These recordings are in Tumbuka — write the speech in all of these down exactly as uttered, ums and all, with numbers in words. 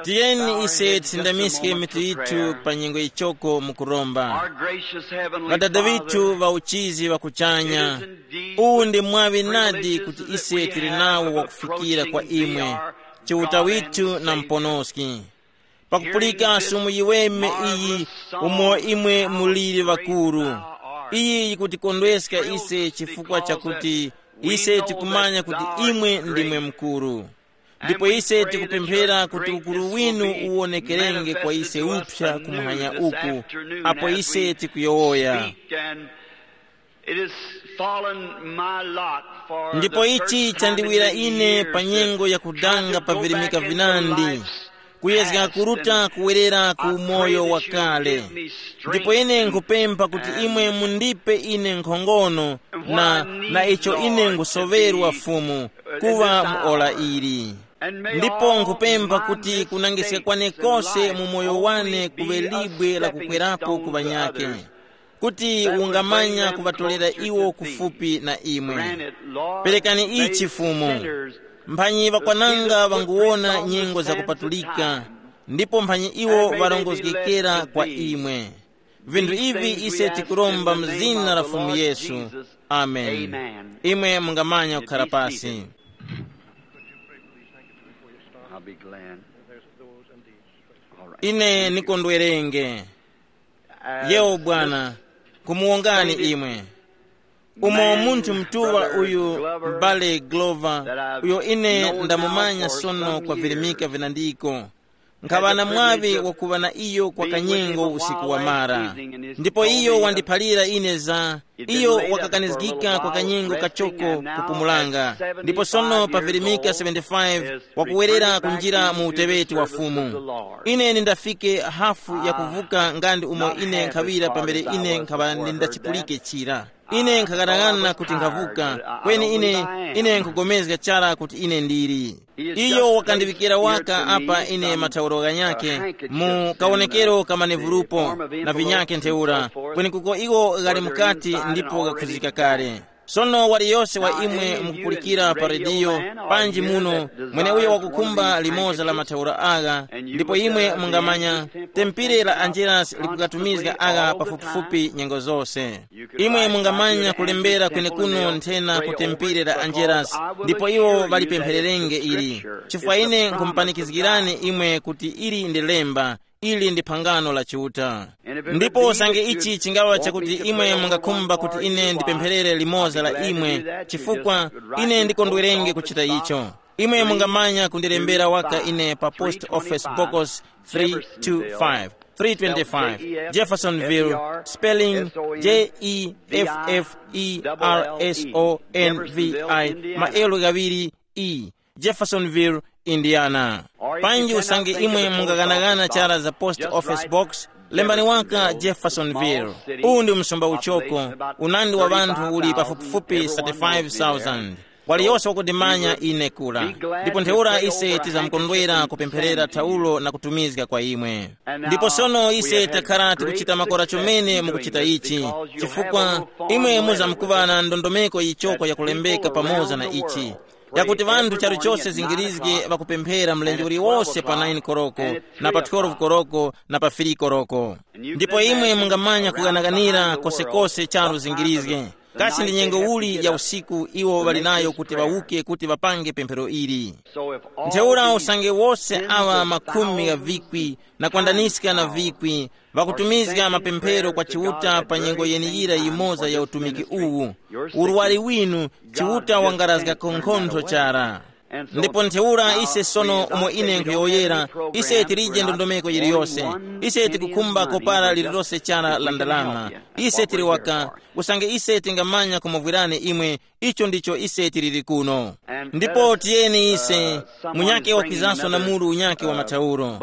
Tiyeni ise tisindamiske mitu yithu pa nyengo yichoko mukuromba. Ŵadada ŵithu ŵa uchizi ŵa kuchanya, uwu ndi mwaŵi nadi kuti ise tili nawo wakufikira kwa imwe, Chiuta withu na Muponoski. Pakupulika sumu yiweme iyi, umo imwe muliri ŵakuru, iyi yikutikondweska ise chifukwa chakuti ise tikumanya kuti imwe ndimwe mkuru. Ndipo ise tikupemphera kuti ukuru winu uwonekerenge kwa ise uphya kumuhanya uku, apo ise tikuyowoya. It is fallen my lot for Ndipo the ichi first time chandiwira in many ine years pa to nyengo ya try kudanga to pa go virimika back into vinandi, life's kuyezga past kuruta and kuwerera ku I pray moyo that you wakale. Give me strength Ndipo ine nkupempha kuti and imwe mundipe ine nkhongono na, na icho ine ngusoverwa Fumu kuŵa mu ora ili. Ndipo nkupempha kuti kunangiska kwane kose mu moyo wane kuŵe libwe la kukwerapo ku ŵanyake, kuti ungamanya kuŵatolera iwo kufupi na imwe. Perekani ichi Fumu, mphanyi ŵakwananga ŵanguwona nyengo zakupatulika, ndipo mphanyi iwo ŵarongozgekera kwa imwe. Vinthu ivi ise tikuromba mu zina la Fumu Yesu. Amen. Imwe mungamanya kukhara pasi. I'll be glad. All right. Ine nikondwerenge. Yewo bwana, kumuwongani imwe. Umo munthu mtuŵa uyu, M'bale Glover, uyo ine ndamumanya sono kwa virimika vinandiko, nkhaŵa na mwaŵi wakuŵa na iyo kwa kanyengo usiku wamara. Ndipo iyo wandiphalira ine za iyo wakakanizgika kwa kanyengo kachoko kupumulanga, ndipo sono pa virimika seventy-five wakuwerera kunjira mu uteŵeti wa Fumu. Ine nindafike hafu ya kuvuka nga ndi umo ine nkhaŵira pambere ine nkhaŵa ndindachipulike chira. Ine nkhaghanaghananga kuti nkhavuka, kweni ine, ine nkhugomezga chara kuti ine ndili. Iyo wakandiŵikira waka apa ine mathauro ghanyakhe mu kawonekero ka manevurupo na vinyakhe ntheura, kweni kuko iwo ghali mukati ndipo ghakhuzika kale. Sono waliyose wa imwe mukupulikira pa rediyo, panji muno, mweneuyo wakukhumba limoza la mathaura agha, ndipo imwe mungamanya, tempire la Angelas likukatumizga agha pafupifupi nyengo zose. Imwe mungamanya kulembera kwenekuno nthena ku tempire la Angelas, ndipo iwo ŵalipemphererenge ili, chifukwa ine nkumupanikizgirani imwe kuti ili ndi lemba, ili ndi phangano la Chiuta. Ndipo usange ichi chingaŵa chakuti imwe mungakhumba kuti ine ndipempherere limoza la imwe, chifukwa ine ndikondwerenge kuchita icho, imwe mungamanya kundirembera waka ine pa Post Office Box three two five, three twenty-five, Jeffersonville, spelling J E F F E R S O N V I, maelo ghaŵiri E, Jeffersonville, Indiana. Panji usange imwe mungaghanagana chara za Post Office Box, lembani waka Jeffersonville. Uwu ndi msumba uchoko, unandi wa ŵanthu uli pafupifupi thirty-five thousand. Waliyose wakundimanya ine kura. Ndipo ntheura ise tizamkondwera kupempherera thaulo na kutumizga kwa imwe. Ndipo sono ise takhala tikuchita makora chomene mukuchita ichi, chifukwa imwe muzamkuŵa na ndondomeko yichoko yakulembeka pamoza na ichi, yakuti ŵanthu charu chose zingirizge ŵakupemphera mlenje uliwose pa nine koroko, na pa twelve koroko, na pa three koroko. Ndipo imwe mungamanya kughanaganira kosekose charu zingirizge. Kasi ndi nyengo uli ya usiku iwo ŵali nayo kuti ŵawuke kuti ŵapange pemphero ili? Ntheura usange wose awa makhumi gha vikwi na kwandaniska na vikwi ŵakutumizga mapemphero kwa Chiuta pa nyengo yeniyira yimoza ya utumiki uwu, urwari winu Chiuta wangarazga khonkhontho chara. Ndipo ntheura ise sono umo ine nkhuyowoyera, ise tilije ndondomeko yiliyose. Ise tikukhumba kopara lililose chara la ndalama. Ise tili waka, usange ise tingamanya kumuvwirani imwe, icho ndicho ise tiliri kuno. Ndipo tiyeni ise, munyake wakwizanso na muru unyake wa mathauro.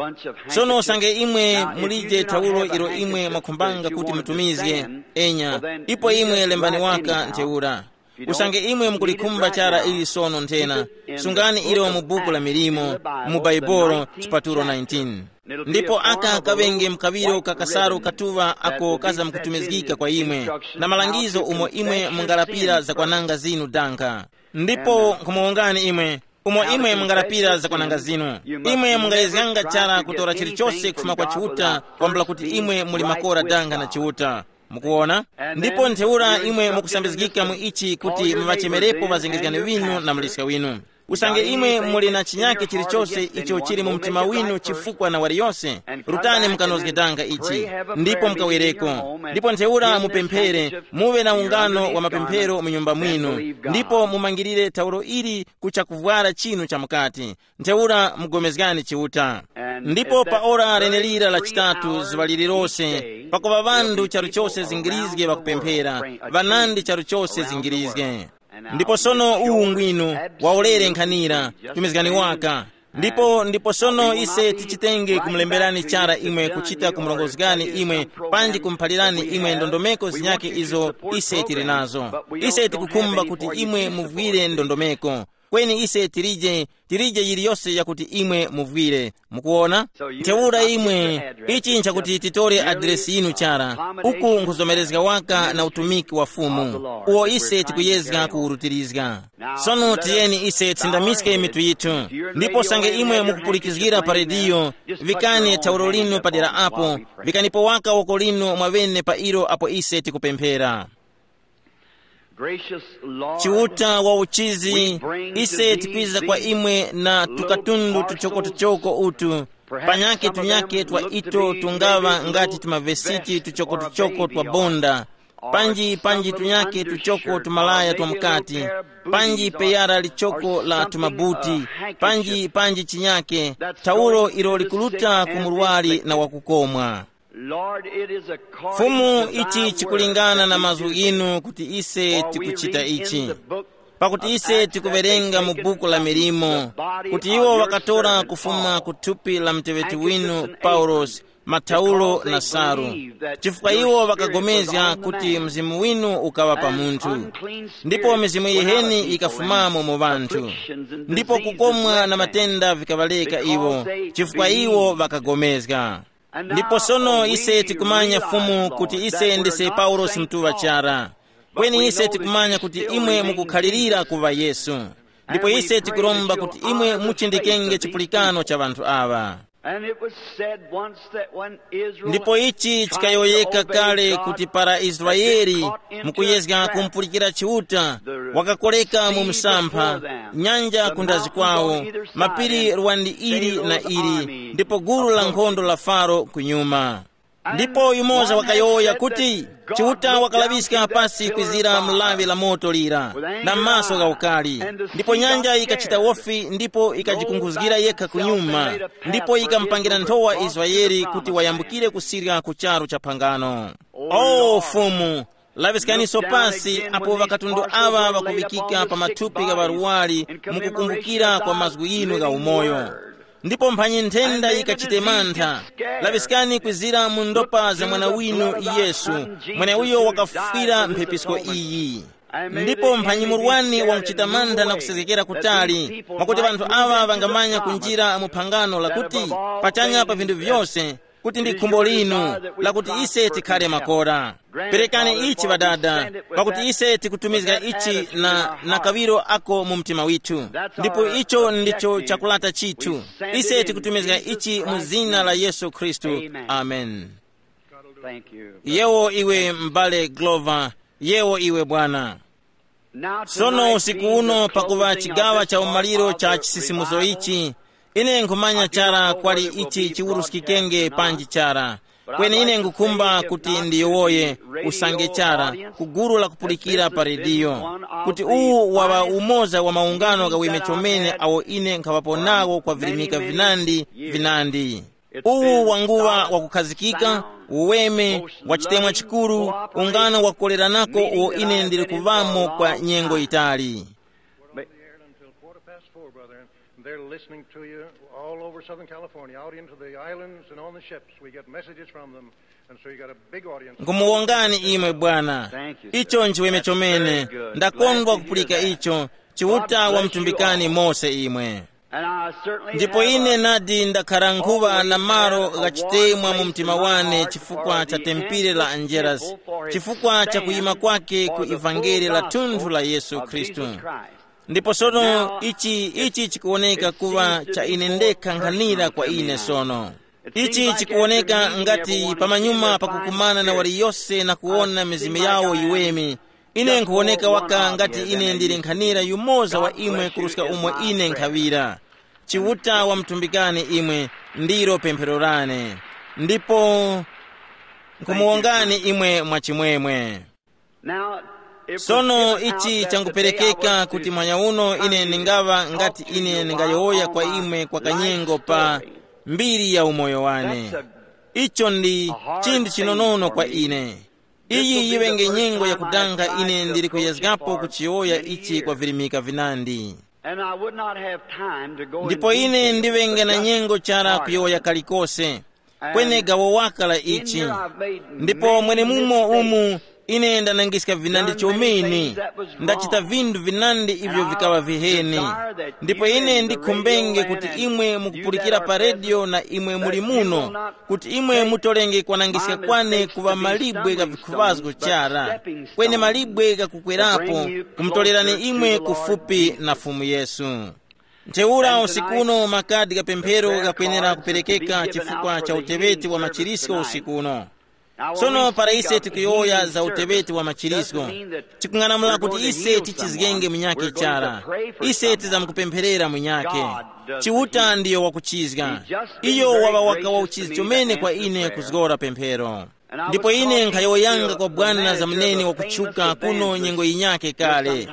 Sono usange imwe mulije thaulo ilo imwe mwakhumbanga kuti mutumizge, enya, ipo imwe lembani waka ntheura. Usange imwe mukulikhumba chara ili sono nthena, sungani ilo mu buku la milimo, mu Baibolo, chipatulo nineteen. Ndipo aka kaŵenge mkaŵiro ka kasaru katuŵa ako kazamkutumizgika kwa imwe, na malangizo umo imwe mungalapira zakwananga zinu danga. Ndipo nkhumuwongani imwe, Umo imwe mungalapira zakwananga zinu. Imwe mungayezganga chara kutora chilichose kufuma kwa Chiuta, kwambula kuti imwe muli makora danga na Chiuta. Mukuona? Ndipo ntheura imwe mukusambizgika mu ichi kuti muŵachemerepo ŵazengezgani winu na muliska winu. Usange imwe muli na chinyake chilichose icho chili mu mtima winu chifukwa na waliyose, rutani mukanozge danga ichi, ndipo mukawereko. Ndipo ntheura mupemphere, muve na ungano wa mapemphero mu nyumba mwinu, ndipo mumangirire taulo ili ku chakuvwara chinu cha mukati. Ntheura mugomezgani Chiuta. Ndipo pa ora lenelira la chitatu zuŵa lililose, pakuŵa ŵanthu charu chose zingirizge ŵakupemphera, ŵanandi charu chose zingirizge. Ndipo sono uwu ngwino, waulere nkhanira, tumizgani waka. Ndipo ndipo sono ise tichitenge kumulemberani chara imwe kuchita kumurongozgani imwe, panji kumuphalirani imwe ndondomeko zinyakhe izo ise tili nazo. Ise tikukhumba kuti imwe muvwire ndondomeko. Kweni ise tilije, tilije yiliyose yakuti imwe muvwire. Mukuona? Ntheura imwe, ichi nchakuti titore adiresi yinu chara, uku nkhuzomerezga waka na utumiki wa Fumu, uwo ise tikuyezga kuwurutirizga. Sono tiyeni ise tisindamiske mitu yithu, ndipo sange imwe mukupulikizgira pa rediyo, vikani thauro linu padera apo, vikanipo waka woko linu mwawene pa ilo apo ise tikupemphera. Gracious Lord, Chiuta wa uchizi, ise tikwiza kwa imwe na tukatundu tuchoko-tuchoko utu, panyake tunyake twa ito tungaŵa ngati tumavesiti tuchoko-tuchoko twa bonda, panji panji tunyake tuchoko tumalaya twa mukati, panji peyara lichoko la tumabuti, panji panji chinyake, taulo ilo likuluta ku murwari na wakukomwa. Fumu, ichi chikulingana na mazgu inu kuti ise tikuchita ichi. Pakuti ise tikuwerenga mu buku la milimo, kuti iwo ŵakatora kufuma ku thupi la muteŵeti winu Paulosi, mathaulo na salu, chifukwa iwo ŵakagomezga kuti mzimu winu ukaŵa pa munthu, ndipo mizimu yiheni yikafumamo mu ŵanthu, ndipo kukomwa na matenda vikaŵaleka iwo, chifukwa iwo ŵakagomezga. Ndipo sono ise tikumanya Fumu kuti ise ndise Paulosi mtuŵa chara. Kweni ise tikumanya kuti imwe mukukhalirira kuŵa Yesu. Ndipo ise tikuromba kuti imwe muchindikenge chipulikano cha ŵanthu aŵa. And it was said once that when Israel ndipo ichi chikayoyeka kale kuti para Israeli mukuyezga kumpulikira Chiuta, wakakoleka mu msampha, nyanja kundazi kwawo, mapiri lwandi ili na ili, ndipo gulu la nkhondo la Faro kunyuma. Ndipo yumoza wakayowoya kuti, Chiuta wakalaŵiska pasi kwizira mu lawi la moto lira, na maso gha ukali, ndipo nyanja yikachita wofi ndipo yikajikunguzgira yekha kunyuma, ndipo yikamupangira nthowa Israeli kuti wayambukire kusirya ku charu cha phangano. O Fumu, laŵiskaniso pasi apo ŵakatundu aŵa ŵakuŵikika pa mathupi gha ŵaruwari, mukukumbukira kwa mazgu yinu gha umoyo. Ndipo mphanyi nthenda yikachite mantha, laŵiskani kwizira mu ndopa za mwana winu Yesu, mweneuyo wakafwira mphepisko iyi. Ndipo mphanyi murwani wakuchita mantha na kusezgekera kutali, mwakuti anthu awa ŵangamanya kunjira mu phangano lakuti, pachanya pa vinthu vyose, kuti ndi khumbo linu, lakuti ise tikhale makora. Perekani ichi Ŵadada, pakuti ise tikutumizga ichi na, na kawiro ako mu mtima withu. Ndipo icho ndicho chakulata chithu. Ise tikutumizga ichi mu zina la Yesu Khristu. Amen. Thank you. Yewo iwe m'bale Glover, yewo iwe bwana. Sono usiku uno pakuŵa chigawa cha umaliro cha chisisimuso ichi, ine nkhumanya chara kwali ichi chiwuruskikenge panji chara. Kweni ine ngukhumba kuti ndiyowoye usange chara ku gulu lakupulikira pa rediyo, kuti uwu waŵa umoza wa maungano ghaweme chomene awo ine nkhaŵapo nawo kwa virimika vinandi vinandi. Uwu wanguŵa wakukhazikika, uweme, wa chitemwa chikuru, ungano wakukoleranako uwo ine ndili kuŵamo kwa nyengo yitali. From here until quarter past four, brother, and they're listening to you all over Southern California, out into the islands and on the ships. We get messages from them, and so you got a big audience. Ngumuwongani imwe bwana. Icho nchiweme chomene. Ndakondwa kupulika icho. Chiuta wamtumbikani mose imwe. Ndipo ine nadi ndakhara nkhuŵa na malo ghachitemwa mu mtima wane chifukwa cha tempire la Angelasi, chifukwa cha kuyima kwake ku ivangeli la thunthu la Yesu Khristu. Ndipo sono ichi, ichi chikuwoneka kuŵa cha ine ndekha nkhanira kwa ine sono. Ichi chikuwoneka ngati pamanyuma pakukumana na waliyose na kuwona mizimu yawo yiweme, ine nkhuwoneka waka ngati ine ndili nkhanira yumoza wa imwe kuruska umo ine nkhaŵira. Chiuta wamtumbikani imwe, ndilo pemphero lane. Ndipo nkhumuwongani imwe mwachimwemwe. Now, if sono ichi changuperekeka kuti mwanya uno ine ndingaŵa ngati ine ndingayowoya kwa imwe kwa kanyengo pa mbiri ya umoyo wane. Icho ndi chinthu chinonono kwa ine. Iyi yiŵenge nyengo yakudanga ine ndili kuyezgapo kuchiyowoya ichi kwa virimika vinandi. And I would not have time to go ndipo in ine detail, ndiŵenge but na just nyengo chara part of kuyowoya it. Kalikose. Kweni gawo waka la ichi. Ndipo mwene mumo umu ine ndanangiska vinandi chomene. Ndachita vinthu vinandi ivyo vikaŵa viheni. Ndipo ine ndikhumbenge kuti imwe mukupulikira pa redio na imwe muli muno, kuti imwe mutolenge kwanangiska kwane kuŵa malibwe ga vikhuvazgo chara, kweni malibwe gakukwerapo, kumutolerani imwe kufupi na Fumu Yesu. Ntheura usiku uno makadi gha pemphero ghakwenera kuperekeka chifukwa cha uteŵeti wa machirisko usiku uno. Sono para ise tikuyowoya za uteŵeti wa machirisko, tikung'anamula kuti ise tichizgenge munyakhe chara. Ise tizamkupempherera munyakhe. Chiuta ndiyo wakuchizga. Iyo waŵa waka wa uchizi chomene kwa ine kuzgora pemphero. Ndipo ine nkhayowoyanga kwa bwana za muneni wakutchuka kuno nyengo yinyakhe kale.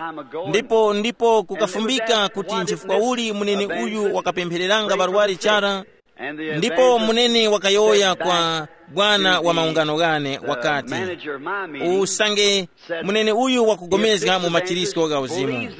Ndipo ndipo kukafumbika kuti nchifukwa uli muneni uyu wakapemphereranga ŵarwari chara. Ndipo muneni wakayowoya kwa bwana wa maungano ghane wakati, usange muneni uyu wakugomezga mu machirisko gha uzimu.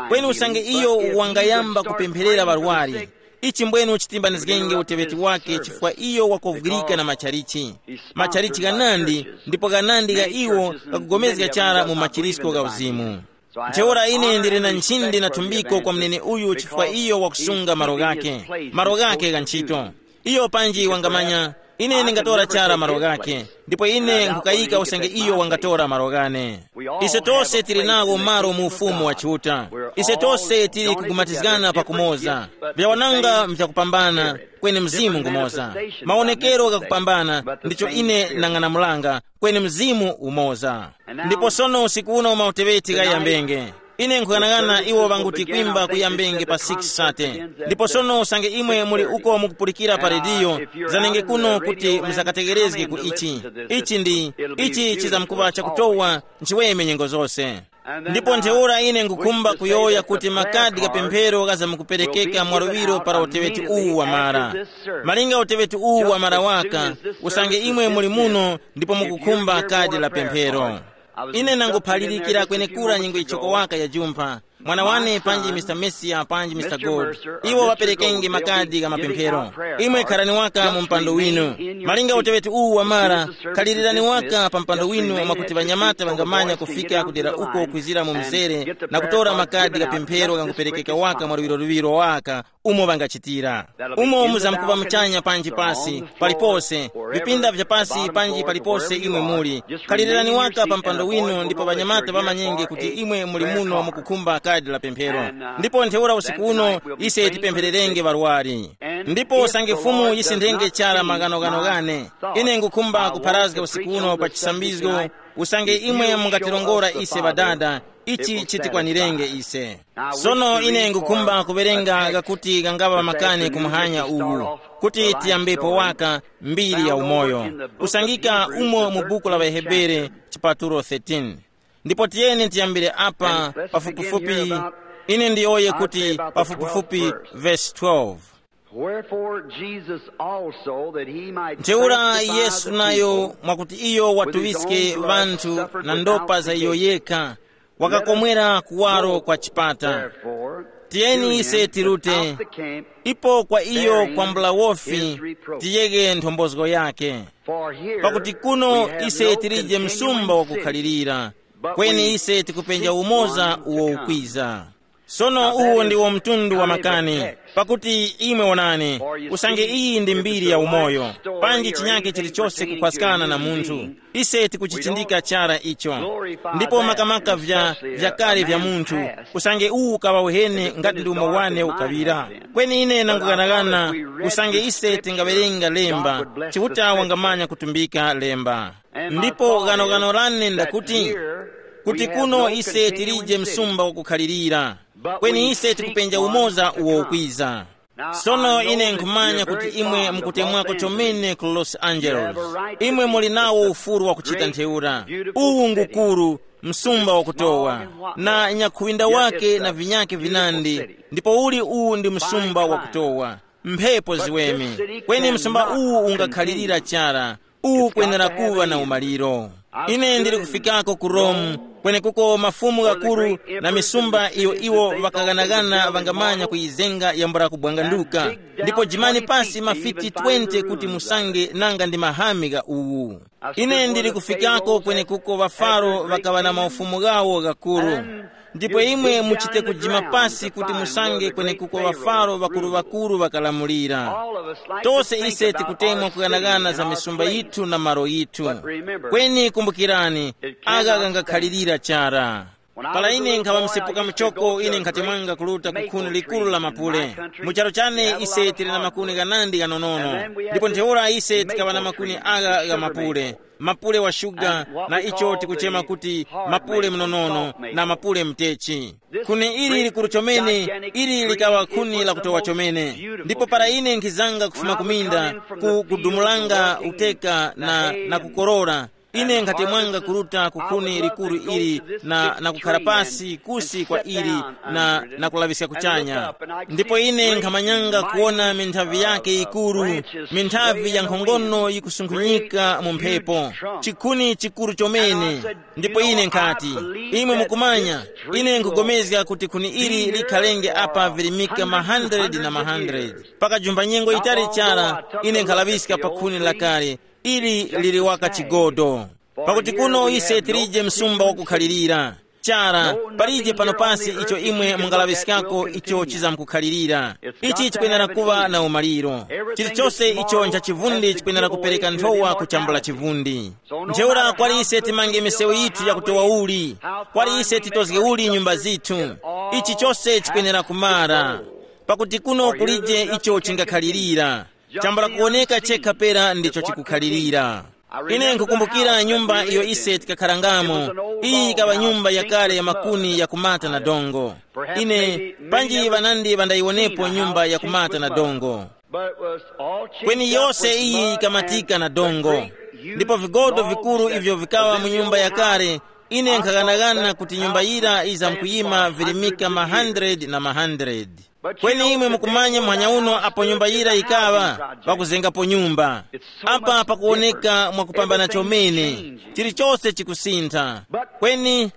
Kweni usange iyo wangayamba kupempherera ŵarwari, ichi mbwenu chitimbanizgenge uteŵeti wake chifukwa iyo wakovwirika na machalichi. Machalichi ghanandi, ndipo ghanandi gha iwo ghakugomezga chara mu machirisko gha uzimu. Ntheura ine ndili na nchindi na thumbiko kwa mnene uyu chifukwa iyo wakusunga malo ghake, malo ghake gha ntchito. Iyo panji wangamanya, ine ndingatora chara malo ghake, ndipo ine nkhukayika usange iyo wangatora malo ghane. Ise tose tili nawo malo mu ufumu wa Chiuta. Ise tose tili kugumatizgana pakumoza. Vyawananga mvyakupambana, kweni mzimu ngumoza. Mawonekero ghakupambana ndicho ine nang'anamulanga, kweni mzimu umoza. Ndipo sono usiku uno mauteŵeti ghayambenge. Ine nkhughanaghana iwo ŵanguti kwimba kuyambenge pa six sate. Ndipo sono usange imwe muli uko mukupulikira pa rediyo, zanenge kuno kuti musakategerezge ku ichi. Ichi ndi, ichi chizamkuŵa chakutowa nchiweme nyengo zose. Ndipo ntheura ine ngukhumba kuyowoya kuti makadi gha pemphero ghazamkuperekeka mwaluŵiro para uteŵeti uwu wamara. Malinga uteŵeti uwu wamara waka, usange imwe muli muno ndipo mukukhumba kadi la pemphero. Ine nanguphalirikira kwenekura nyengo ichoko waka ya jumpha. Mwana wane panji Mister Messiah panji Mister Gold, iwo ŵaperekenge makadi gha mapemphero. Imwe kharani waka mu mpando winu. Malinga uteŵeti uwu wamara, khalirani waka pa mpando winu mwakuti ŵanyamata ŵangamanya kufika kudera uko kwizira mu mzere na kutora makadi gha pemphero ghanguperekeka waka mwa luŵiro luŵiro waka umo ŵangachitira. Umo muzamkuŵa muchanya panji pasi, palipose, vipinda vya pasi panji palipose imwe muli. Khalirani waka pa mpando winu ndipo ŵanyamata ŵamanyenge kuti imwe muli muno mukukhumba kadi la pemphero. Ndipo ntheura usiku uno ise tipemphererenge ŵarwari. Ndipo usange Fumu yisinthenge chara maghanoghano ghane, ine ngukhumba kupharazga usiku uno pa chisambizgo, usange imwe mungatilongora ise ŵadada, ichi chitikwanirenge ise. Sono ine ngukhumba kuwerenga ghakuti ghangaŵa makani ku muhanya uwu, kuti tiyambepo waka mbiri ya umoyo, kusangika umo mu buku la ŵaHebere chipatulo thirteen. Ndipo tiyeni tiyambire apa pafupifupi, ine ndiyowoye kuti pafupifupi vesi twelve. Wherefore Jesus also, that he might ntheura sanctify Yesu the nayo people mwakuti iyo with his watuŵiske own blood, ŵanthu suffered na without ndopa za iyo pity. Yekha, wakakomwera kuwaro kwa chipata. Therefore, tiyeni to ise him tirute without the camp, ipo kwa iyo bearing kwambula wofi his reproach. Tiyeghe nthombozo yake. For here pakuti kuno we have ise no tilije continuing msumba city, wakukhalirira, but kweni we ise tikupenja seek umoza one to uwo come. Ukwiza. Sono uwu ndiwo mtundu wa makani, pakuti imwe wonani, usange iyi ndi mbiri ya umoyo, panji chinyake chilichose kukhwaskana na munthu, ise tikuchichindika chara icho. Ndipo makamaka vya vyakale vya munthu, usange uwu ukaŵa uheni ngati ndi umo wane ukaŵira. Kweni ine nangughanaghana, usange ise tingawerenga lemba, Chiuta wangamanya kutumbika lemba. Ndipo ghanoghano lane ndakuti, kuti kuno ise tilije msumba wakukhalirira, kweni ise tikupenja umoza uwo ukwiza. Sono ine nkhumanya kuti imwe mukutemwako chomene ku Los Angeles. Imwe muli nawo ufulu wa kuchita ntheura. Uwu ngukuru, msumba wakutowa, na nyakhuwinda wake na vinyake vinandi. Ndipo uli uwu ndi msumba wakutowa, mphepo ziweme. Kweni msumba uwu ungakhalirira chara, uwu kwenera kuŵa na umaliro. Ine ndili kufikako ku Rome, kwenekuko mafumu ghakuru na misumba iyo iwo ŵakaghanagana ŵangamanya kuyizenga yambula kubwanganduka. Ndipo jimani pasi mafiti twenty kuti musange nanga ndi mahami gha uwu. Ine ndili kufikako kwenekuko ŵafaro ŵakaŵa na maufumu ghawo ghakuru. Ndipo imwe muchite kujima pasi kuti musange kwenekuko ŵafaro ŵakuru-ŵakuru ŵakalamulira. Tose ise tikutemwa kughanaghana za misumba yithu na malo yithu. Kweni kumbukirani, agha ghangakhalirira chara. Para ine nkhaŵa msepuka muchoko, ine nkhati mwanga kuluta ku khuni likuru la mapule. Mu charu chane ise tili na makuni ghanandi ghanonono, ndipo ntheura ise tikaŵa na makuni agha gha mapule, mapule wa shuga, na icho tikuchema kuti mapule mnonono na mapule mtechi. Khuni ili likuru chomene, ili likaŵa khuni lakutowa chomene. Ndipo para ine nkhizanga kufuma kuminda, ku kudumulanga uteka na, na kukorora, ine nkhati mwanga kuruta ku khuni likuru ili na, na kukhara pasi kusi kwa ili na, na kulaŵiska kuchanya. Ndipo ine nkhamanyanga kuwona minthavi yake yikuru, minthavi ya nkhongono yikusunkhunyika mu mphepo, chikhuni chikuru chomene. Ndipo ine nkhati, imwe mukumanya, ine nkugomezga kuti khuni ili likhalenge apa virimika ma hundred na ma hundred. Pakajumba nyengo yitali chara, ine nkhalaŵiska pa khuni lakale, ili lili waka chigodo. Pakuti kuno ise tilije msumba wakukhalirira. Chara, palije pano pasi icho imwe mungalaŵiskako icho chizamkukhalirira. Ichi chikwenera kuŵa na umaliro. Chilichose icho ncha chivundi chikwenera kupereka nthowa kuchambula chivundi. Ntheura kwali ise timange misewu yithu yakutowa uli, kwali ise titozge uli nyumba zithu, ichi chose chikwenera kumara. Pakuti kuno kulije icho chingakhalirira, chambula kuwoneka chekha pera ndicho chikukhalirira. Ine nkukumbukira nyumba iyo ise tikakharangamo. Iyi yikaŵa nyumba yakale ya makuni ya kumata na dongo. Ine, panji ŵanandi ŵandayiwonepo nyumba ya kumata na dongo. Kweni yose iyi yikamatika na dongo. Ndipo vigodo vikuru ivyo vikaŵa mu nyumba yakale, ine nkhaghanagana kuti nyumba yira yizamkuyima virimika ma hundred na ma hundred. Kweni imwe mukumanya muhanya uno apo nyumba yira yikaŵa, pakuzengapo nyumba. Apa pakuwoneka mwakupambana chomene, chilichose chikusintha. Kweni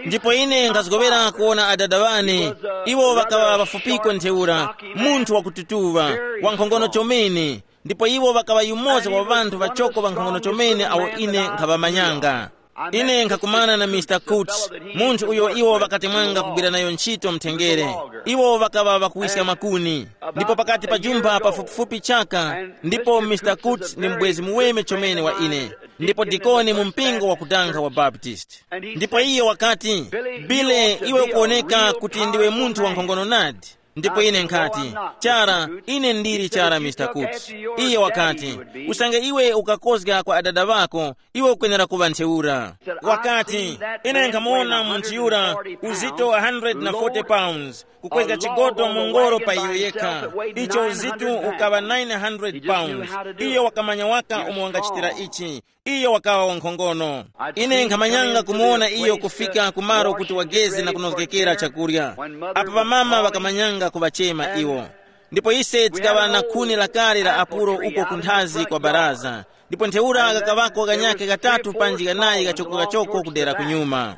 ndipo ine nkhazgowera kuwona adada ŵane, iwo ŵakaŵa ŵafupiko ntheura, munthu wakututuŵa, wankhongono chomene. Ndipo iwo ŵakaŵa yumoza wa ŵanthu ŵachoko ŵankhongono chomene awo ine nkhaŵamanyanga. Ine nkhakumana na Mr Coots, munthu uyo iwo ŵakatemwanga kugwira nayo ntchito mthengere. Iwo ŵakaŵa ŵakuwiska makuni. Ndipo pakati pa jumba pafupifupi chaka, ndipo Mr Coots ni mubwezi muweme chomene wa ine, ndipo dikoni mu mpingo wakudanga wa Baptist. Ndipo iye wakati, bile, iwe ukuwoneka kuti ndiwe munthu wankhongono nadi. Ndipo ine nkhati, chara, ine ndili chara Mr Coots. Iye wakati, usange iwe ukakozga kwa adada ŵako, iwe ukwenera kuŵa ntheura. Wakati, ine nkhamuwona munthu yura, uzito one hundred forty pounds, kukwezga chigodo mu ngoro pa iyo yekha, icho uzito ukaŵa nine hundred pounds. Iyo wakamanya waka umo wangachitira ichi. Iyo wakaŵa wankhongono. Ine nkhamanyanga kumuwona iyo kufika kumaro kuti wageze na kunozgekera chakurya. Apo ŵamama ŵakamanyanga kuŵachema iwo. Ndipo ise tikaŵa na khuni lakale la apuro uko kunthazi kwa baraza. Ndipo ntheura ghakaŵako ghanyakhe ghatatu panji ghanayi ghachoko-ghachoko kudera kunyuma.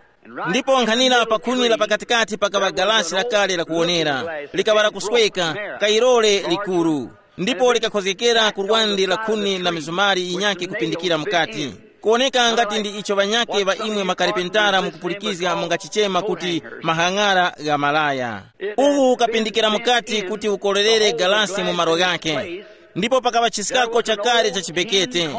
Ndipo nkhanira pa khuni la pakatikati pakaŵa galasi lakale lakuwonera, likaŵa lakusweka, kayirore likuru. Ndipo likakhozgekera ku lwande la khuni na mizumari yinyakhe kupindikira mukati. Kuwoneka ngati ndi icho ŵanyakhe ŵa imwe makaripentara mukupulikizga mungachichema kuti mahang'ara gha malaya. Uwu ukapindikira mukati kuti ukorerere galasi mu malo ghakhe. Ndipo pakaŵa chisikako chakale cha chibekete.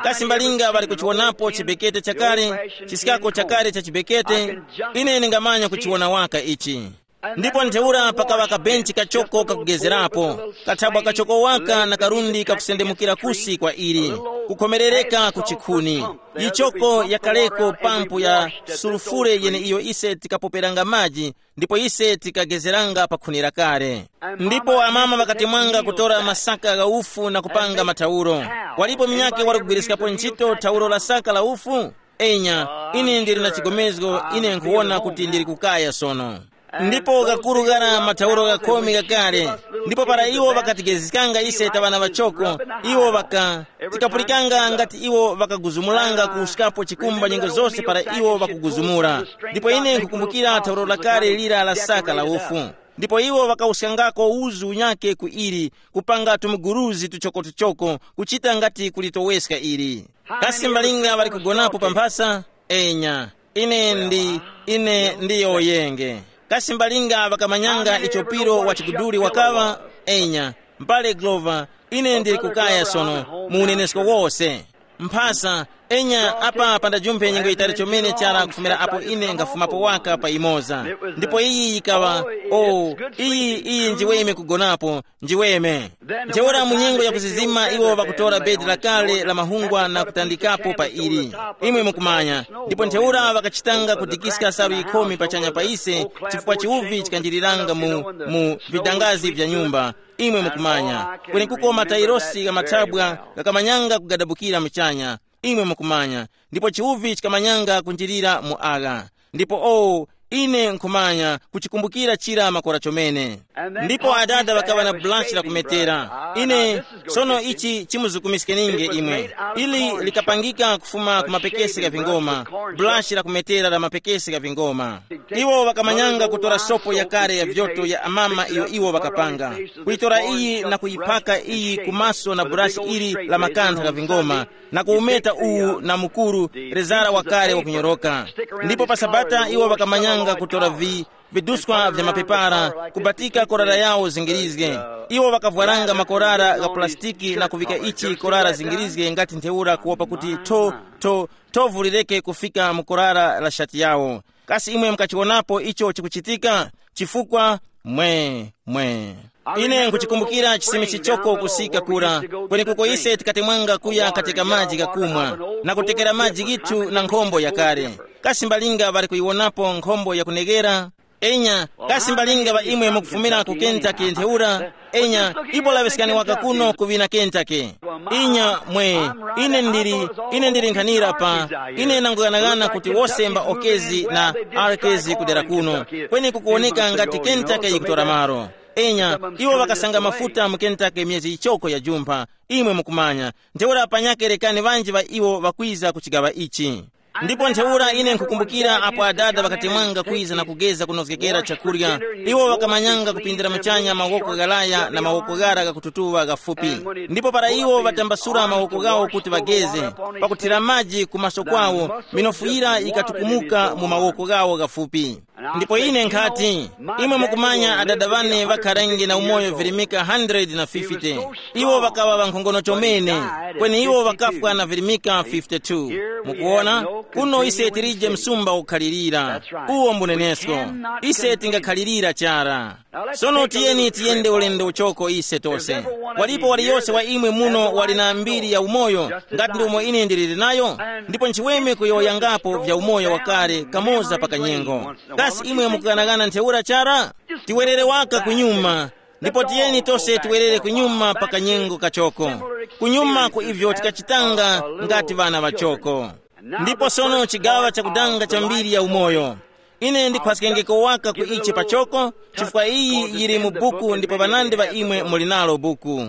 Kasi mbalinga ŵali kuchiwonapo chibekete chakale? Chisikako chakale cha chibekete, ine ndingamanya kuchiwona waka ichi. Ndipo ntheura pakaŵa kabenchi kachoko kakugezerapo, kathabwa kachoko waka na karundi kakusendemukira kusi kwa ili, kukhomerereka ku chikhuni. Yichoko yakaleko pampu ya sulufure yeneiyo ise tikapoperanga maji, ndipo ise tikagezeranga pa khuni lakale. Ndipo amama ŵakatemwanga kutora masaka gha ufu na kupanga mathauro. Walipo munyakhe wali kugwiriskapo ntchito thauro la saka la ufu? Enya, ine ndili na chigomezgo, ine nkhuwona kuti ndili kukaya sono. Ndipo gakuru ghara mathauro ghakhumi ghakale. Ndipo para iwo ŵakatigezganga ise ta ŵana ŵachoko, iwo ŵaka tikapulikanga ngati iwo ŵakaguzumulanga kuwuskapo chikumba nyengo zose para iwo ŵakuguzumula. Ndipo ine nkhukumbukira thauro lakale lira la saka la ufu. Ndipo iwo ŵakawuskangako uzu unyake ku ili, kupanga tumuguruzi tuchokotuchoko, kuchita ngati kulitoweska ili. Kasi mbalinga ŵali kugonapo pa mphasa? Enya, ine ndi ine ndiyo yenge. Kasi mbalinga ŵakamanyanga icho piro wa chiguduli wakaŵa? Enya, mbale Glover, ine ndili kukaya sono mu unenesko wose. Mphasa, enya, apa pandajumphe nyengo yitali chomene chara kufumira apo ine ngafumapo waka pa imoza. Ndipo iyi yikaŵa, o, iyi iyi njiweme kugonapo, njiweme. Ntheura mu nyengo ya kuzizima iwo ŵakutora bedi lakale la mahungwa na kutandikapo pa ili, imwe mukumanya. Ndipo ntheura ŵakachitanga kudikiska salu yikhumi pachanya pa ise, chifukwa chiwuvi chikanjiriranga mu, mu vidangazi vya nyumba, imwe mukumanya. Kwenekuko matairosi gha mathabwa ghakamanyanga kugadabukira muchanya, imwe mukumanya. Ndipo chiwuvi chikamanyanga kunjirira mu agha. Ndipo o, ine nkhumanya kuchikumbukira chira makora chomene. Ndipo adada ŵakaŵa na bulashi la kumetera. Ine, sono ichi chimuzukumiskeninge imwe. Ili likapangika kufuma ku mapekesi gha vingoma, bulashi la kumetera la mapekesi gha vingoma. Iwo ŵakamanyanga kutora sopo yakare ya vyoto ya amama iyo iwo ŵakapanga, kuyitora iyi na kuyiphaka iyi ku maso na burashi ili la makantha gha vingoma, na kuwumeta uwu na mukuru, rezara wakale wakunyoroka. Ndipo pa Sabata iwo ŵakamanyanga kutora vi, viduskwa vya mapepara, kubatika korara yawo zingirizge. Iwo ŵakavwaranga makorara gha pulasitiki na kuvika ichi korara zingirizge ngati ntheura kuwopa kuti tho, tho, thovu lireke kufika mu korara la shati yawo. Kasi imwe mukachiwonapo icho chikuchitika? Chifukwa, mwe, mwe. Ine nkuchikumbukira chisime chichoko kusika kura, kwenekuko ise tikatemwanga kuya kateka maji ghakumwa, na kutekera maji ghithu na nkhombo yakale. Kasi mbalinga ŵali kuyiwonapo nkhombo yakuneghera? Enya, kasi mbalinga ŵa imwe mukufumira ku Kentucky ntheura? Enya, ipo laŵeskani waka kuno ku ŵina Kentucky. Inya, mwe, ine ndili, ine ndili nkhanira pa, ine nanguyanaghana kuti wose mba okezi na arkezi kudera kuno, kweni kukuwoneka ngati Kentucky yikutora malo. Enya, iwo ŵakasanga mafuta mu Kentucky myezi yichoko ya jumpha, imwe mukumanya. Ntheura panyakhe rekani ŵanji ŵa iwo ŵakwiza ku chigaŵa ichi. Ndipo ntheura ine nkhukumbukira apo adada ŵakatemwanga kwiza na kugeza kunozgekera chakurya, iwo ŵakamanyanga kupindira muchanya mawoko ghalaya na mawoko ghara ghakututuŵa ghafupi. Ndipo para iwo ŵatambasura mawoko ghawo kuti ŵageze, pakuthira maji ku maso kwawo, minofu yira yikatukumuka mu mawoko ghawo ghafupi. Ndipo ine nkhati, imwe mukumanya adada ŵane ŵakharenge na umoyo virimika hundred na fifty. Iwo ŵakaŵa ŵankhongono chomene, kweni iwo ŵakafwa na virimika fifty-two. Mukuwona, kuno ise tilije msumba ukhalirira. Uwo mbunenesko. Ise tingakhalirira chara. Sono tiyeni tiyende ulendo uchoko ise tose. Walipo waliyose wa imwe muno wali na mbiri ya umoyo, ngati ndi umo ine ndiliri nayo? Ndipo nchiweme kuyowoyangapo vya umoyo wakale kamoza pa kanyengo. Kasi imwe mukughanaghana ntheura chara? Tiwerere waka kunyuma, ndipo tiyeni tose tiwerere kunyuma pa kanyengo kachoko, kunyuma ku ivyo tikachitanga ngati ŵana ŵachoko. Ndipo sono chigaŵa chakudanga cha mbiri ya umoyo. Ine ndikhwaskengeko waka ku ichi pachoko, chifukwa iyi yili mu buku ndipo ŵanandi ŵa imwe muli nalo buku.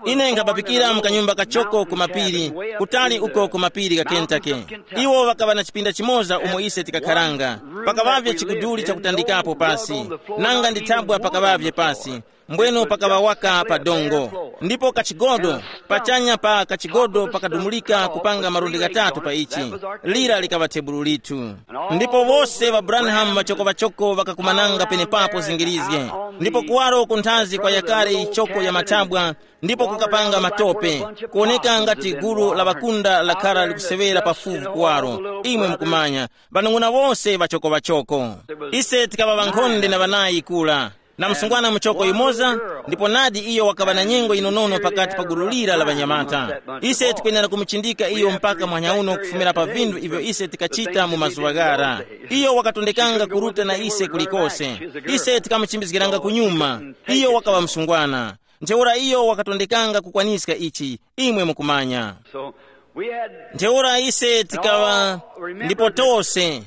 Ine nkhabapikira mu kanyumba kachoko ku mapiri, kutali uko ku mapiri gha Kentucky. Iwo ŵakaŵa na chipinda chimoza umo ise tikakharanga. Pakaŵavye chiguduli chakutandikapo pasi, nanga ndi thabwa pakaŵavye pasi. Mbweno pakaŵa waka pa dongo, ndipo kachigodo, pachanya pa kachigodo pakadumulika kupanga malundi ghatatu pa ichi. Lira likaŵa thebulu lithu. Ndipo wose ŵa Branham ŵachoko ŵachoko ŵakakumananga penepapo zingirizge, ndipo kuwaro kunthazi kwa yakare ichoko ya mathabwa, ndipo kukapanga matope, kuwoneka ngati gulu la ŵakunda lakhara likusewera pafupi kuwaro. Imwe mukumanya, ŵanung'una wose ŵachoko ŵachoko. Ise tikaŵa ŵankhonde na ŵanayi kula, na msungwana muchoko yumoza, ndipo nadi iyo wakaŵa na nyengo yinonono pakati pa gulu lira la ŵanyamata. Ise tikwenera kumuchindika iyo mpaka muhanya uno kufumira pa vinthu ivyo ise tikachita mu mazuŵa ghara. Iyo wakatondekanga kuruta na ise kulikose. Ise tikamuchimbizgiranga kunyuma. Iyo wakaŵa msungwana. Ntheura iyo wakatondekanga kukwaniska ichi, imwe mukumanya. So we had ntheura ise tikaŵa ndipo tose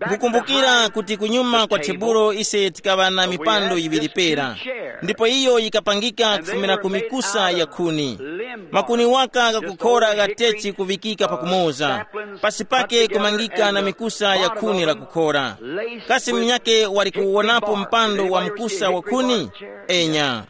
nkukumbukira kuti kunyuma kwa tebulo ise tikaŵa na mipando yiŵiri pera, ndipo iyo yikapangika kufumira ku mikusa ya khuni. Makuni waka ghakukhora ghatechi kuvikika pakumoza, pasi pake kumangika na mikusa ya khuni lakukhora. Kasi munyake wali kuwonapo mpando wa mkusa wa khuni? Enya.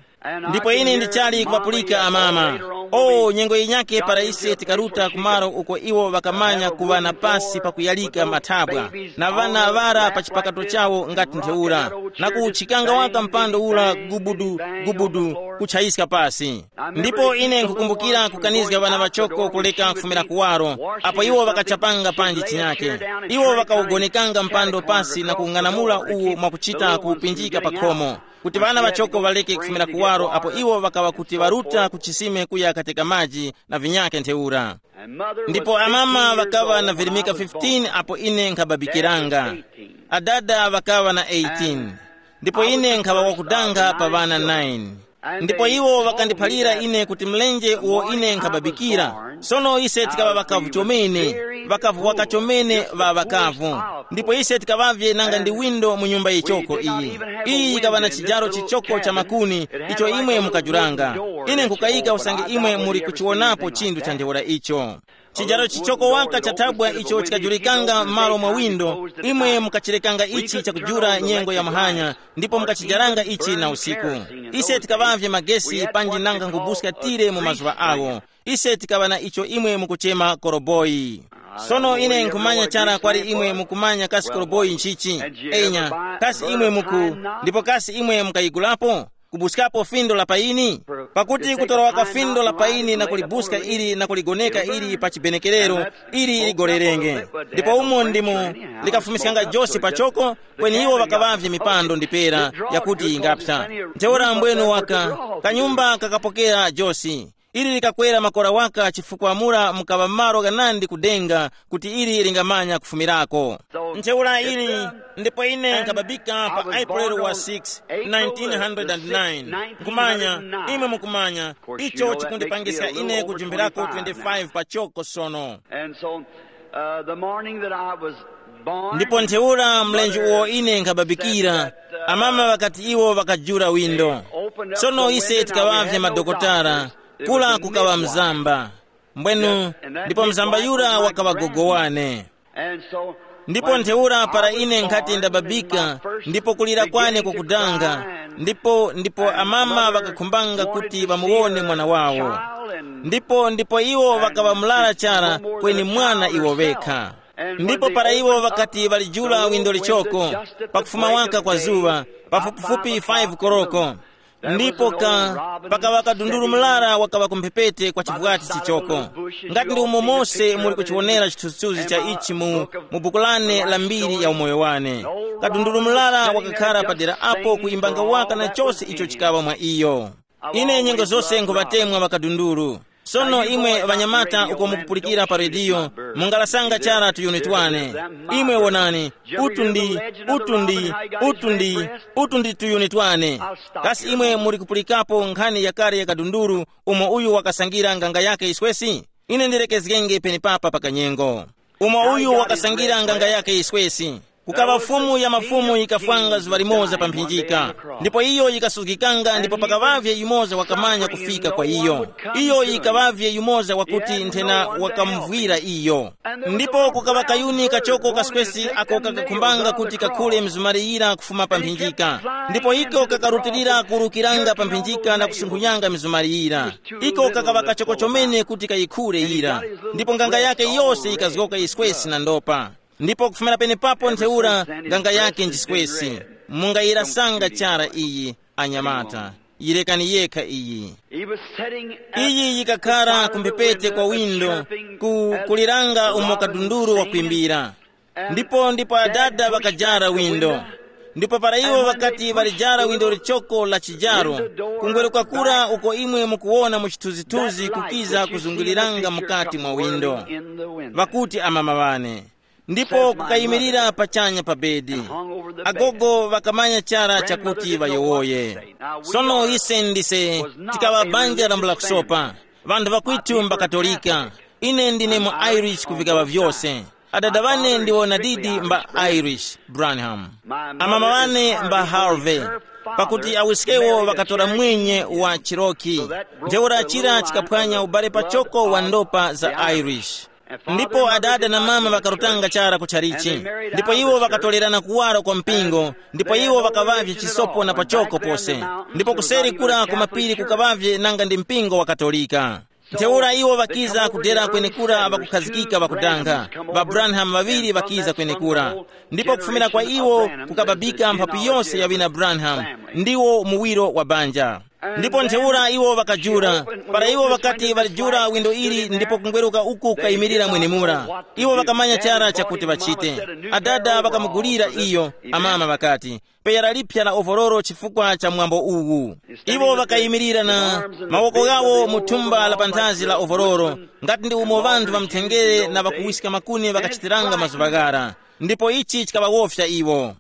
Ndipo ine ndichali kuŵapulika amama. O nyengo yinyake para ise tikaruta kumaro uko iwo ŵakamanya kuŵa na pasi pakuyalika mathabwa, na ŵana ŵara pa chipakato chawo ngati ntheura, na kuwuchikanga waka mpando ura gubudu, gubudu, kutchayiska pasi. Ndipo ine nkukumbukira kukanizga ŵana ŵachoko kuleka kufumira kuwaro, apo iwo ŵakachapanga panji chinyake. Iwo ŵakawugonekanga mpando pasi na kung'anamula uwo mwakuchita kuwupinjika pa khomo, kuti ŵana ŵachoko ŵaleke kufumira kuwaro apo iwo ŵakaŵa kuti ŵaruta ku chisime kuya kateka maji na vinyake ntheura. Ndipo amama ŵakaŵa na virimika fifteen apo ine nkhababikiranga. Adada ŵakaŵa na eighteen. Ndipo ine nkhaŵa wakudanga pa ŵana nine. Ndipo iwo ŵakandiphalira ine kuti mlenje uwo ine nkhababikira. Sono ise tikaŵa ŵakavu chomene, ŵakavu waka chomene ŵa ŵakavu. Ndipo ise tikaŵavye nanga ndi windo mu nyumba yichoko iyi. Iyi yikaŵa na chijaro chichoko cha makuni, icho imwe mukajuranga. Ine nkukayika usange imwe muli kuchiwonapo chinthu cha ntheura icho. Chijaro chichoko waka cha thabwa icho chikajulikanga m'malo mwa windo, imwe mukachirekanga ichi chakujura nyengo ya muhanya, ndipo mukachijaranga ichi na usiku. Ise tikaŵavye magesi panji nanga nkubuska tire mu mazuŵa awo. Ise tikaŵa na icho imwe mukuchema koroboyi. Sono ine nkhumanya chara kwali imwe mukumanya kasi koroboyi nchichi. Enya, kasi imwe muku, ndipo kasi imwe mukayigulapo? Kubuskapo findo la paini? Pakuti kutorowa ka findo la paini na kulibuska ili na kuligoneka ili pa chibenekerero, ili ligorerenge. Ndipo umo ndimo likafumiskanga Jose pachoko, kweni iwo ŵakaŵavye mipando ndi pera yakuti yingapsa. Ntheura mbwenu waka, kanyumba kakapokera Jose. Ili likakwera makora waka chifukwa mura mukaŵa malo ghanandi kudenga kuti ili lingamanya kufumirako. Ntheura ili, ndipo ine nkhababika pa April wa six, nineteen hundred nine. Nkhumanya, imwe mukumanya, icho chikundipangiska ine kujumphirako twenty-five pachoko sono. And so, uh, the morning that I was born, ndipo ntheura mlenje uwo ine nkhababikira, amama ŵakati iwo ŵakajura windo. Sono ise tikaŵavye madokotala, kula kukaŵa mzamba. Mbwenu, ndipo mzamba yura wakaŵa gogo wane. And so, ndipo ntheura para ine nkhati ndababika, ndipo kulira kwane kukudanga, ndipo ndipo amama ŵakakhumbanga kuti ŵamuwone mwana wawo. Ndipo ndipo iwo ŵakaŵa mlala chara, kweni mwana iwo ŵekha. Ndipo para iwo ŵakati ŵalijula windo lichoko, pakufuma waka kwa zuŵa, pafupifupi five koroko, ndipo ka pakaŵa kadundulu mlara wakaŵa kumphepete kwa chivwati chichoko. Ngati ndi umo mose muli kuchiwonera chithunzithunzi cha ichi mu, mu buku lane la mbiri ya umoyo wane. Kadundulu mlara wakakhara padera apo kuyimbanga waka na chose icho chikaŵa mwa iyo. Ine nyengo zose nkhuŵatemwa ŵakadundulu. Sono imwe ŵanyamata uko mukupulikira pa rediyo, mungalasanga chara tuyuni twane. Imwe wonani, utu ndi, utu ndi, utu ndi, utu ndi tuyuni twane. Kasi imwe muli kupulikapo nkhani yakale ya kadundulu umo uyu wakasangira nganga yake yiswesi? Ine ndilekezgenge penepapa pa kanyengo. Umo uyu wakasangira nganga yake yiswesi. Kukaŵa Fumu ya mafumu yikafwanga zuŵa limoza pa mphinjika, ndipo iyo yikasuzgikanga, ndipo pakaŵavye yumoza wakamanya kufika kwa iyo. Iyo yikaŵavye yumoza wakuti nthena wakamuvwira iyo. Ndipo kukaŵa kayuni kachoko kaswesi ako kakakhumbanga kuti kakhule mizumari yira kufuma pa mphinjika, ndipo iko kakarutilira kuwurukiranga pa mphinjika na kusunkhunyanga mizumari yira. Iko kakaŵa kachoko chomene kuti kayikhule yira, ndipo nganga yake yose yikazgoka yiswesi na ndopa. Ndipo kufumira penepapo ntheura nganga yake njiswesi. Mungayirasanga chara iyi, anyamata. Yirekani yekha iyi. Iyi yikakhara kumphepete kwa windo, ku kuliranga umo kadunduru wakwimbira. Ndipo ndipo adada ŵakajara windo. Ndipo para iwo ŵakati ŵalijara windo lichoko la chijaro, kungweruka kura uko imwe mukuwona mu chithunzithunzi kukiza kuzunguliranga mukati mwa windo. Ŵakuti amama ŵane. Ndipo kukayimirira pachanya pa bedi. Agogo ŵakamanya chara chakuti ŵayowoye. Sono ise ndise tikaŵa banja lambula kusopa. Ŵanthu ŵakwitu mbakatolika. Ine ndine mu Irish kuvikaŵa vyose. Adada ŵane ndiwo nadidi mba Irish, Branham. Amama ŵane mba Harvey. Pakuti awiskewo ŵakatora mwenye wa Chiroki. Ntheura chira chikaphwanya ubale pachoko wa ndopa za Irish. Ndipo adada na mama ŵakarutanga chara ku chalichi. Ndipo iwo ŵakatolerana kuwara kwa mpingo, ndipo iwo ŵakaŵavye chisopo na pachoko pose. Ndipo kuseri kura ku mapiri kukaŵavye nanga ndi mpingo wa Katolika. Ntheura iwo ŵakiza kudera kwenekura ŵakukhazikika ŵakudanga. Ŵa Branham ŵaŵiri ŵakiza kwenekura. Ndipo kufumira kwa iwo kukababika mphapu yose ya ŵina Branham, ndiwo muwiro wa banja. Ndipo ntheura iwo ŵakajula. Para iwo ŵakati ŵalijula windo ili ndipo kungweruka uku kukayimirira mwenemura, iwo ŵakamanya chara chakuti ŵachite. Adada ŵakamugulira iyo, amama ŵakati, peyara liphya la ovororo chifukwa cha mwambo uwu. Iwo ŵakayimirira na mawoko ghawo mu thumba la panthazi la ovororo, ngati ndi umo ŵanthu ŵamthengere na ŵakuwiska makuni ŵakachitiranga mazuŵa ghara. Ndipo ichi chikaŵawofya iwo.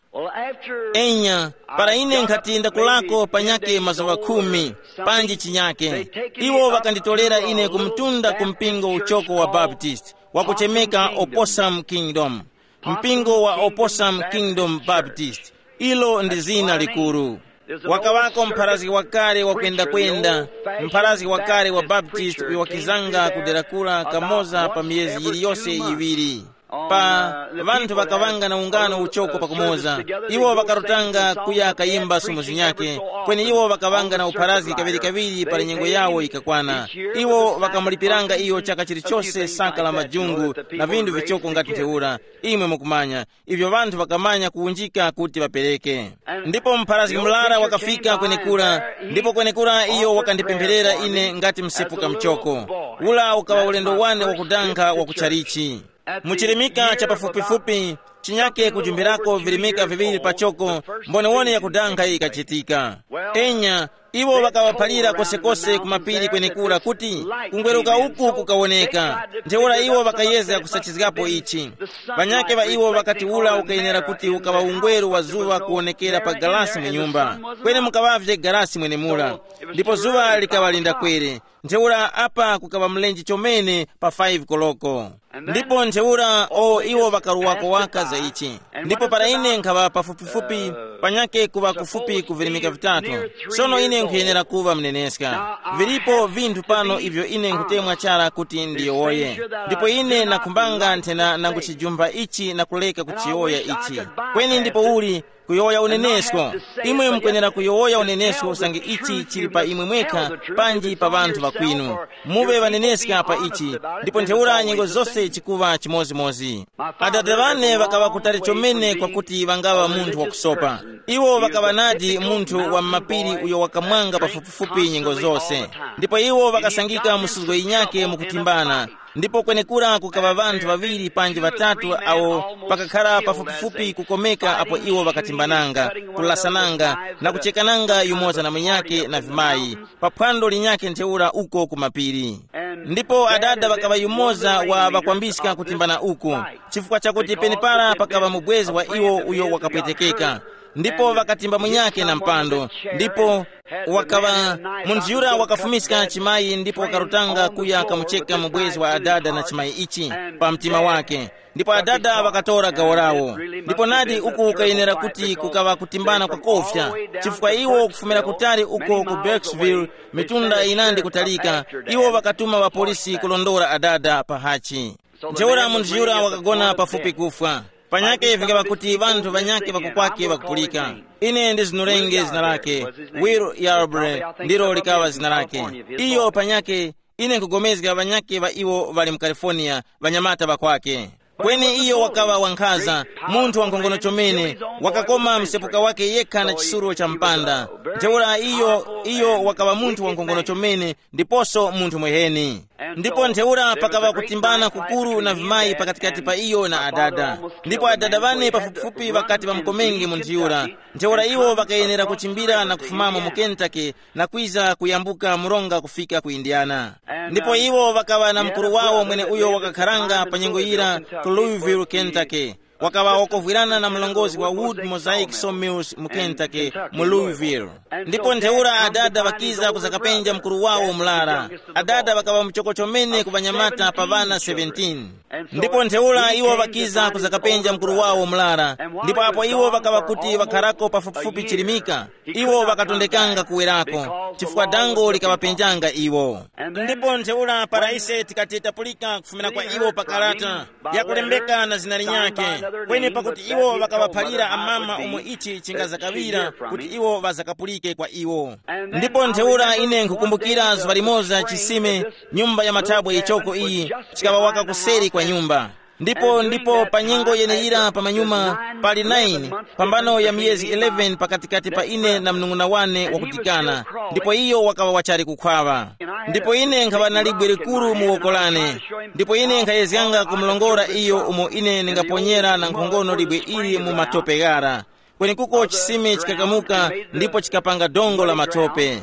Enya, para ine nkhati ndakulako panyake mazuŵa khumi, panji chinyake, iwo ŵakanditolera ine ku mtunda ku mpingo uchoko wa Baptist, wakuchemeka Opossum Kingdom. Mpingo wa Opossum Kingdom Baptist, ilo ndi zina likuru. Wakaŵako mpharazgi wakale wakwendakwenda, mpharazgi wakale wa Baptist uyo wakizanga kudera kura kamoza pa miyezi yiliyose yiŵiri. Pa ŵanthu ŵakaŵanga na ungano uchoko pakumoza, iwo ŵakarutanga kuya kayimba sumo zinyakhe, kweni iwo ŵakaŵanga na upharazgi kaŵirikaŵiri para nyengo yawo yikakwana. Iwo ŵakamulipiranga iyo chaka chilichose saka la majungu na vinthu vichoko ngati ntheura. Imwe mukumanya, ivyo ŵanthu ŵakamanya kuwunjika kuti ŵapereke. Ndipo mpharazgi murara wakafika kwenekura, ndipo kwenekura iyo wakandipempherera ine ngati msepuka muchoko. Ula ukaŵa ulendo wane wakudanga wa ku chalichi. Mu chirimika cha pafupifupi, chinyake kujumbirako virimika viŵiri pachoko, mbonewone yakudanga yikachitika. Enya, iwo ŵakaŵaphalira kosekose ku mapiri kwenekura kuti kungweruka uku kukawoneka. Ntheura iwo ŵakayezga kusachizgapo ichi. Ŵanyakhe ŵa iwo ŵakati ula ukayenera kuti ukaŵa ungweru wa zuŵa kuwonekera pa galasi mu nyumba, kweni mukaŵavye galasi mwenemura. Ndipo zuŵa likaŵa lindakwere. Ntheura apa kukaŵa mlenje chomene pa five koloko. Ndipo ntheura o iwo ŵakaruwako waka za ichi. Ndipo para ine nkhaŵa pafupifupi, panyake kuŵa kufupi kuvirimika vitatu. Sono ine nkhuyenera kuŵa mneneska. Vilipo vinthu pano ivyo ine nkhutemwa chara kuti ndiyowoye. Ndipo ine nakhumbanga nthena nangu chijumba ichi na kuleka kuchiyowoya ichi. Kweni ndipo uli kuyowoya unenesko. Imwe mukwenera kuyowoya unenesko usange ichi chili pa imwe mwekha, panji pa ŵanthu ŵakwinu. Muŵe ŵaneneska pa ichi, ndipo ntheura nyengo zose chikuŵa chimodzimodzi. Adada ŵane ŵakaŵa kutali chomene kwakuti ŵangaŵa munthu wakusopa. Iwo ŵakaŵa nadi munthu wa m'mapiri uyo wakamwanga pafupifupi nyengo zose. Ndipo iwo ŵakasangika mu suzgo yinyakhe mukutimbana. Ndipo kwenekura kukaŵa ŵanthu ŵaŵiri panji ŵatatu awo pakakhara pafupifupi kukomeka apo iwo ŵakatimbananga, kulasananga, na kuchekananga yumoza na munyakhe na vimayi, pa phwando linyakhe ntheura uko ku mapiri. Ndipo adada ŵakaŵa yumoza wa ŵakwambiska kutimbana uku, chifukwa chakuti penepara pakaŵa mubwezi wa iwo uyo wakapwetekeka. Ndipo ŵakatimba munyakhe na mpando, ndipo wakaŵa munthu yura wakafumiska chimayi ndipo wakarutanga kuya kamucheka mubwezi wa adada na chimayi ichi pa mtima wake. Ndipo adada ŵakatora gawo lawo. Ndipo nadi uku kukayenera kuti kukaŵa kutimbana kwakofya, chifukwa iwo kufumira kutali uko ku Burkesville, mitunda yinandi kutalika, iwo ŵakatuma ŵapolisi kulondora adada pa hachi. Ntheura munthu yura wakagona pafupi kufwa. Panyake vingaŵa kuti ŵanthu ŵanyakhe ŵakukwake ŵakupulika. Ine ndizunurenge zina lake. Will Yarbrough ndilo likaŵa zina lake. Iyo panyake, ine nkugomezga ŵanyakhe ŵa iwo ŵali mu California, ŵanyamata ŵakwake. Kweni iyo wakaŵa wankhaza, munthu wankhongono chomene, wakakoma msepuka wake yekha na chisuro cha mpanda. Ntheura iyo, iyo wakaŵa munthu wankhongono chomene, ndiposo munthu mweheni. Ndipo ntheura pakaŵa kutimbana kukuru na vimayi pakatikati pa iyo na adada. Ndipo adada ŵane pafupifupi ŵakati ŵamukomenge munthu yura. Ntheura iwo ŵakayenera kuchimbira na kufumamo mu Kentucky na kwiza kuyambuka mronga kufika ku Indiana. Ndipo iwo ŵakaŵa na mukuru wawo mwene uyo wakakharanga pa nyengo yira ku Louisville, Kentucky. Wakaŵa wakovwirana na mlongozi wa Wood Mosaic Sawmills mu Kentucky, mu Louisville. Ndipo ntheura adada ŵakiza kuzakapenja mukuru wawo mlara. Adada ŵakaŵa muchoko chomene ku ŵanyamata pa ŵana seventeen. Ndipo ntheura iwo ŵakiza kuzakapenja mukuru wawo mlara. Ndipo apo iwo ŵakaŵa kuti ŵakharako pafupifupi chirimika, iwo ŵakatondekanga kuwerako, chifukwa dango likaŵapenjanga iwo. Ndipo ntheura para ise tikati tapulika kufumira kwa iwo pa karata yakulembeka na zina linyakhe, kweni pakuti iwo ŵakaŵaphalira amama umo ichi chingazakaŵira kuti iwo ŵazakapulike kwa iwo. Ndipo ntheura ine nkhukumbukira zuŵa limoza chisime, nyumba ya mathabwe ichoko iyi, chikaŵa waka kuseri kwa nyumba. Ndipo ndipo pa nyengo yeneyira pamanyuma pali nine, pambano ya miyezi eleven pakatikati pa ine na mnung'una wane wakudikana, ndipo iyo wakaŵa wachali kukhwaŵa. Ndipo ine nkhaŵa na libwe likuru mu woko lane, ndipo ine nkhayezganga kumulongora iyo umo ine ndingaponyera na nkhongono libwe ili mu matope ghara. Kwenekuko chisime chikakamuka ndipo chikapanga dongo la matope.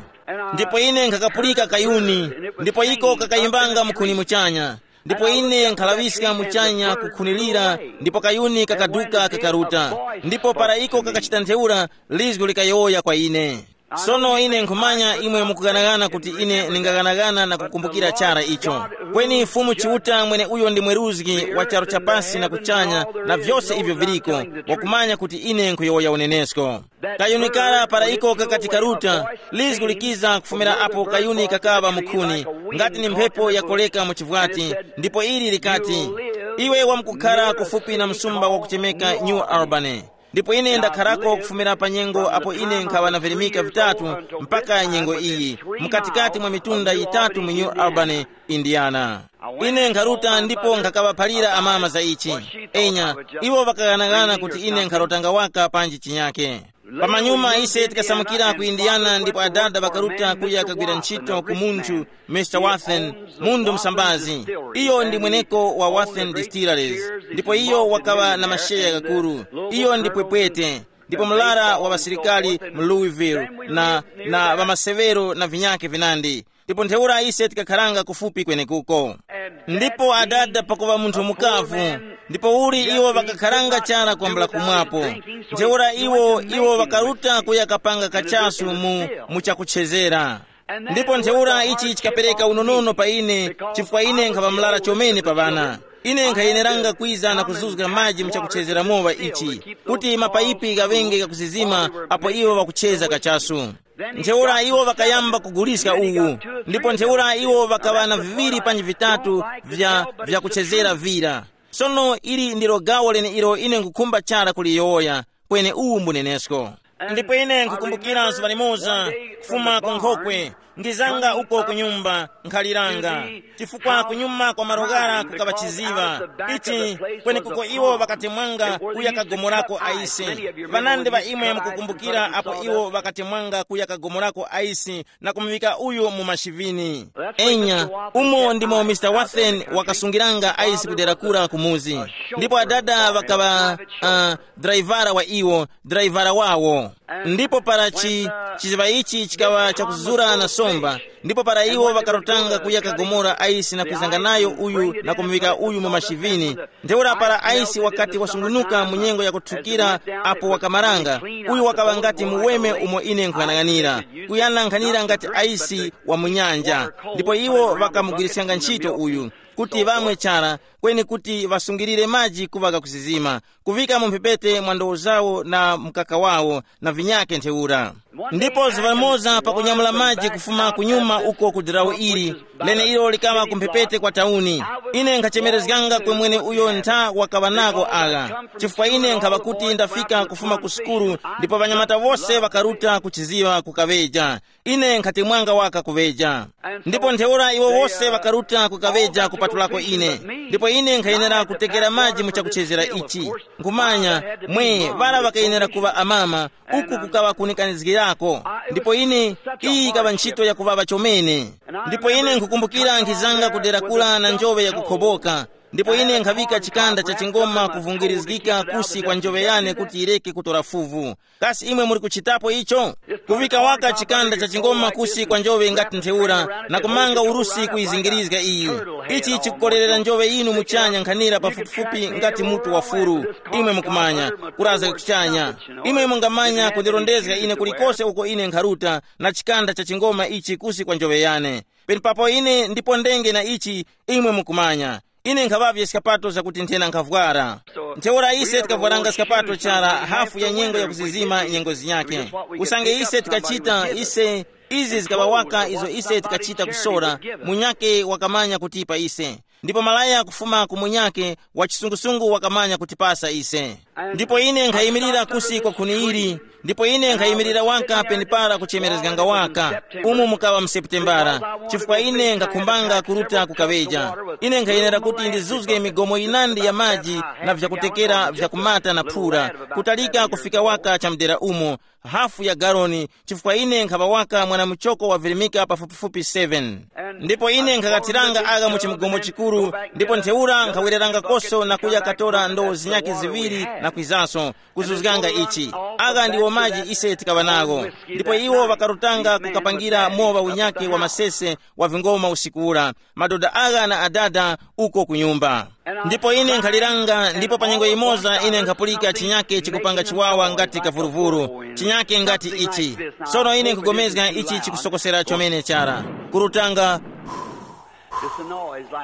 Ndipo ine nkhakapulika kayuni, ndipo iko kakayimbanga mukhuni muchanya. Ndipo ine nkhalaŵiska muchanya kukhunilira, ndipo kayuni kakaduka kakaruta. Ndipo para iko kakachita ntheura, lizgu likayowoya kwa ine. Sono ine nkhumanya imwe mukuganaghana kuti ine ndingaghanaghana na kukumbukira chara icho. Kweni Fumu Chiuta mwene uyo ndi mweruzgi wa charu chapasi na kuchanya na vyose ivyo viliko, wakumanya kuti ine nkhuyowoya unenesko. Kayuni kara para iko kakati karuta, lizgu likiza kufumira apo kayuni kakaŵa mukhuni, ngati ni mphepo yakoleka mu chivwati, ndipo ili likati, iwe wamkukhara kufupi na msumba wakuchemeka New Albany. Ndipo ine ndakharako kufumira pa nyengo apo ine nkhaŵa na virimika vitatu mpaka nyengo iyi, mukatikati mwa mitunda yitatu mu New Albany, Indiana. Ine nkharuta ndipo nkhakaŵaphalira amama za ichi. Enya, iwo ŵakaghanagana kuti ine nkharotanga waka panji chinyake. Pamanyuma ise tikasamukira ku Indiana ndipo adada ŵakaruta kuya kagwira ntchito ku munthu, Mister Wathen, mundu msambazi. Iyo ndi mweneko wa Wathen Distilleries, ndipo iyo wakaŵa na masheya gakuru. Iyo ndi pwepwete, ndipo mlara wa ŵasilikali mu Louisville, na, na ŵamasewero na vinyake vinandi. Ndipo ntheura ise tikakharanga kufupi kwenekuko. Ndipo adada pakuŵa munthu mukavu, ndipo uli iwo ŵakakharanga chara kwambula kumwapo. Ntheura iwo, iwo ŵakaruta kuya kapanga kachasu mu, mu chakuchezera. Ndipo ntheura ichi chikapereka unonono pa ine, chifukwa ine nkhaŵa mlara chomene pa ŵana. Ine nkhayeneranga kwiza na kuzuzga maji mu chakuchezera mowa ichi, kuti mapayipi ghaŵenge ghakusizima apo iwo ŵakucheza kachasu. Ntheura iwo ŵakayamba kuguliska uwu, ndipo ntheura iwo ŵakaŵa na viŵiri panji vitatu vya, vya kuchezera vira. Sono ili ndilo gawo leneilo ine nkhukhumba chara kuliyowoya, kweni uwu mbunenesko. Ndipo ine nkhukumbukira zuŵa limoza, kufuma ku nkhokwe, ngizanga uko ku nyumba, nkhaliranga. Chifukwa kunyuma kwa malo ghara kukaŵa chiziŵa. Ichi, kwenekuko iwo ŵakatemwanga kuya kagomorako aisi. Ŵanandi ŵa imwe mukukumbukira apo iwo ŵakatemwanga kuya kagomorako aisi na kumuŵika uyu mu mashivini. Enya, umo ndimo Mister Wathen wakasungiranga aisi kudera kura ku muzi. Ndipo adada ŵakaŵa, uh, draivara wa iwo, draivara wawo. Ndipo para chi chiziŵa ichi chikaŵa chakuzura na somba, ndipo para iwo ŵakarutanga kuya kagomora aisi na kwizanga nayo uyu na kumuŵika uyu mu mashivini, ntheura para aisi wakati wasungunuka mu nyengo yakuthukira, apo wakamaranga, uyu wakaŵa ngati muweme umo ine nkhuyang'anira, kuyana nkhanira ngati aisi wa mu nyanja. Ndipo iwo ŵakamugwiriskanga ntchito uyu kuti ŵamwe chara, kweni kuti ŵasungirire maji kuŵa ghakusizima, kuŵika mu mphepete mwa ndowo zawo na mkaka wawo na vinyake ntheura. Ndipo zuŵa limoza pakunyamula maji kufuma kunyuma uko ku dirawu ili, leneilo likaŵa ku mphepete kwa tauni, ine nkhachemerezganga kwemwene uyo ntha wakaŵa nako agha, chifukwa ine nkhaŵa kuti ndafika kufuma ku sukulu, ndipo ŵanyamata wose ŵakaruta kuchiziŵa kukaŵeja. Ine nkhatemwanga waka kuŵeja. Ndipo ntheura iwo wose ŵakaruta kukaŵeja kupatulako ine. Ndipo ine nkhayenera kutekera maji mu chakuchezera ichi. Nkhumanya, mwe ŵara ŵakayenera kuŵa amama, uku kukaŵa kunikanizgirako. Ndipo ine, iyi yikaŵa ntchito yakuŵaŵa chomene. Ndipo ine nkhukumbukira nkhizanga kudera kula na njoŵe yakukhoboka. Ndipo ine nkhaŵika chikanda cha chingoma kuvungirizgika kusi kwa njoŵe yane kuti yireke kutora fuvu. Kasi imwe muli kuchitapo icho? Kuŵika waka chikanda cha chingoma kusi kwa njoŵe ngati ntheura, na kumanga urusi kuyizingirizga iyi. Ichi chikukorerera njoŵe yinu muchanya nkhanira pafupifupi ngati mutu wa furu. Imwe mukumanya, kurazga kuchanya. Imwe mungamanya kundirondezga ine kulikose uko ine nkharuta na chikanda cha chingoma ichi kusi kwa njoŵe yane. Penepapo ine ndipo ndenge na ichi, imwe mukumanya. Ine nkhaŵavye skapato zakuti nthena nkhavwara. Ntheura ise tikavwaranga skapato chara hafu ya nyengo yakuzizima nyengo zinyakhe. Usange ise tikachita, ise, izi zikaŵa waka izo ise tikachita kusora, munyakhe wakamanya kutipa ise. Ndipo malaya kufuma ku munyakhe wa chisungusungu wakamanya kutipasa ise. Ndipo ine nkhayimirira kusi kwa khuni ili, ndipo ine nkhayimirira waka penepara kuchemerezganga waka, umu mukaŵa mu Seputembara, chifukwa ine nkhakhumbanga kuruta kukaŵeja. Ine nkhayenera kuti ndizuzge migomo yinandi ya maji na vyakutekera vyakumata na phura, kutalika kufika waka chamudera umo, hafu ya galoni, chifukwa ine nkhaŵa waka mwanamuchoko wavirimika pafupifupi seven. Ndipo ine nkhakathiranga agha mu chimgomo chikuru, ndipo ntheura nkhawereranga koso na kuya katora ndowo zinyakhe ziŵiri na kwizaso, kuzuzganga ichi. Agha ndiwo maji ise tikaŵa nagho. Ndipo iwo ŵakarutanga kukapangira mowa unyakhe wa masese wa vingoma usiku ura, madoda agha na adada uko ku nyumba. Ndipo ine nkhaliranga, ndipo pa nyengo yimoza ine nkhapulika chinyake chikupanga chiwawa ngati kavuruvuru, chinyake ngati ichi. Sono ine nkhugomezga ichi chikusokosera chomene chara, kurutanga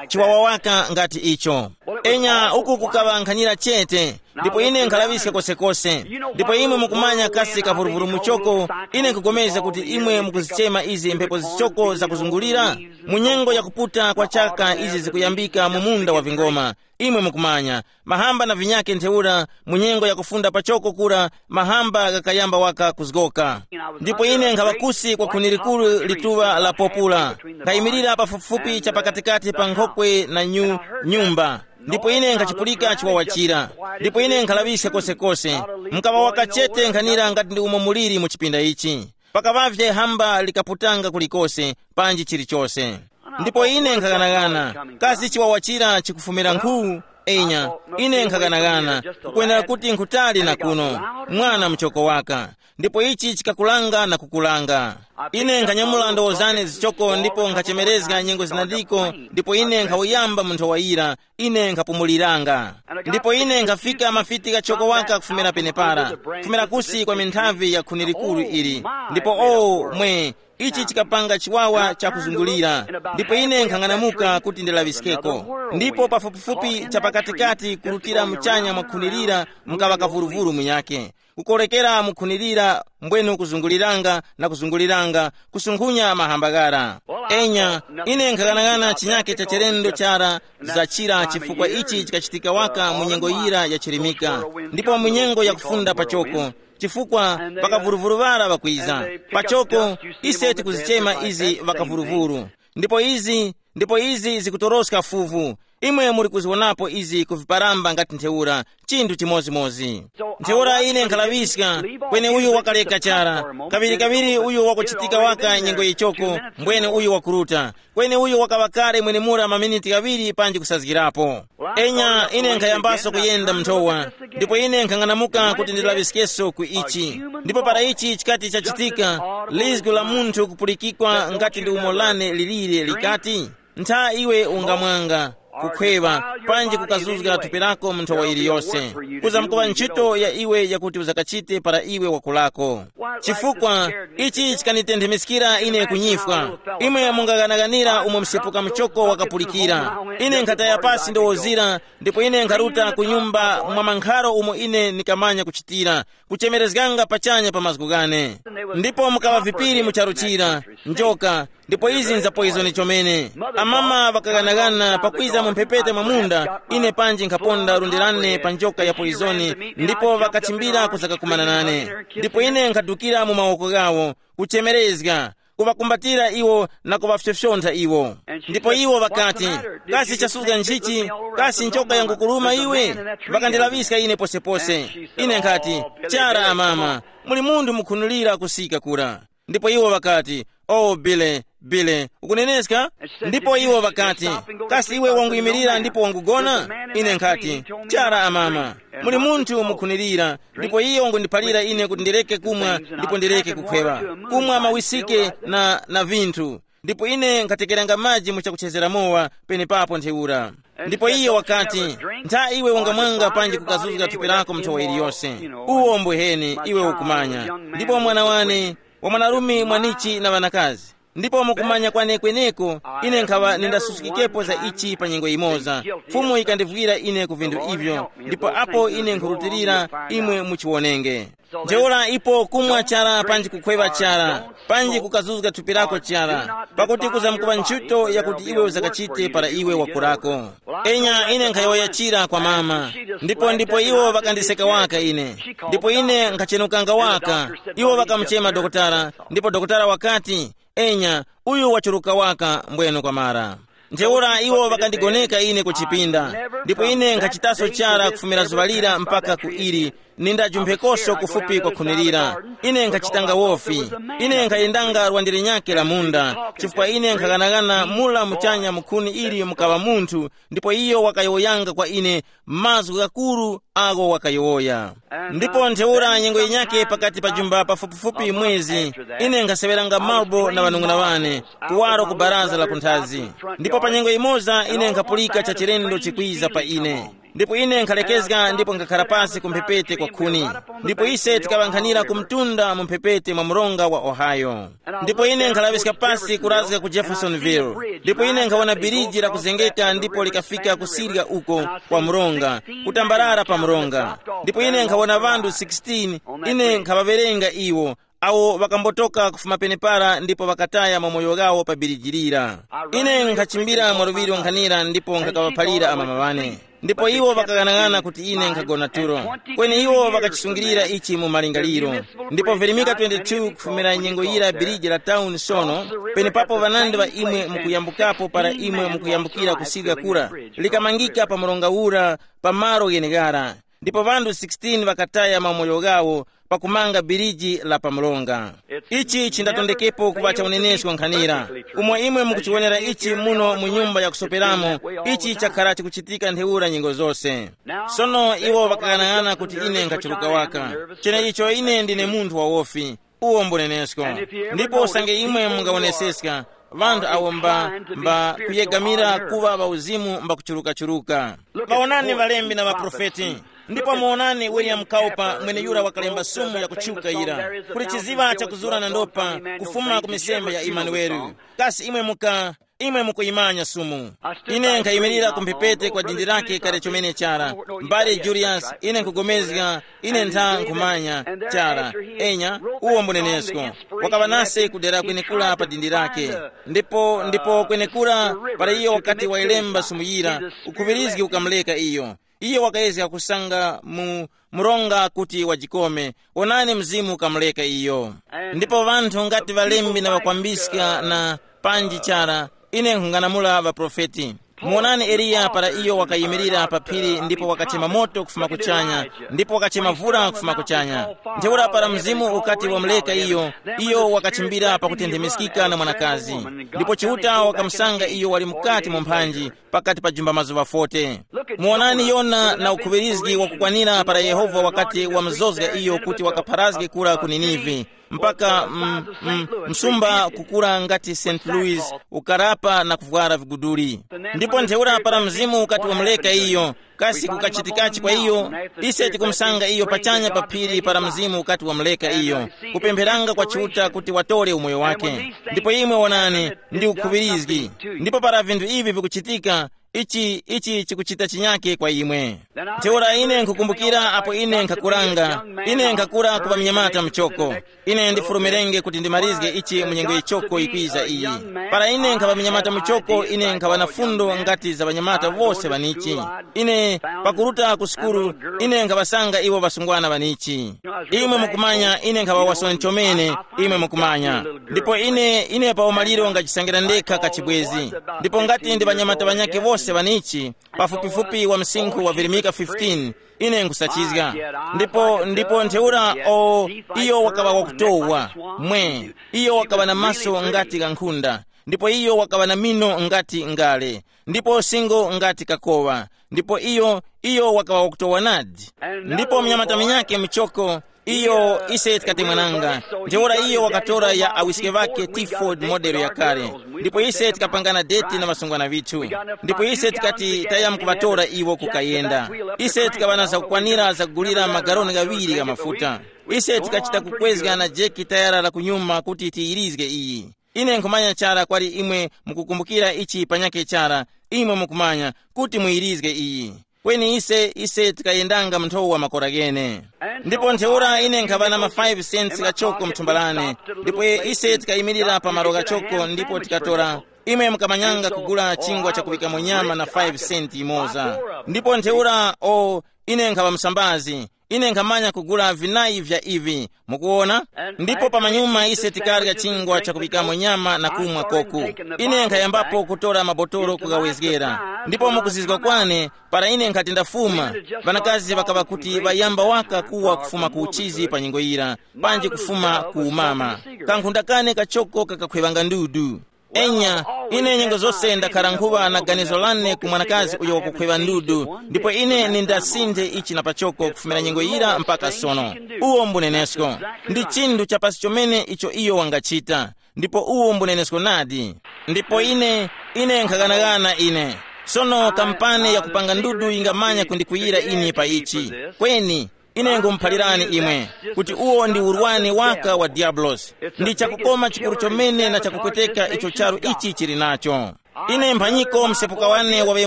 chiwawa waka ngati icho. Enya, uku kukaŵa nkhanira chete. Ndipo ine nkhalaŵiska kosekose. Ndipo imwe mukumanya kasi kavuruvuru muchoko. Ine nkhugomeza kuti imwe mukuzichema izi mphepo zichoko zakuzungulira. Mu nyengo yakuputa kwa chaka izi zikuyambika mu munda wa vingoma. Imwe mukumanya, mahamba na vinyake ntheura, mu nyengo yakufunda pachoko kura, mahamba ghakayamba waka kuzgoka. Ndipo ine nkhaŵa kusi kwa khuni likuru lituŵa la popula, nkhayimirira pafupifupi cha pakatikati pa nkhokwe na nyu, nyumba. Ndipo ine nkhachipulika chiwawa chira. Ndipo ine nkhalaŵiska kosekose. Mkaŵa waka chete nkhanira ngati ndi umo muliri mu chipinda ichi. Pakaŵavye hamba likaputanga kulikose, panji chilichose. Ndipo ine nkhaghanagana, kasi chiwawa chira chikufumira nkhu? Enya, ine nkhaghanagana, kukwenera kuti nkhutali na kuno, mwana muchoko waka. Ndipo ichi chikakulanga na kukulanga. Ine nkhanyamula ndowo zane zichoko ndipo nkhachemerezga nyengo zinandiko, ndipo ine nkhawuyamba mu nthowa yira, ine nkhapumuliranga. Ndipo ine nkhafika mafiti ghachoko waka kufumira penepara, kufumira kusi kwa minthavi ya khuni likuru ili. Ndipo o, mwe, ichi chikapanga chiwawa chakuzungulira, ndipo ine nkhang'anamuka kuti ndilaŵiskeko. Ndipo pafupifupi cha pakatikati kurutira muchanya mwa khuni lira mukaŵa kavuruvuru munyakhe, kukorekera mu khuni lira, mbwenu kuzunguliranga na kuzunguliranga, kusunkhunya mahamba ghara. Enya, ine nkhaghanagana chinyake cha chilendo chara zachira, chifukwa ichi chikachitika waka mu nyengo yira yachirimika, ndipo mu nyengo yakufunda pachoko, chifukwa ŵakavuruvuru ŵara ŵakwiza. Pachoko, ise tikuzichema izi ŵakavuruvuru. Ndipo izi, ndipo izi zikutoroska fuvu. Imwe muli kuzionapo izi ku viparamba ngati ntheura, chinthu chimodzimodzi. Ntheura ine nkhalaŵiska, kweni uyu wakaleka chara, kaŵirikaŵiri uyu wakuchitika waka nyengo yichoko, mbwene uyu wakuruta, kweni uyu wakaŵa kale mwenemura maminiti ghaŵiri panji kusazgirapo. Enya, ine nkhayambaso kuyenda mnthowa, ndipo ine nkhang'anamuka kuti ndilaŵiskeso ku ichi. Ndipo para ichi chikati chachitika, lizgu la munthu kupulikikwa ngati ndi umo lane lilire likati, ntha iwe ungamwanga, kukhweŵa, panji kukazuzga thupi lako mu nthowa iliyose, kuzamkuŵa ntchito ya iwe yakuti uzakachite para iwe wakulako. Chifukwa ichi chikanitenthemiskira ine kunyifwa. Imwe mungaghanaganira umo msepuka muchoko wakapulikira. Ine nkhataya pasi ndowozira, ndipo ine nkharuta ku nyumba mwa mankharo umo ine ndikamanya kuchitira, kuchemerezganga pachanya pa mazgu ghane. Ndipo mukaŵa vipiri mu charu chira, njoka, ndipo izi nzapoizoni chomene. Amama ŵakaghanagana pakwiza mu mphepete mwa munda, ine panji nkhaponda lundi lane pa njoka ya poizoni, ndipo ŵakachimbira kuzakakumana nane. Ndipo ine nkhadukira mu mawoko ghawo, kuchemerezga, kuŵakumbatira iwo na kuŵafyofyontha iwo. Ndipo iwo ŵakati, kasi chasuzga nchichi? Kasi njoka yangukuluma iwe? Ŵakandilaŵiska ine posepose. Ine nkhati, chara amama, muli munthu mukhunulira kusika kura. Ndipo iwo ŵakati, o bile, bile, ukuneneska? Ndipo iwo ŵakati, kasi iwe wanguyimirira ndipo wangugona? Ine nkhati, chara amama, muli munthu mukhunirira, ndipo iye wangundiphalira ine kuti ndireke kumwa ndipo ndireke kukhweŵa, kumwa mawisike na, na vinthu. Ndipo ine nkhatekeranga maji mu chakuchezera mowa penepapo ntheura. Ndipo iye wakati, ntha iwe ungamwanga panji kukazuzga thupi lako mnthowa iliyose. Uwo mbweheni iwe ukumanya. Ndipo mwana wane, wa mwanarume mwanichi na ŵanakazi. Ndipo mukumanya kwane kweneko, ine nkhaŵa nindasuskikepo za ichi pa nyengo yimoza. Fumu yikandivwira ine ku vinthu ivyo, ndipo apo ine nkhurutilira imwe muchiwonenge. Ntheura ipo kumwa chara panji kukhweŵa chara, panji kukazuzga thupi lako chara, pakuti kuzamkuŵa ntchito yakuti iwe uzakachite para iwe wakurako. Enya ine nkhayowoyachira kwa mama, ndipo ndipo iwo ŵakandiseka waka ine. Ndipo ine nkhachenukanga waka. Iwo ŵakamuchema dokotala, ndipo dokotala wakati, enya, uyu wachuruka waka mbweno kwamara. Ntheura iwo ŵakandigoneka ine ku chipinda, ndipo ine nkhachitaso chara kufumira zuŵa lira mpaka ku ili, nindajumphekosho kufupi kwa khuni lira. Ine nkhachitanga wofi. Ine nkhayendanga lwandere nyake la munda, chifukwa ine nkhaghanagana mula muchanya mu khuni ili mukaŵa munthu, ndipo iyo wakayowoyanga kwa ine mazgu ghakuru agho wakayowoya. Ndipo ntheura nyengo yinyakhe pakati pa jumba pafupifupi mwezi, ine nkhaseŵeranga marbo na ŵanung'una ŵane, kuwaro ku baraza la kunthazi. Ndipo pa nyengo yimoza ine nkhapulika chachilendo chikwiza pa ine. Ndipo ine nkhalekezga ndipo nkhakhara pasi ku mphepete kwa khuni. Ndipo ise tikaŵankhanira ku mtunda mu mphepete mwa mronga wa Ohio. Ndipo ine nkhalaŵiska pasi kurazga ku Jeffersonville. Ndipo ine nkhawona biriji lakuzengeka ndipo likafika kusirya uko kwa mronga, kutambarara pa mronga. Ndipo ine nkhawona ŵanthu sixteen, ine nkhaŵaŵerenga iwo, awo ŵakambotoka kufuma penepara ndipo ŵakataya mamoyo ghawo pa biriji lira. Ine nkhachimbira mwaluŵiro nkhanira ndipo nkhakawaphalira amama ŵane. Ndipo iwo ŵakaghanag'ana kuti ine nkhagona tulo. Kweni iwo ŵakachisungilira ichi mu malingaliro. Ndipo virimika twenty-two kufumira nyengo yira biriji la town sono, penepapo ŵanandi ŵa imwe mukuyambukapo para imwe mukuyambukira kusirya kura, likamangika pa mronga ura pa malo gheneghara. Ndipo ŵanthu sixteen ŵakataya mamoyo ghawo pakumanga biriji la pa mronga. Ichi chindatondekepo kuŵa cha unenesko nkhanira. Umo imwe mukuchiwonera ichi muno mu nyumba yakusoperamo, ichi chakhara chikuchitika ntheura nyengo zose. Sono iwo ŵakaghanag'ana kuti ine nkhachuruka waka. Cheneicho ine ndine munthu wawofi. Uwo mbunenesko. Ndipo usange imwe mungawoneseska, ŵanthu awo mba, mba kuyegamira kuŵa ŵauzimu mba kuchurukachurukachuru. Ŵawonani ŵalembi na ŵaprofeti. Ndipo muwonani William Cowper mweneyura wakalemba sumu yakutchuka yira, kuli chiziŵa chakuzura na ndopa kufuma ku misembe ya Imanueli. Kasi imwe muka, imwe mukuyimanya sumu? Ine nkhayimirira ku mphepete kwa dindi lake kale chomene chara. Mbale Julius, ine nkugomezga, ine ntha nkhumanya chara. Enya, uwo mbunenesko. Wakaŵa nase kudera kwenekura pa dindi lake. Ndipo ndipo kwenekura, para iyo wakati wayilemba sumu yira, ukhuŵirizgi ukamuleka iyo. Iyo wakayezga kusanga mu mronga kuti wajikome. Wonani, Mzimu ukamuleka iyo. Ndipo ŵanthu ngati ŵalembi na ŵakwambiska na panji chara, ine nkhung'anamula ŵaprofeti. Muwonani Eliya para iyo wakayimirira pa phiri ndipo wakachema moto kufuma kuchanya, ndipo wakachema vula kufuma kuchanya. Ntheura para Mzimu ukati wamuleka iyo, iyo wakachimbira pakutenthemeskika na mwanakazi. Ndipo Chiuta wakamusanga iyo wali mukati mu mphanji, pakati pa jumba mazuŵa forty. Muwonani Yona na ukhuŵirizgi wakukwanira para Yehova wakati wamuzozga iyo kuti wakapharazge kura ku Ninive, mpaka mm, mm, msumba kukura ngati Saint Louis, ukarapa na kuvwara viguduli. Ndipo ntheura para Mzimu ukati wamuleka iyo, kasi kukachitikachi kwa iyo? Ise tikumusanga iyo pachanya pa phiri para Mzimu ukati wamuleka iyo, kupempheranga kwa Chiuta kuti watore umoyo wake. Ndipo imwe wonani, ndi ukhuŵirizgi. Ndipo para vinthu ivi vikuchitika, ichi ichi chikuchita chinyake kwa imwe. Ntheura ine nkhukumbukira apo ine nkhakuranga, ine nkhakura kupa mnyamata mchoko. Ine ndifulumirenge kuti ndimarizge ichi mu nyengo yichoko yikwiza iyi. Para ine nkhaŵa mnyamata muchoko, ine nkhaŵa na fundo ngati za ŵanyamata wose ŵanichi. Ine pakuruta ku sukulu, ine nkhaŵasanga iwo ŵasungwana ŵanichi. Imwe mukumanya, ine nkhaŵa wasoni chomene, imwe mukumanya. Ndipo ine ine pa umaliro ngachisangira ndekha kachibwezi. Ndipo ngati ndi ŵanyamata ŵanyakhe wose ŵanichi, pafupifupi wa msinkhu wa virimika fifteen, ine nkusachizga. Ndipo ndipo ntheura o, iyo wakaŵa wakutowa, mwe, iyo wakaŵa na maso ngati ghankhunda, ndipo iyo wakaŵa na mino ngati ngale, ndipo singo ngati kakowa. Ndipo iyo iyo wakaŵa wakutowa nadi. Ndipo mnyamata munyakhe muchoko, iyo ise tikatemwananga. Ntheura iyo wakatora ya awiske ŵakhe Tiford modelo yakale. Ndipo ise tikapangana deti na ŵasungwana ŵithu. Ndipo ise tikati tayamkuŵatora iwo kukayenda. Ise tikaŵa na zakukwanira zakugulira magaloni ghaŵiri gha mafuta. Ise tikachita kukwezga na jeki tayara la kunyuma kuti tiyirizge iyi. Ine nkhumanya chara kwali imwe mukukumbukira ichi panyakhe chara, imwe mukumanya kuti muyirizge iyi. Kweni ise ise tikayendanga mu nthowa makora ghene. Ndipo ntheura ine nkhaŵa na ma five cents ghachoko mthumba lane. Ndipo ise tikayimirira pa malo ghachoko ndipo tikatora, imwe mukamanyanga kugula chingwa chakuŵikamo nyama na five cent imoza. Ndipo ntheura o, ine nkhaŵa msambazi, ine nkhamanya kugula vinayi vya ivi. Mukuona? Ndipo pamanyuma ise tikarya chingwa chakuŵikamo nyama na kumwa koko. Ine nkhayambapo kutora mabotolo kugawezgera. Ndipo mukuzizwa kwane, para ine nkhati ndafuma, ŵanakazi ŵakaŵa kuti ŵayamba waka kuwa kufuma ku uchizi pa nyengo yira, panji kufuma ku umama. Kankhunda kane kachoko kakakhweŵanga ndudu. Enya, ine nyengo zose ndakhara nkhuŵa na ganizo lane ku mwanakazi uyo wakukhweŵa ndudu, ndipo ine nindasinthe ichi na pachoko kufumira nyengo yira mpaka sono. Uwo mbunenesko. Ndi chinthu chapasi chomene icho iyo wangachita. Ndipo uwo mbunenesko nadi. Ndipo ine, ine nkhaganaghana ine. Sono kampani yakupanga ndudu yingamanya kundikwiyira ine pa ichi. Kweni, ine ngumuphalirani imwe kuti uwo ndi urwani waka wa diablosi. Ndi chakukoma chikuru chomene na chakupweteka icho charu ichi chili nacho. Ine mphanyiko msepuka wane waŵe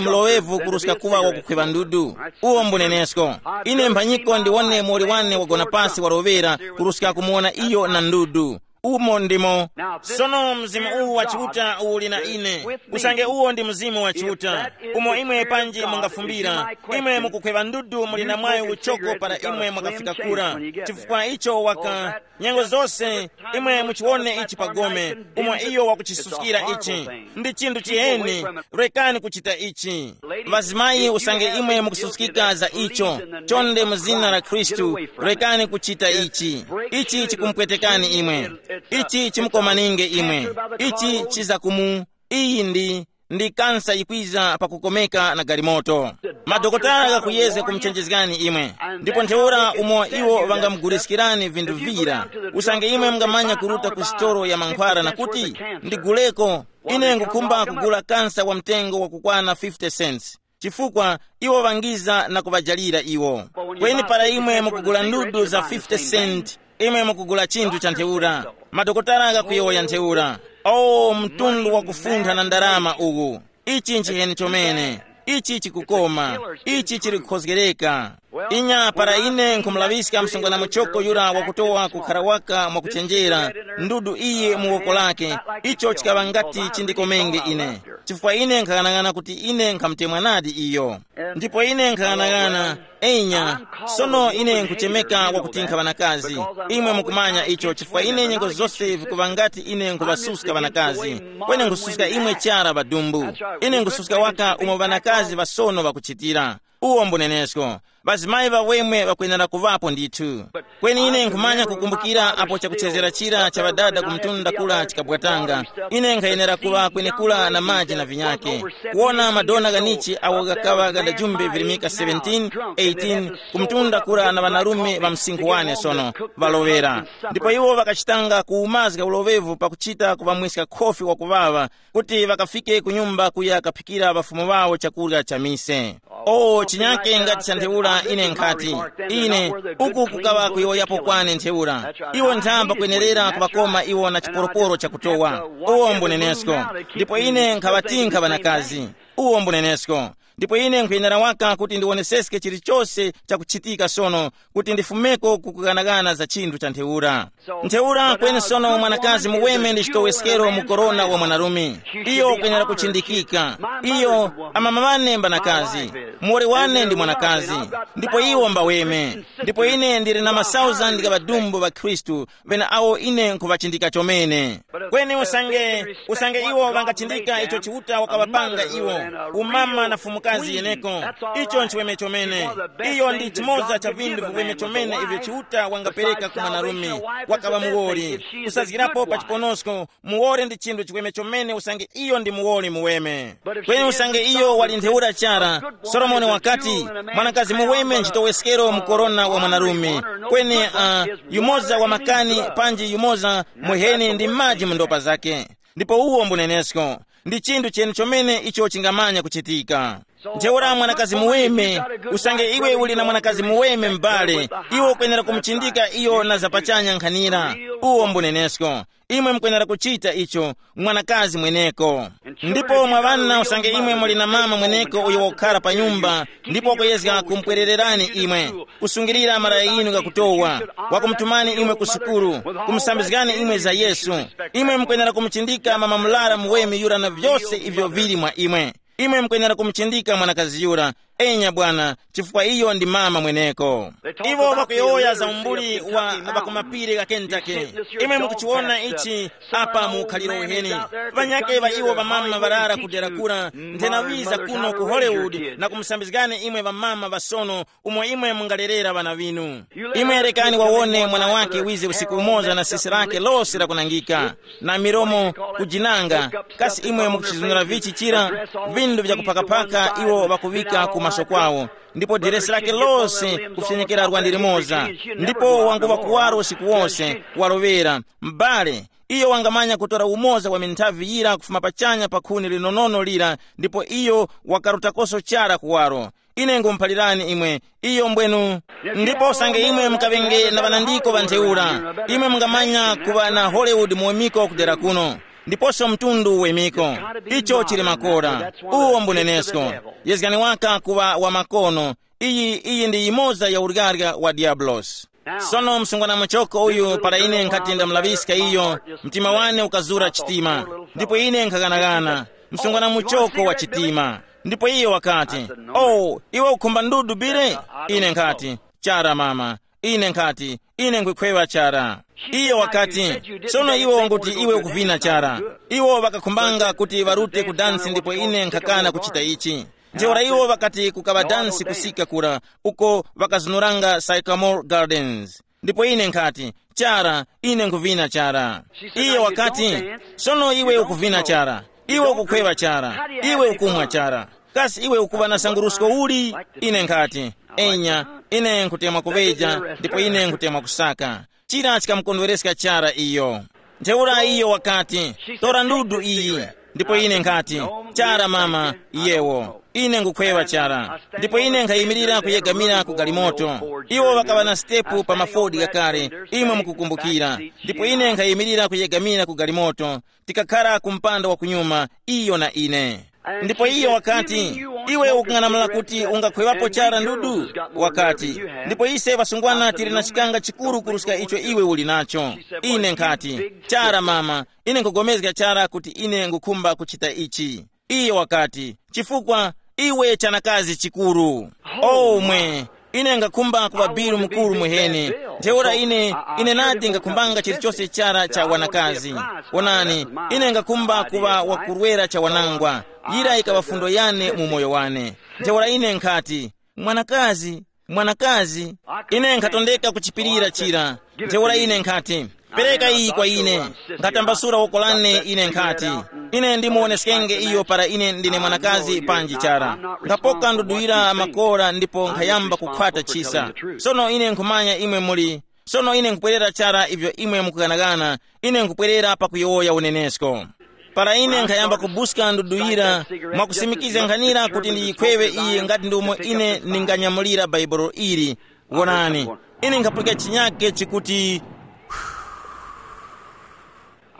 muloŵevu kuruska kuŵa wakukhweŵa ndudu. Uwo mbunenesko. Ine mphanyiko ndiwone muwoli wane wagona pasi waloŵera kuruska kumuwona iyo na ndudu. Umo ndimo. Sono mzimu uwu wa Chiuta uli na ine. Usange uwo ndi mzimu wa Chiuta, umo imwe panji mungafumbira, imwe mukukhweŵa ndudu muli na mwayi uchoko para imwe mwakafika kura. Chifukwa icho waka nyengo zose, imwe muchiwone ichi pagome, umo iyo wakuchisuskira ichi. Ndi chinthu chiheni. Rekani kuchita ichi. Ŵazimayi, usange imwe mukususkika za icho, chonde mu zina la Khristu, rekani kuchita ichi. Ichi chikumpwetekani imwe. Ichi chimukomaninge imwe. Ichi chizakumu iyi ndi ndi kansa yikwiza pakukomeka na galimoto. Madokotala ghakuyezga kumuchenjezgani imwe. Ndipo ntheura umo iwo ŵangamuguliskirani vinthu vira. Usange imwe mungamanya kuruta ku sitolo ya mankhwara na kuti, ndiguleko, ine ngukhumba kugula kansa wa mtengo wakukwana fifty cents. Chifukwa iwo ŵangiza na kuŵajalira iwo. Kweni para imwe mukugula ndudu za fifty cent, imwe mukugula chinthu cha ntheura. Madokotala ghakuyowoya ntheura. O, mtundu wa kufuntha na ndarama uwu! Ichi nchiheni chomene. Ichi chikukoma. Ichi chili kukhozgereka. Inya para ine nkhumulaŵiska msungwana muchoko yura wakutowa kukhara waka mwakuchenjera, ndudu iye mu woko lake, icho chikaŵa ngati chindikomenge ine, chifukwa ine nkhaghanag'ana kuti ine nkhamutemwa nadi iyo. Ndipo ine nkhaghanag'ana, enya, sono ine nkhuchemeka wakuti nkhaŵa na kazi. Imwe mukumanya icho, chifukwa ine nyengo zose vikuŵa ngati ine nkhuŵasuska ŵanakazi. Kweni nkhususka imwe chara ŵadumbu. Ine nkhususka waka umo ŵanakazi ŵasono ŵakuchitira. Uwo mbunenesko. Ŵazimayi ŵawemwe ŵakwenera kuŵapo ndithu. Kweni ine nkhumanya kukumbukira apo chakuchezera chira cha ŵadada ku mtunda kula chikabwatanga. Ine nkhayenera kuŵa kwenekura na maji na vinyake, kuwona madona ghanichi awo ghakaŵa ghadajumbe virimika seventeen, eighteen, ku mtunda kura na ŵanarume ŵa msinkhu wane sono, ŵaloŵera. Ndipo iwo ŵakachitanga kuwumazga uloŵevu pakuchita kuŵamwiska khofi wakuŵaŵa, kuti ŵakafike ku nyumba kuya kaphikira ŵafumu ŵawo chakurya cha mise. O, chinyake ngati cha ntheura ine nkhati, ine, uku kukaŵa kuyowoyapo kwane ntheura. Iwo nthamba kwenerera kuŵakoma iwo na chiporoporo chakutowa. Uwo mbunenesko. Ndipo ine nkhaŵatinkha ŵanakazi. Uwo mbunenesko. Ndipo ine nkhuyenera waka kuti ndiwoneseske chilichose chakuchitika sono, kuti ndifumeko kukughanaghana za chinthu cha ntheura. Ntheura kweni sono mwanakazi muweme ndi chitoweskero mu korona wa mwanarume. Iyo ukwenera kuchindikika. Iyo, amama ŵane mbanakazi, muwoli wane ndi mwanakazi, ndipo iwo mbaweme. Ndipo ine ndili na masauzandi gha ŵadumbu ŵa Khristu, ŵene awo ine nkhuŵachindika chomene. Kweni usange, usange iwo ŵangachindika icho Chiuta wakaŵapanga iwo, umama na fumukazi yeneko, icho nchiweme chomene. Iyo ndi chimoza cha vinthu viweme chomene ivyo Chiuta wangapereka ku mwanarume, wakaŵa muwoli. Kusazgirapo pa chiponosko, muwoli ndi chinthu chiweme chomene usange iyo ndi muwoli muweme. Kweni usange iyo wali ntheura chara, Solomoni wakati, mwanakazi muweme nchitoweskero mu korona wa mwanarume. Kweni uh, yumoza wa makani, panji yumoza muheni ndi maji mu ndopa zake. Ndipo uwo mbunenesko, ndi chinthu cheni chomene icho chingamanya kuchitika. Ntheura mwanakazi muweme, usange iwe uli na mwanakazi muweme m'bale, iwe ukwenera kumuchindika iyo na zapachanya nkhanira. Uwo mbunenesko. Imwe mukwenera kuchita icho, mwanakazi mweneko. Ndipo mwa ŵana usange imwe muli na mama mweneko uyo wakukhara pa nyumba, ndipo wakuyezga kumupwerererani imwe, kusungilira malaya inu ghakutowa, wakumutumani imwe ku sukulu, kumusambizgani imwe za Yesu, imwe mukwenera kumuchindika mama mulara muweme yura na vyose ivyo vili mwa imwe. Imwe mukwenera kumuchindika mwanakazi yura, enya bwana, chifukwa iyo ndi mama mweneko. Iwo ŵakuyowoya za umbuli wa ŵakumapiri gha Kentucky. Imwe mukuchiwona ichi apa mu ukhaliro uheni. Ŵanyake ŵa iwo ŵamama ŵarara ku dera kura, nthenawiza kuno ku Hollywood na kumusambizgani imwe ŵamama ŵasono, umo imwe mungalerera ŵana ŵinu. Imwe rekani wawone mwana wake wize usiku umoza na sisi lake lose lakunangika, na milomo kujinanga. Kasi imwe mukuchizunira vichi chira? Vindu vyakuphakaphaka iwo ŵakuŵika ku maso kwawo, ndipo diresi lake lose kufyenyekera lwandi limoza, ndipo wanguŵa kuwaro usiku wose, waloŵera. M'bale, iyo wangamanya kutora umoza wa minthavi yira kufuma pachanya pa khuni linonono lira, ndipo iyo wakarutakoso chara kuwaro. Ine ngumuphalirani imwe, iyo mbwenu. Ndipo usange imwe mukaŵenge na ŵanandiko ŵa ntheura, imwe mungamanya kuŵa na Hollywood muwemiko kudera kuno, ndiponso mtundu uwemiko. Icho chili makora. Uwo mbunenesko. Yezgani waka kuŵa wa makono. Iyi iyi ndi yimoza ya uryarya wa diabulosi. Sono msungwana muchoko uyu para ine nkhati ndamulaŵiska iyo, mtima wane ukazura chitima. Ndipo ine nkhaghanagana, msungwana muchoko wa chitima. Ndipo iye wakati, oh, iwe ukhumba ndudu bile? Ine nkhati, chara mama. Ine nkhati, ine nkwikhwewa chara. Iye wakati, sono iwe unguti iwe ukuvina chara. Iwo ŵakakhumbanga kuti ŵarute ku dansi ndipo ine nkhakana kuchita ichi. Ntheura iwo ŵakati kukaŵa dansi kusika kura, uko ŵakazunuranga Sycamore Gardens. Ndipo ine nkhati, chara, ine nkuvina chara. Iye wakati, sono iwe ukuvina chara, iwe ukukhweŵa chara, iwe ukumwa chara. Kasi iwe ukuŵa na sangurusko uli? Ine nkhati, enya, ine nkhutemwa kuŵeja ndipo ine nkhutemwa kusaka. Chira chikamukondwereska chara iyo. Ntheura iyo wakati, tora ndudu iyi. Ndipo ine nkhati, chara mama, yewo. Ine ngukhwewa chara. Ndipo ine nkhayimirira kuyegamira ku galimoto. Iwo ŵakaŵa na sitepu pa mafodi ghakale, imwe mukukumbukira. Ndipo ine nkhayimirira kuyegamira ku galimoto, tikakhara ku mpanda wa kunyuma, iyo na ine. Ndipo iyo wakati, iwe ukung'anamula kuti ungakhweŵapo chara ndudu? Wakati, ndipo ise ŵasungwana tili na chikanga chikuru kuruska icho iwe uli nacho. Ine nkhati, chara mama, ine nkugomezga chara kuti ine ngukhumba kuchita ichi. Iyo wakati, chifukwa iwe chanakazi chikuru. Omwe, ine ngakhumba kuŵa bilu mukuru muhene. Ntheura ine, ine nadi ngakhumbanga chilichose chara cha wanakazi. Wonani, ine ngakhumba kuŵa wakurwera cha wanangwa. Yira ikaŵa fundo yane mu moyo wane. Ntheura ine nkhati, mwanakazi, mwanakazi, ine nkhatondeka kuchipirira chira. Ntheura ine nkhati, pereka iyi kwa ine. Nkhatambasula woko lane ine nkhati, ine ndimuwoneskenge iyo para ine ndine mwanakazi panji chara. Ngapoka nduduyira makora ndipo nkhayamba kukhwata chisa. Sono ine nkhumanya imwe muli, sono ine nkupwerera chara ivyo imwe mukughanaghana. Ine nkupwerera pakuyowoya unenesko. Para ine nkhayamba kubuska nduduyira, mwakusimikiza nkhanira kuti ndiyikhwewe iyi ngati ndi umo ine ndinganyamulira bhaibolo ili. Wonani, ine nkhapulika chinyake chikuti,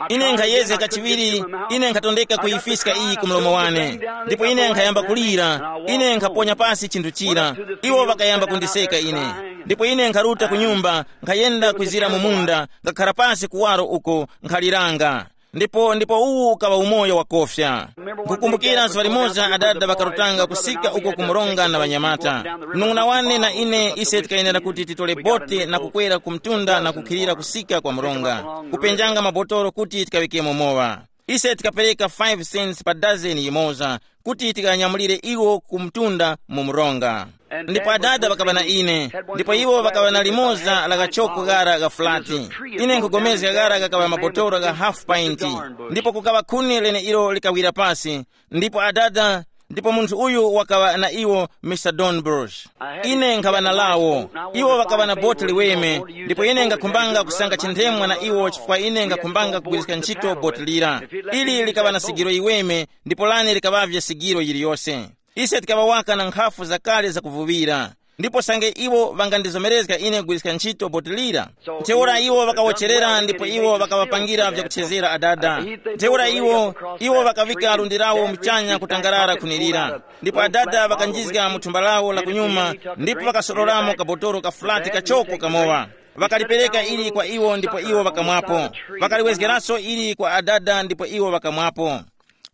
ine nkhayezga kachiŵiri. Ine nkhatondeka kuyifiska iyi ku mlomo wane, ndipo ine nkhayamba kulira. Ine nkhaponya pasi chinthu chira. Iwo ŵakayamba kundiseka ine. Ndipo ine nkharuta ku nyumba, nkhayenda kwizira mu munda, ngakhara pasi kuwaro uko, nkhaliranga. Ndipo ndipo uwu ukaŵa umoyo wakofya. Nkukumbukira zuŵa limoza adada ŵakarutanga kusika uko ku mronga na ŵanyamata. Mnung'una wane na ine ise tikayenera kuti titole bote na kukwera ku mtunda na kukhilira kusika kwa mronga, kupenjanga mabotolo kuti tikaŵikemo mowa. Ise tikapereka five cents pa dazeni yimoza kuti tikanyamulire iwo ku mtunda mu mronga. Ndipo adada ŵakaŵa na ine, ndipo iwo ŵakaŵa na limoza la kachoko ghara gha fulati. Ine nkugomezga ghara ghakaŵa mabotolo gha half pint. Ndipo kukaŵa khuni leneilo likawira pasi. Ndipo adada, ndipo munthu uyu wakaŵa na iwo, Mr Donbush. Ine nkhaŵa na lawo. Iwo ŵakaŵa na boti liweme. Ndipo ine ngakhumbanga kusanga chinthemwa na iwo chifukwa ine ngakhumbanga kugwiriska ntchito boti lira. Ili likaŵa na sigiro yiweme, ndipo lane likaŵavye sigiro yiliyose. Ise tikaŵa waka na nkhafu zakale zakuvuŵira. Ndipo sange iwo ŵangandizomerezga ine kugwiriska ntchito boti lira. Ntheura iwo ŵakawocherera ndipo iwo ŵakaŵapangira vyakuchezera adada. Ntheura iwo iwo ŵakaŵika lundi lawo muchanya kutangarara khunirira. Ndipo adada ŵakanjizga mu thumba lawo la kunyuma, ndipo ŵakasororamo kabotolo ka fulati kachoko kamowa. Ŵakalipereka ili kwa iwo ndipo iwo ŵakamwapo. Ŵakaliwezgeranso ili kwa adada ndipo iwo ŵakamwapo.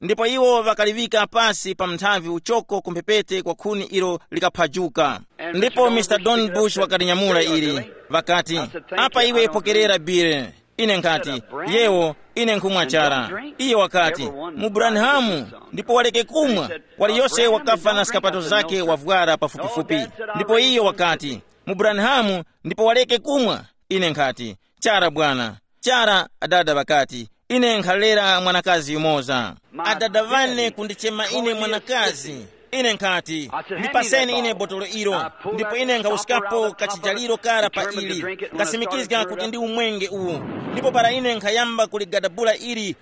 Ndipo iwo ŵakaliŵika pasi pa mnthavi uchoko ku mphepete kwa khuni ilo likaphajuka. Ndipo Mr Donbush wakalinyamula ili, ŵakati, apa iwe pokerera bire. Ine nkhati, yewo, ine nkhumwa chara. Iye wakati, mu Branhamu, ndipo waleke kumwa. Waliyose wakafa na skapato zake wavwara pafupifupi. Ndipo iyo wakati, mu Branhamu, ndipo waleke kumwa. Ine nkhati, chara bwana. Chara, adada ŵakati, ine nkhalera mwanakazi yumoza. Adada ŵane kundichema ine mwanakazi. Ine nkhati, ndipaseni ine botolo ilo. Ndipo ine nkhawuskapo kachijaliro kara pa ili, ngasimikizga kuti ndi umwenge uwu. Ndipo para ine nkhayamba kuligadabula ili,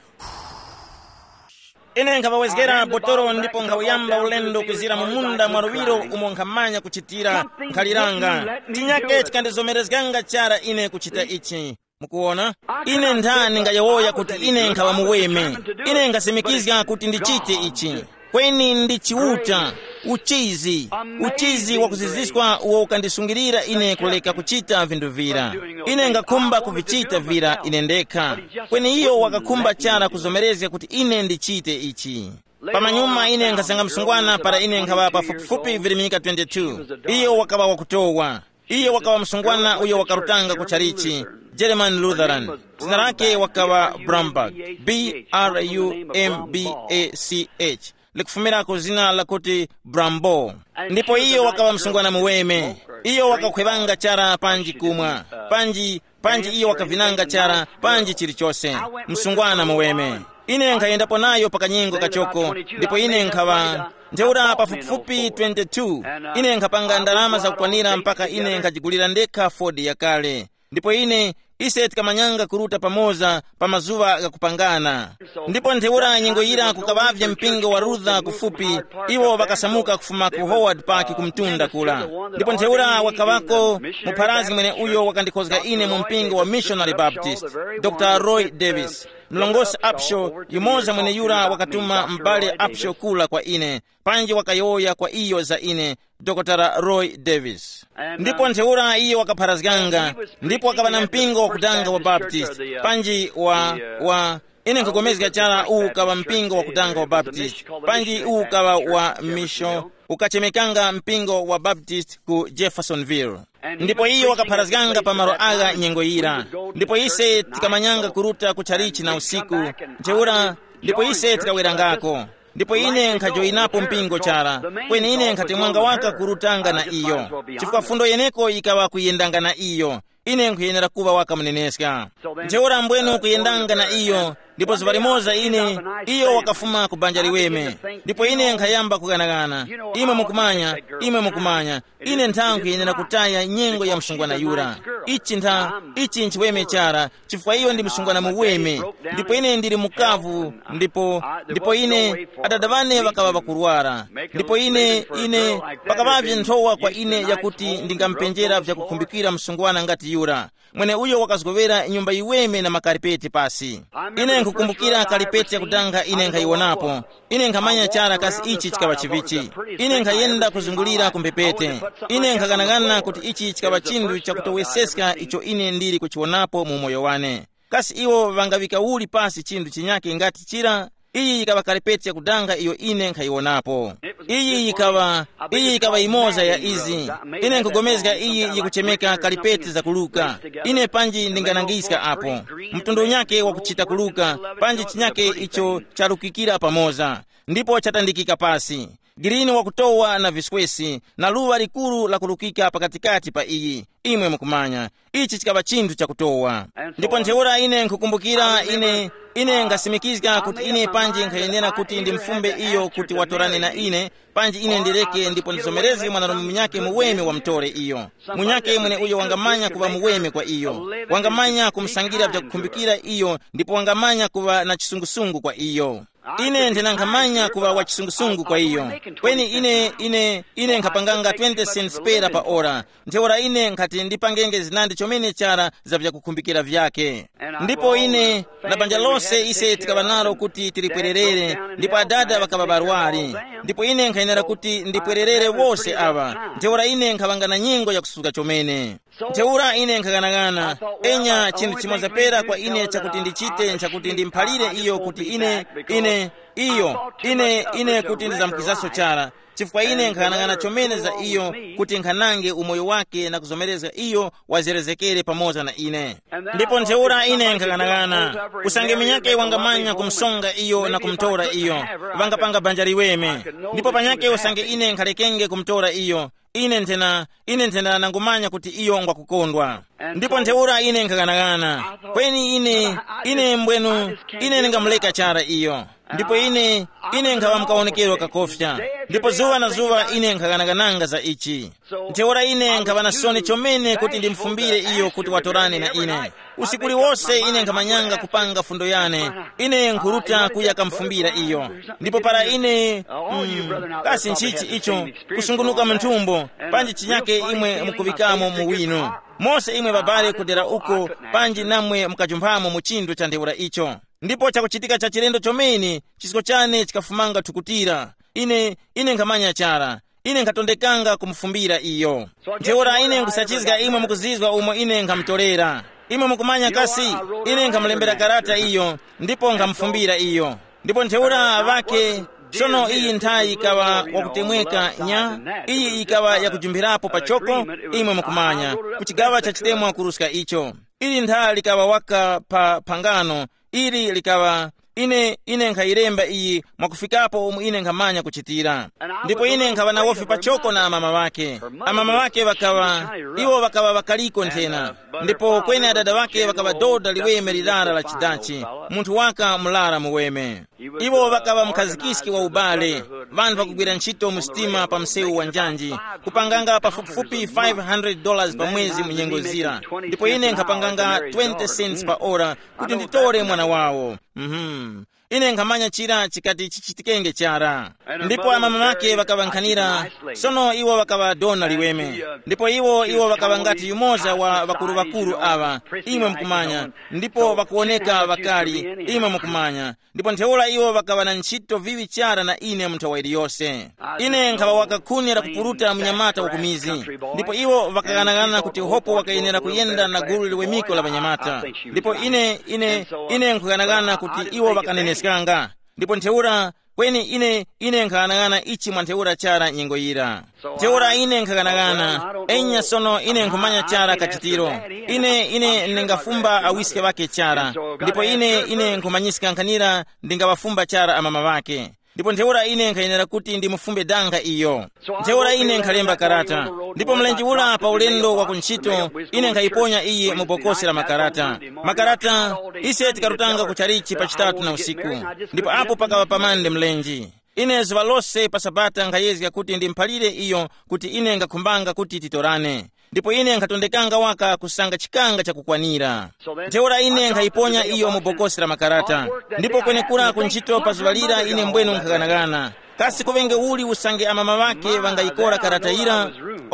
ine nkhawawezgera botolo ndipo nkhawuyamba ulendo kwizira mu munda mwa luŵiro umo nkhamanya kuchitira. Nkhaliranga, chinyake chikandizomerezganga chara ine kuchita ichi. Mukuwona, ine nthani ngayowoya kuti ine nkhaŵa muweme. Ine ngasimikizga kuti ndichite ichi. Kweni ndi Chiuta, uchizi, uchizi wakuziziswa uwo ukandisungilira ine kuleka kuchita vinthu vira. Ine ngakhumba kuvichita vira ine ndekha. Kweni iyo wakakhumba chara kuzomerezga kuti ine ndichite ichi. Pamanyuma ine nkhasanga msungwana para ine nkhaŵa pafupifupi virimika twenty-two. Iyo wakaŵa wakutowa. Iyo wakaŵa msungwana uyo wakarutanga ku chalichi, German Lutheran. Zina lake wakaŵa Brumberg, B R U M B A C H, likufumira ku zina lakuti Brambo. Ndipo iyo wakaŵa msungwana muweme. Iyo wakakhwevanga chara panji kumwa, panji panji iyo wakavinanga chara panji chilichose. Msungwana muweme. Ine nkhayendapo nayo pa kanyengo kachoko, ndipo ine nkhaŵa ntheura pafupifupi twenty-two. Ine nkhapanga ndalama zakukwanira mpaka ine nkhajigulira ndekha Ford yakale. Ndipo ine, ise tikamanyanga kuruta pamoza pa mazuŵa ghakupangana. Ndipo ntheura nyengo yira kukaŵavye mpingo wa Luther kufupi, iwo ŵakasamuka kufuma ku Howard Park ku mtunda kula. Ndipo ntheura wakaŵako mupharazgi mweneuyo wakandikhozga ine mu mpingo wa Missionary Baptist, Dr Roy Davis. Mlongosi Upshaw, yumoza mweneyura wakatuma m'bale Upshaw kula kwa ine, panji wakayowoya kwa iyo za ine, Dr Roy Davis. Ndipo ntheura iye wakapharazganga, ndipo wakaŵa na mpingo wakudanga wa Baptist, panji wa, wa, ine nkhupulikana chara uwu ukaŵa mpingo wakudanga wa Baptist, panji uwu ukaŵa wa misho, ukachemekanga mpingo wa Baptist ku Jeffersonville. Ndipo iyo wakapharazganga pa malo agha nyengo yira. Ndipo ise tikamanyanga kuruta ku chalichi na usiku, ntheura, ndipo ise tikawerangako. Ndipo ine nkhajoyinapo mpingo chara, kweni ine nkhatemwanga waka kurutanga na iyo, chifukwa fundo yeneko yikaŵa kuyendanga na iyo. Ine nkhuyenera kuŵa waka muneneska. Ntheura mbwenu kuyendanga na iyo, ndipo zuŵa limoza ine, iyo wakafuma ku banja liweme. Ndipo ine nkhayamba kughanagana. Imwe mukumanya, imwe mukumanya, ine ntha nkhuyenera kutaya nyengo ya msungwana yura. Ichi ntha, ichi nchiweme chara, chifukwa iyo ndi msungwana muweme. Ndipo ine ndili mukavu, ndipo, ndipo ine, adada ŵane ŵakaŵa ŵakurwara. Ndipo ine, ine, pakaŵavye nthowa kwa ine yakuti ndingamupenjera vyakukhumbikira msungwana ngati yura, mweneuyo wakazgowera nyumba yiweme na makaripeti pasi. Ine nkhukumbukira karipeti yakudanga ine nkhayiwonapo. Ine nkhamanya chara kasi ichi chikaŵa chivichi. Ine nkhayenda kuzungulira ku mphepete. Ine nkhaghanaghana kuti ichi chikaŵa chinthu chakutoweseska icho ine ndili kuchiwonapo mu umoyo wane. Kasi iwo ŵangaŵika uli pasi chinthu chinyake ngati chira? Iyi yikaŵa karipeti yakudanga iyo ine nkhayiwonapo. Iyi yikaŵa, iyi yikaŵa yimoza ya izi. Ine nkugomezga iyi yikuchemeka karipeti zakuluka. Ine panji ndinganangiska apo, mtundu unyake wakuchita kuluka, panji chinyake icho charukikira pamoza, ndipo chatandikika pasi. Girini wakutowa na viswesi, na luŵa likuru lakurukika pakatikati pa iyi. Imwe mukumanya, ichi chikaŵa chinthu chakutowa. Ndipo ntheura ine nkhukumbukira ine, ine ngasimikizga kuti ine panji nkhayenera kuti ndimufumbe iyo kuti watorane na ine, panji ine ndireke ndipo ndizomerezge mwanarume munyake muweme wamutore iyo. Munyake mweneuyo wangamanya kuŵa muweme kwa iyo, wangamanya kumusangira vyakukhumbikira iyo, ndipo wangamanya kuŵa na chisungusungu kwa iyo. Ine ndinanghamanya kuŵa wa chisungusungu kwa iyo. Kweni ine, ine, ine nkhapanganga twenty cents pera pa ora. Ntheura ine nkhati ndipangenge zinandi chomene chara za vyakukhumbikira vyake. Ndipo ine na banja lose ise tikaŵa nalo kuti tilipwererere, ndipo adada ŵakaŵa barwari. Ndipo ine nkhayenera kuti ndipwererere wose aŵa. Ntheura ine nkhaŵanga na nyengo yakusuka chomene. Ntheura ine nkhaghanagana, enya chinthu chimoza pera kwa ine chakuti ndichite nchakuti ndimuphalire iyo kuti ine, ine, iyo, ine, ine kuti ndizamkwizaso chara, chifukwa ine nkhaghanagana chomene za iyo, kuti nkhanange umoyo wake na kuzomerezga iyo wazerezekere pamoza na ine. Ndipo ntheura ine nkhaghanagana, usange minyake wangamanya kumsonga iyo na kumutora iyo, ŵangapanga banja liweme. Ndipo panyake usange ine nkhalekenge kumutora iyo, ine nthena, ine nthena nangumanya kuti iyo ngwakukondwa. Ndipo ntheura ine nkhaghanaghana, kweni ine, ine mbwenu, ine ndingamuleka chara iyo. Ndipo ine, ine nkhaŵa mukawonekero kakofya. Ndipo zuŵa na zuŵa ine nkhaghanagananga za ichi. Ntheura ine nkhaŵa na soni chomene kuti ndimfumbire iyo kuti watorane na ine. Usiku uliwose ine nkhamanyanga kupanga fundo yane, ine nkhuruta kuya kamfumbira iyo. Ndipo para ine, mm, kasi nchichi icho, kusungunuka mu nthumbo, panji chinyake imwe mukuŵikamo mu wino. Mose imwe babale kudera uko, panji namwe mukajumphamo mu chinthu cha ntheura icho. Ndipo chakuchitika cha chilendo chomene, chisko chane chikafumanga thukutira. Ine, ine nkhamanya chara. Ine nkhatondekanga kumufumbira iyo. Ntheura ine nkusachizga imwe mukuzizwa umo ine nkhamutorera. Imwe mukumanya kasi, ine nkhamulembera karata iyo, ndipo nkhamufumbira iyo. Ndipo ntheura ŵake, sono iyi nthayi ikaŵa wakutemweka nya, iyi ikaŵa yakujumphirapo pachoko, imwe mukumanya, ku chigaŵa cha chitemwa kuruska icho. Ili ntha likaŵa waka pa phangano, ili likaŵa, ine, ine nkhayilemba iyi mwakufikapo umo ine nkhamanya kuchitira. Ndipo ine nkhaŵa na wofi pachoko na amama ŵake. Amama ŵake ŵakaŵa, iwo ŵakaŵa ŵakaliko nthena. Ndipo kweni adada ŵake ŵakaŵa doda liweme lirara la chidachi, munthu waka murara muweme. Iwo ŵakaŵa mukhazikiski wa ubale, ŵanthu ŵakugwira ntchito mu sitima pa msewu wa njanji, kupanganga pafupifupi five hundred dollars pa mwezi mu nyengo zira. Ndipo ine nkhapanganga twenty cents pa ora kuti nditore mwana wawo. Mhm. Ine nkhamanya chira chikati chichitikenge chara. Ndipo amama ŵake ŵakaŵankhanira. Sono iwo ŵakaŵa dona liweme. Ndipo iwo iwo ŵakaŵa ngati yumoza wa ŵakuru-ŵakuru aŵa, imwe mukumanya. Ndipo ŵakuwoneka ŵakali, imwe mukumanya. Ndipo ntheura iwo ŵakaŵa na ntchito viŵi chara na ine mu nthawa iliyose. Ine nkhaŵa wakakhuni la kupuruta munyamata wa ku mizi. Ndipo iwo ŵakaghanagana kuti hopo wakayenera kuyenda na gulu liwemiko la ŵanyamata. Ndipo ine ine ine nkughanagana kuti iwo ŵakaneneskanga. Ndipo ntheura, kweni ine ine nkaghanagana ichi mwa ntheura chara nyengo yira. Ntheura ine nkaghanagana. Enya, sono ine nkhumanya chara kachitiro. Ine ine ndingafumba awiske ŵake chara. Ndipo ine ine nkhumanyiska nkhanira ndingaŵafumba chara amama ŵake. Ndipo ntheura ine nkhayenera kuti ndimufumbe danga iyo. Ntheura ine nkhalemba karata. Ndipo mlenje ura pa ulendo wa kuntchito, ine nkhayiponya iyi mu bokosi la makarata. Makarata, ise tikarutanga ku chalichi pa chitatu na usiku. Ndipo apo pakaŵa pamande mlenje. Ine zuŵa lose pa sabata nkhayezga kuti ndimphalire iyo kuti ine ngakhumbanga kuti titorane. Ndipo ine nkhatondekanga waka kusanga chikanga chakukwanira. Ntheura ine nkhayiponya iyo mu bokosi la makarata. Ndipo kwenekura ku ntchito pa zuŵa lira ine mbwenu nkhaghanagana. Kasi kuŵenge uli usange amama ŵake ŵangayikora karata yira?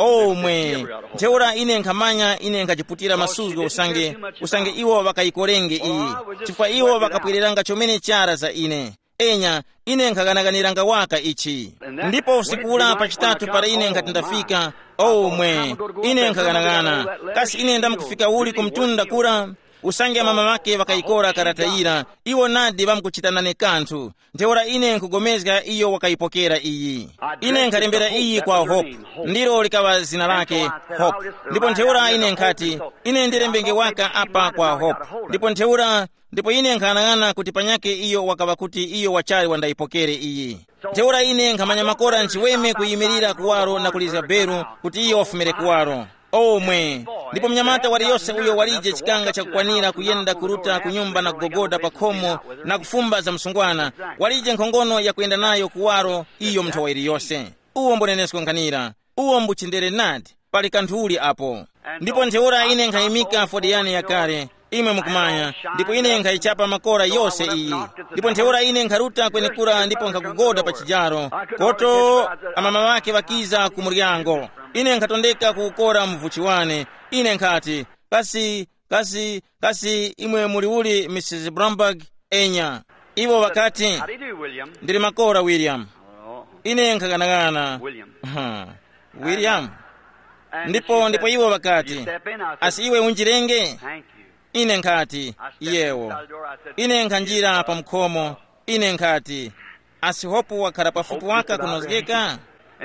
Omwe. Ntheura ine nkhamanya ine nkhajiputira masuzgo usange usange iwo ŵakayikorenge iyi, chifukwa iwo ŵakapwereranga chomene chara za ine. Enya, ine nkhaganaganiranga waka ichi. Ndipo usiku ula pa chitatu para ine nkhati ndafika, omwe, ine nkhaganaghana. Kasi ine ndamkufika uli ku mtunda kura? Usange amama ŵake ŵakayikora karata yira, iwo nadi ŵamkuchita nane kanthu. Ntheura ine nkhugomezga iyo wakayipokera iyi. Ine nkhalembera iyi kwa Hope. Ndilo likaŵa zina lake, Hope. Ndipo ntheura ine nkhati, ine ndilembenge waka apa kwa Hope. Ndipo ntheura, ndipo ine nkhanang'ana kuti panyakhe iyo wakaŵa kuti iyo wachali wandayipokere iyi. Ntheura ine nkhamanya makora nchiweme kuyimirira kuwaro na kulizga beru kuti iyo wafumire kuwaro. Omwe. Ndipo mnyamata waliyose uyo walije chikanga chakukwanira kuyenda kuruta ku nyumba na kugogoda pa khomo na kufumba za msungwana, walije nkhongono yakuyenda nayo kuwaro iyo nthowa iliyose. Uwo mbunenesko nkhanira. Uwo mbuchindere nadi. Pali kanthu uli apo. Ndipo ntheura ine nkhayimika fodiyani yakale, imwe mukumanya, ndipo ine nkhayichapa makora yose iyi. Ndipo ntheura ine nkharuta kwenekura ndipo nkhakugoda pa chijaro, koto amama ŵake ŵakiza ku muryango. Ine nkhatondeka kukora mvuchi wane. Ine nkhati, kasi, kasi, kasi imwe muli uli, Mrs Bromberg? Enya. Iwo ŵakati, ndili makora, William. Ine nkhaganagana. Huh. William. Ndipo ndipo iwo ŵakati, asi iwe unjirenge? Ine nkhati, yewo. Ine nkhanjira pa mukhomo. Ine nkhati, asi Hopu wakhala pafupi waka kunozgeka?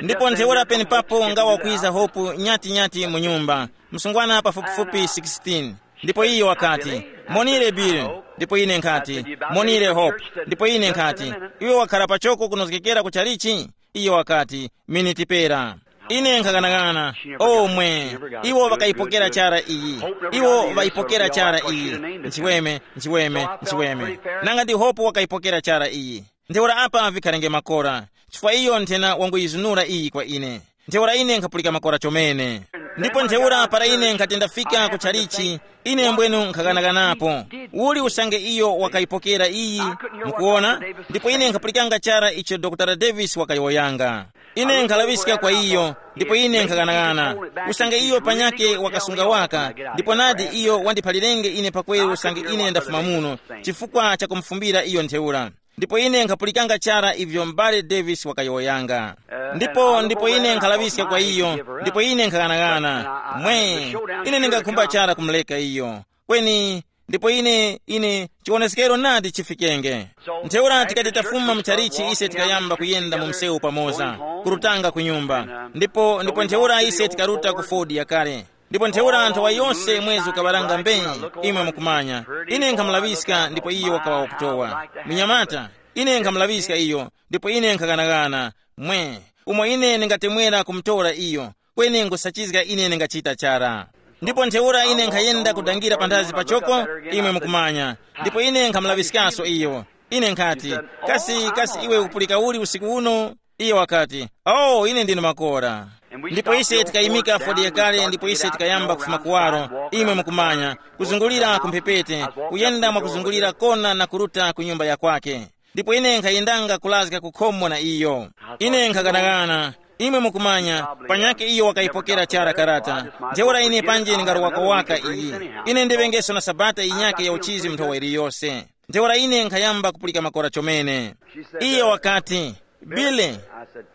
Ndipo ntheura penepapo ngawa kwiza Hopu nyati-nyati mu nyumba, msungwana pafupifupi sixteen. Ndipo iyo wakati, monire Bill. Ndipo ine nkhati, monire Hope. Ndipo ine nkhati, iwe wakhala pachoko kunozgekera ku chalichi? Iyo wakati, miniti pera. Ine nkhaghanaghana. Omwe. Iwo ŵakayipokera chara iyi. Iwo ŵayipokera chara iyi. Nchiweme, nchiweme, nchiweme. Nanga ndi Hope wakayipokera chara iyi. Ntheura apa vikharenge makora, chifukwa iyo nthena wanguyizunura iyi kwa ine. Ntheura ine nkhapulika makora chomene. Ndipo ntheura para ine nkhati ndafika ku chalichi, ine mbwenu nkhaghanaghanapo. Uli usange iyo wakayipokera iyi? Mukuwona? Ndipo ine nkhapulikanga chara icho Dr Davis wakayowoyanga. Ine nkhalaŵiska kwa iyo, ndipo ine nkhaghanaghana. Usange iyo panyake wakasunga waka, ndipo nadi iyo wandiphalirenge ine pakweru usange ine ndafuma muno, chifukwa chakumufumbira iyo ntheura. Ndipo ine nkhapulikanga chara ivyo m'bale Davis wakayowoyanga. Ndipo ndipo ine nkhalaŵiska kwa iyo, ndipo ine nkhaghanagana. Mwe, ine ndingakhumba chara kumuleka iyo. Kweni, ndipo ine ine chiwoneskero nadi chifikenge. Ntheura tikati tafuma mu chalichi ise tikayamba kuyenda mu msewu pamoza, kurutanga ku nyumba. Ndipo ndipo ntheura ise tikaruta ku Ford yakale. Ndipo ntheura nthawa yose mwezi ukaŵaranga mbenyi, imwe mukumanya. Ine nkhamulaŵiska ndipo iyo wakaŵa wakutowa. Munyamata, ine nkhamulaŵiska iyo, ndipo ine nkhaganaghana. Mwe, umo ine ndingatemwera kumutora iyo, kweni nkhusachizga ine ndingachita chara. Ndipo ntheura ine nkhayenda kudangira panthazi pachoko, imwe mukumanya. Ndipo ine nkhamulaŵiskaso iyo. Ine nkhati, kasi kasi iwe ukupulika uli usiku uno? Iye wakati, oh, ine ndine makora. Ndipo ise tikayimika fodi yakale ndipo ise tikayamba kufuma kuwaro, imwe mukumanya, kuzungulira kumphepete, kuyenda mwakuzungulira kona na kuruta ku nyumba ya kwake. Ndipo ine nkhayendanga kulazga ku khomo na iyo. Ine nkhaganaghana, imwe mukumanya, panyakhe iyo wakayipokera chara karata. Ntheura ine panje ndingarowako waka iyi. Ine ndiŵengeso na sabata yinyakhe ya uchizi mu nthowa iliyose. Ntheura ine nkhayamba kupulika makora chomene. Iye wakati, "Bile."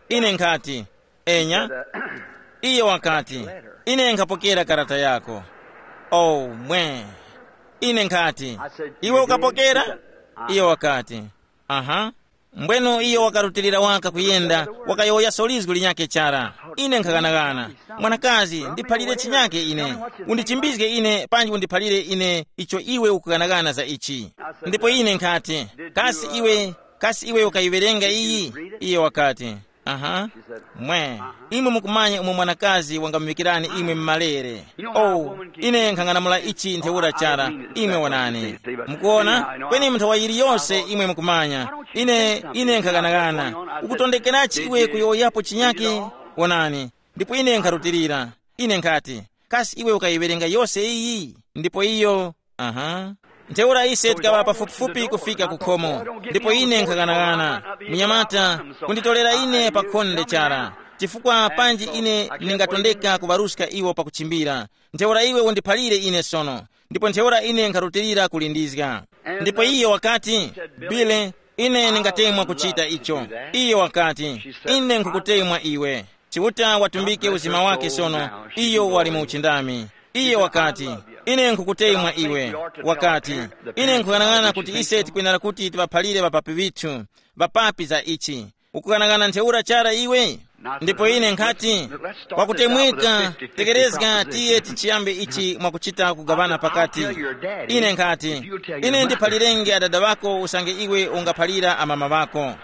Ine nkhati, "Enya." Iye wakati, "Ine nkhapokera karata yako." Oh, mwe. Ine nkhati, "Iwe ukapokera?" Iye wakati, "Aha." Mbwenu iyo wakarutilira waka kuyenda, wakayowoyaso lizgu linyakhe chara. Ine nkhaganaghana, "Mwanakazi, ndiphalire chinyakhe ine. Undichimbizge ine panji undiphalire ine icho iwe ukuganaghana za ichi." Ndipo ine nkhati, "Kasi iwe, kasi iwe ukayiwerenga iyi?" Iye wakati, "Aha." "Mwe, imwe mukumanya umo mwanakazi wangamuŵikirani imwe mmalere. Oh, ine nkhang'anamula ichi ntheura chara, imwe wonani. Mukuona, kweni mu nthawa yiliyose imwe mukumanya, ine, ine nkhaganaghana. Ukutondekerachi iwe kuyowoyapo chinyake? Wonani." Ndipo ine nkharutilira. Ine nkhati, "Kasi iwe ukayiwerenga yose iyi?" Ndipo iyo, aha. Ntheura ise tikaŵa pafupifupi kufika ku khomo, ndipo ine nkhaganaghana, munyamata, kunditorera ine pa khonde chara, chifukwa panji ine ndingatondeka kuŵaruska iwo pakuchimbira. Ntheura iwe undiphalire ine sono. Ndipo ntheura ine nkharutilira kulindizga. Ndipo iyo wakati, "Bile, ine ndingatemwa kuchita icho." Iyo wakati, "Ine nkhukutemwa iwe. Chiuta watumbike uzima wake sono, iyo wali mu uchindami." Iyo wakati, "Ine nkhukutemwa iwe." Wakati, "Ine nkhughanag'ana kuti ise tikwenera kuti tiŵaphalire ŵapapi ŵithu, ŵapapi za ichi. Ukughanag'ana ntheura chara iwe?" Ndipo ine nkhati, "Kwakutemweka, tekerezga tiye tichiyambe ichi mwakuchita kugaŵana pakati." Ine nkhati, "Ine ndiphalirenge adada ŵako usange iwe ungaphalira amama ŵako."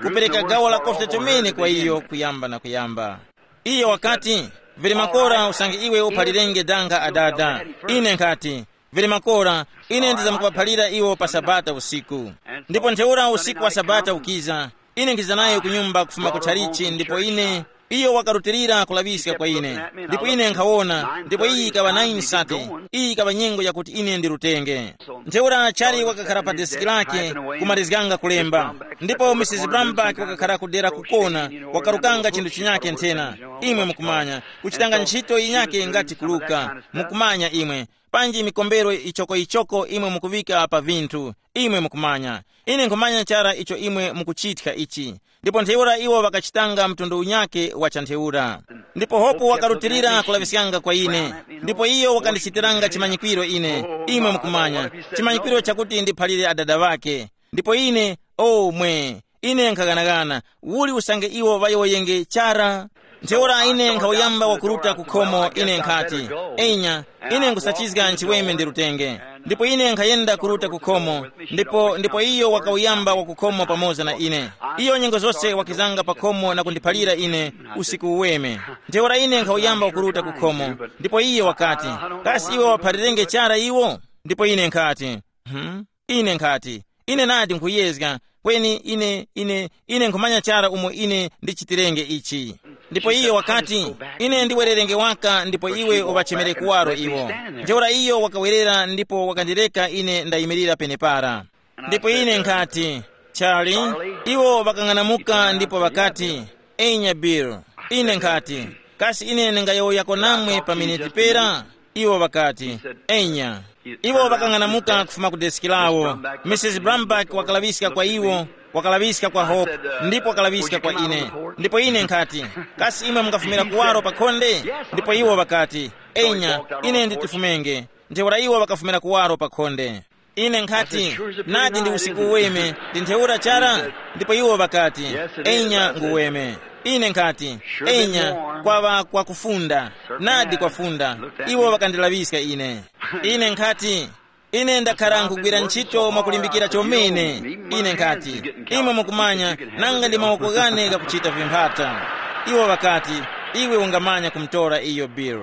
Kupereka gawo la kofta chomene kwa iyo kuyamba na kuyamba. Iyo wakati, "Vili makora usange iwe uphalirenge danga adada." Ine nkhati, "Vili makora, ine ndizamkuphalira iwo pa Sabata usiku." Ndipo ntheura usiku wa Sabata ukiza, ine nkhiza nayo ku nyumba kufuma ku tchalichi, ndipo ine, iyo wakarutilira kulaŵiska kwa ine. Ndipo ine nkhawona, ndipo iyi ikaŵa nine sate, iyi ikaŵa nyengo yakuti ine ndirutenge. Ntheura chali wakakhala pa desiki lake, kumalizganga kulemba. Ndipo Mrs Brambach wakakhala kudera kukona, wakarukanga chinthu chinyake nthena. Imwe mukumanya, kuchitanga ntchito yinyake ngati kuluka, mukumanya imwe, panji mikombero ichokoyichoko imwe mukuŵika pa vinthu, imwe mukumanya. Ine nkhumanya chara icho imwe mukuchithya ichi. Ndipo ntheura iwo ŵakachitanga mtundu unyake wa chantheura. Ndipo hopo wakarutilira kulaŵiskanga kwa ine, ndipo iyo wakandichitiranga chimanyikwiro ine, imwe mukumanya, chimanyikwiro chakuti ndiphalire adada ŵake. Ndipo ine, o mwe, ine nkhaghanagana, uli usange iwo ŵayowoyenge chara? Ntheura ine nkhawuyamba wakuruta ku khomo, ine nkhati, "Enya, ine nkhusachizga nchiweme ndirutenge." Ndipo ine nkhayenda kuruta ku khomo, ndipo ndipo iyo wakawuyamba wakukhomo pamoza na ine. Iyo nyengo zose wakizanga pa khomo na kundiphalira ine usiku uweme. Ntheura ine nkhawuyamba wakuruta ku khomo, ndipo iyo wakati, "Kasi iwe waphalirenge chara iwo?" Ndipo ine nkhati, "Hmm?" Ine nkhati, "Ine nadi nkhuyezga, kweni ine, ine, ine nkhumanya chara umo ine ndichitirenge ichi." Ndipo iyo wakati, "Ine ndiwererenge waka ndipo iwe uŵachemere kuwaro iwo." Ntheura iyo wakawerera ndipo wakandileka ine ndayimirira penepara. Ndipo ine nkhati, "Charlie, iwo ŵakang'anamuka ndipo ŵakati, 'Enya Bill.' Ine nkhati, 'Kasi ine ndingayowoyako namwe pa miniti pera?' Iwo ŵakati, 'Enya.'" Iwo ŵakang'anamuka kufuma ku desiki lawo. Mrs Brambach wakalaŵiska kwa iwo, wakalaŵiska kwa Hope, ndipo wakalaŵiska kwa ine. Ndipo ine nkhati, "Kasi imwe mungafumira kuwaro pa khonde?" Ndipo iwo ŵakati, "Enya, ine nditifumenge." Ntheura iwo ŵakafumira kuwaro pa khonde. Ine nkhati, "Nadi ndi usiku uweme, ndi ntheura chara?" Ndipo iwo ŵakati, "Enya nguweme." Ine nkhati, "Enya, kwaŵa kwakufunda. Nadi kwafunda." Iwo ŵakandilaŵiska ine. Ine nkhati, "Ine ndakhara nkugwira ntchito mwakulimbikira chomene." Ine nkhati, "Imwe mukumanya, nanga ndi mawoko ghane ghakuchita vimphata." Iwo ŵakati, "Iwe ungamanya kumutora iyo Bill."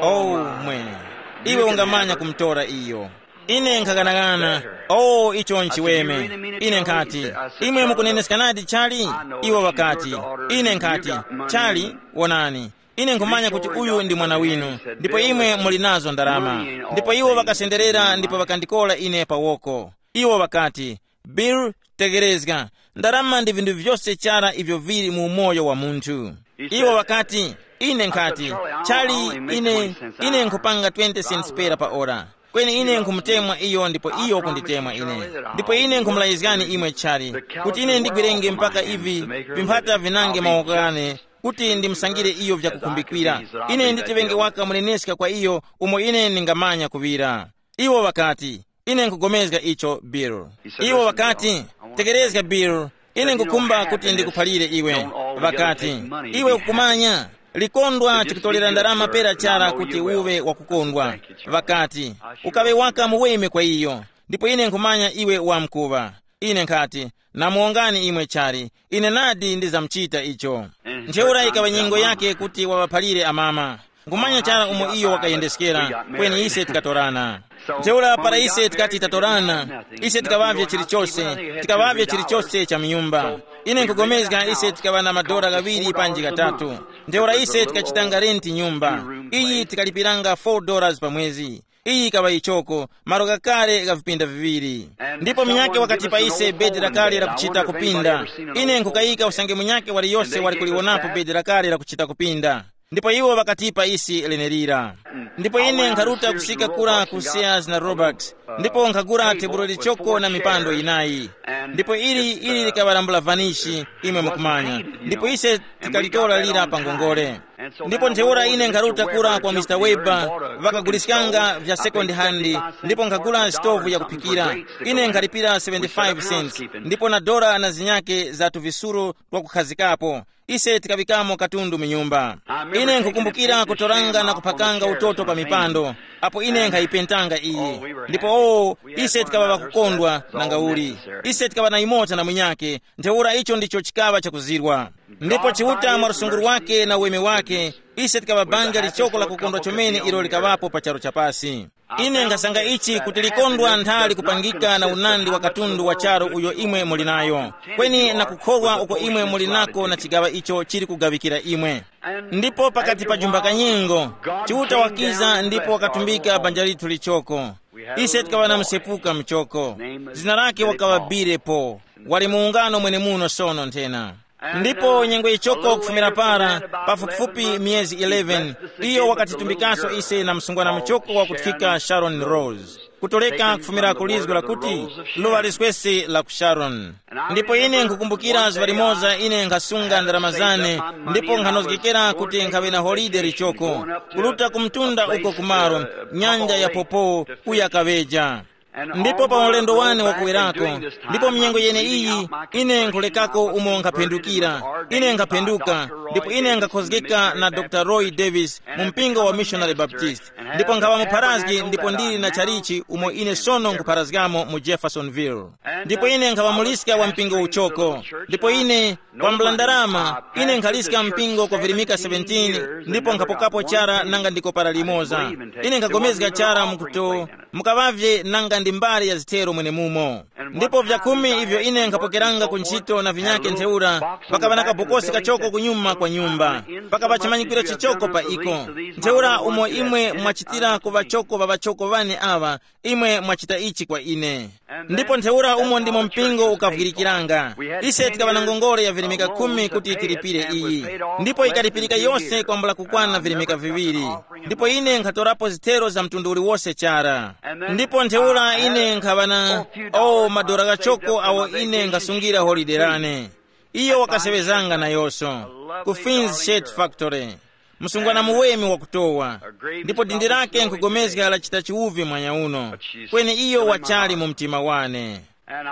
Oh, mwe. Iwe ungamanya kumutora iyo. Ine nkhaganaghana, "Oh, icho nchiweme." Ine nkhati, "Imwe mukuneneska nadi chali?" Iwo ŵakati, ine nkhati, "Chali, wonani, ine nkhumanya kuti uyu ndi mwana winu, ndipo imwe muli nazo ndarama." Ndipo iwo ŵakasenderera ndipo ŵakandikola ine pa woko. Iwo ŵakati, "Bill, Tegerezga, ndarama ndi vinthu vyose chara ivyo vili mu umoyo wa munthu. Iwo ŵakati, ine nkhati, chali, ine, ine nkhupanga twenty cents pera pa ora. Kweni ine nkhumutemwa iyo ndipo iyo kunditemwa ine. Ndipo ine nkhumulayizgani imwe chali, kuti ine ndigwerenge mpaka ivi vimphata vinange mawoko ghane, kuti ndimusangire iyo vyakukhumbikira. Ine nditiŵenge waka muneneska kwa iyo, umo ine ndingamanya kuŵira. Iwo ŵakati, ine nkugomezga icho, Bill. Iwo ŵakati, tekerezga, Bill, ine nkukhumba kuti ndikuphalire iwe. Ŵakati, iwe ukukumanya, likondwa chikutolera ndarama pera chara kuti uwe wakukondwa. Ŵakati, ukaŵe waka muweme kwa iyo, ndipo ine nkhumanya iwe wamkuŵa. Ine nkhati, namuwongani imwe chali, ine nadi ndizamuchita icho. Ntheura ikaŵa nyengo yake kuti waŵaphalire amama. Nkhumanya chara umo iyo wakayendeskera, kweni ise tikatorana. Ntheura para ise tikati tatorana, ise tikaŵavye chilichose, tikaŵavye chilichose cha mnyumba. Ine nkugomezga ise tikaŵa na madora ghaŵiri panji ghatatu. Ntheura ise tikachitanga renti nyumba. Iyi tikalipiranga four dollars pa mwezi. Iyi ikaŵa ichoko, malo ghakale gha vipinda viŵiri. Ndipo munyakhe wakatipa ise bedi lakale lakuchita kupinda. Ine nkukayika usange munyakhe waliyose wali kuliwonapo bedi lakale lakuchita kupinda. Ndipo iwo ŵakatipa isi lenelira. Ndipo ine nkharuta kusika kura ku Sears na Roebuck, ndipo nkhagula tebulo lichoko na mipando yinayi. Ndipo ili ili likaŵalambula vanishi, imwe mukumanya. Ndipo ise tikalitora lira pa ngongole. Ndipo ntheura ine nkharuta kura kwa Mr Weber, ŵakaguliskanga vya second hand, ndipo nkhagula sitovu yakuphikira. Ine nkhalipira seventy-five cents, ndipo na dora na zinyake za tuvisuro twakukhazikapo. Ise tikaŵikamo katundu mu nyumba. Ine nkhukumbukira kutoranga na kuphakanga utoto pa mipando, apo ine nkhayipentanga iyi. Ndipo o, ise tikaŵa ŵakukondwa nanga uli. Ise tikaŵa na imota na munyake, ntheura icho ndicho chikaŵa chakuzirwa. Ndipo Chiuta mwa lusunguru wake na uweme wake, ise tikaŵa banja lichoko lakukondwa chomene ilo likaŵapo pa charu chapasi. Ine nkhasanga ichi kuti likondwa nthali kupangika na unandi wa katundu wa charu uyo imwe muli nayo, kweni na kukhorwa uko imwe muli nako na chigaŵa icho chili kugaŵikira imwe. Ndipo pakati pa jumba kanyengo, Chiuta wakiza ndipo wakatumbika banja lithu lichoko. Ise tikaŵa na msepuka mchoko. Zina lake wakaŵa Bile Po. Wali mu ungano mwenemuno sono nthena. Ndipo nyengo ichoko kufumira para, pafupifupi miyezi eleven, iyo wakatitumbikaso ise na msungwana muchoko wakuthika Sharon Rose, kutoleka kufumira ku lizgo lakuti, luŵa liswesi la ku Sharon. Ndipo ine nkhukumbukira zuŵa limoza ine nkhasunga ndarama zane, ndipo nkhanozgekera kuti nkhaŵe na holide lichoko, kuluta ku mtunda uko kumaro, nyanja ya Popo, kuya kaŵeja. Ndipo pa ulendo wane wakuwerako, ndipo mnyengo yeneiyi, ine nkhulekako umo nkhaphendukira. Ine nkhaphenduka, ndipo ine nkhakhozgeka na Dr Roy Davis mu mpingo wa Missionary Baptist. Ndipo nkhaŵa mupharazgi ndipo ndili na chalichi umo ine sono nkhupharazgamo mu Jeffersonville. Ndipo ine nkhaŵa muliska wa mpingo uchoko. Ndipo ine, kwambula ndarama, ine nkhaliska mpingo kwa virimika seventeen, ndipo nkhapokapo chara nanga ndiko para limoza. Ine nkhagomezga chara mukuto, mukaŵavye nanga ndi mbali ya zithero mwenemumo. Ndipo vyakhumi ivyo ine nkhapokeranga ku ntchito na vinyake ntheura, pakaŵa na kabokosi kachoko kunyuma kwa nyumba. Pakaŵa chimanyikiro chichoko pa iko. Ntheura umo imwe mwachitira ku ŵachoko ŵa ŵachoko ŵane aŵa, imwe mwachita ichi kwa ine. Ndipo ntheura umo ndimo mpingo ukavwirikiranga. Ise tikaŵa na ngongole ya virimika khumi kuti tilipire iyi. Ndipo ikalipirika yose kwambula kukwana virimika viŵiri. Ndipo ine nkhatorapo zithero za mtundu uliwose chara. Ndipo ntheura ine nkhaŵa na, o, madora ghachoko awo ine nkhasungira holide lane. Iyo wakaseŵezanga nayonso ku Fin's Shirt Factory, msungwana muweme wakutowa, ndipo dindi lake nkugomezga lachita chiwuvi mwanya uno, kweni iyo wachali mu mtima wane.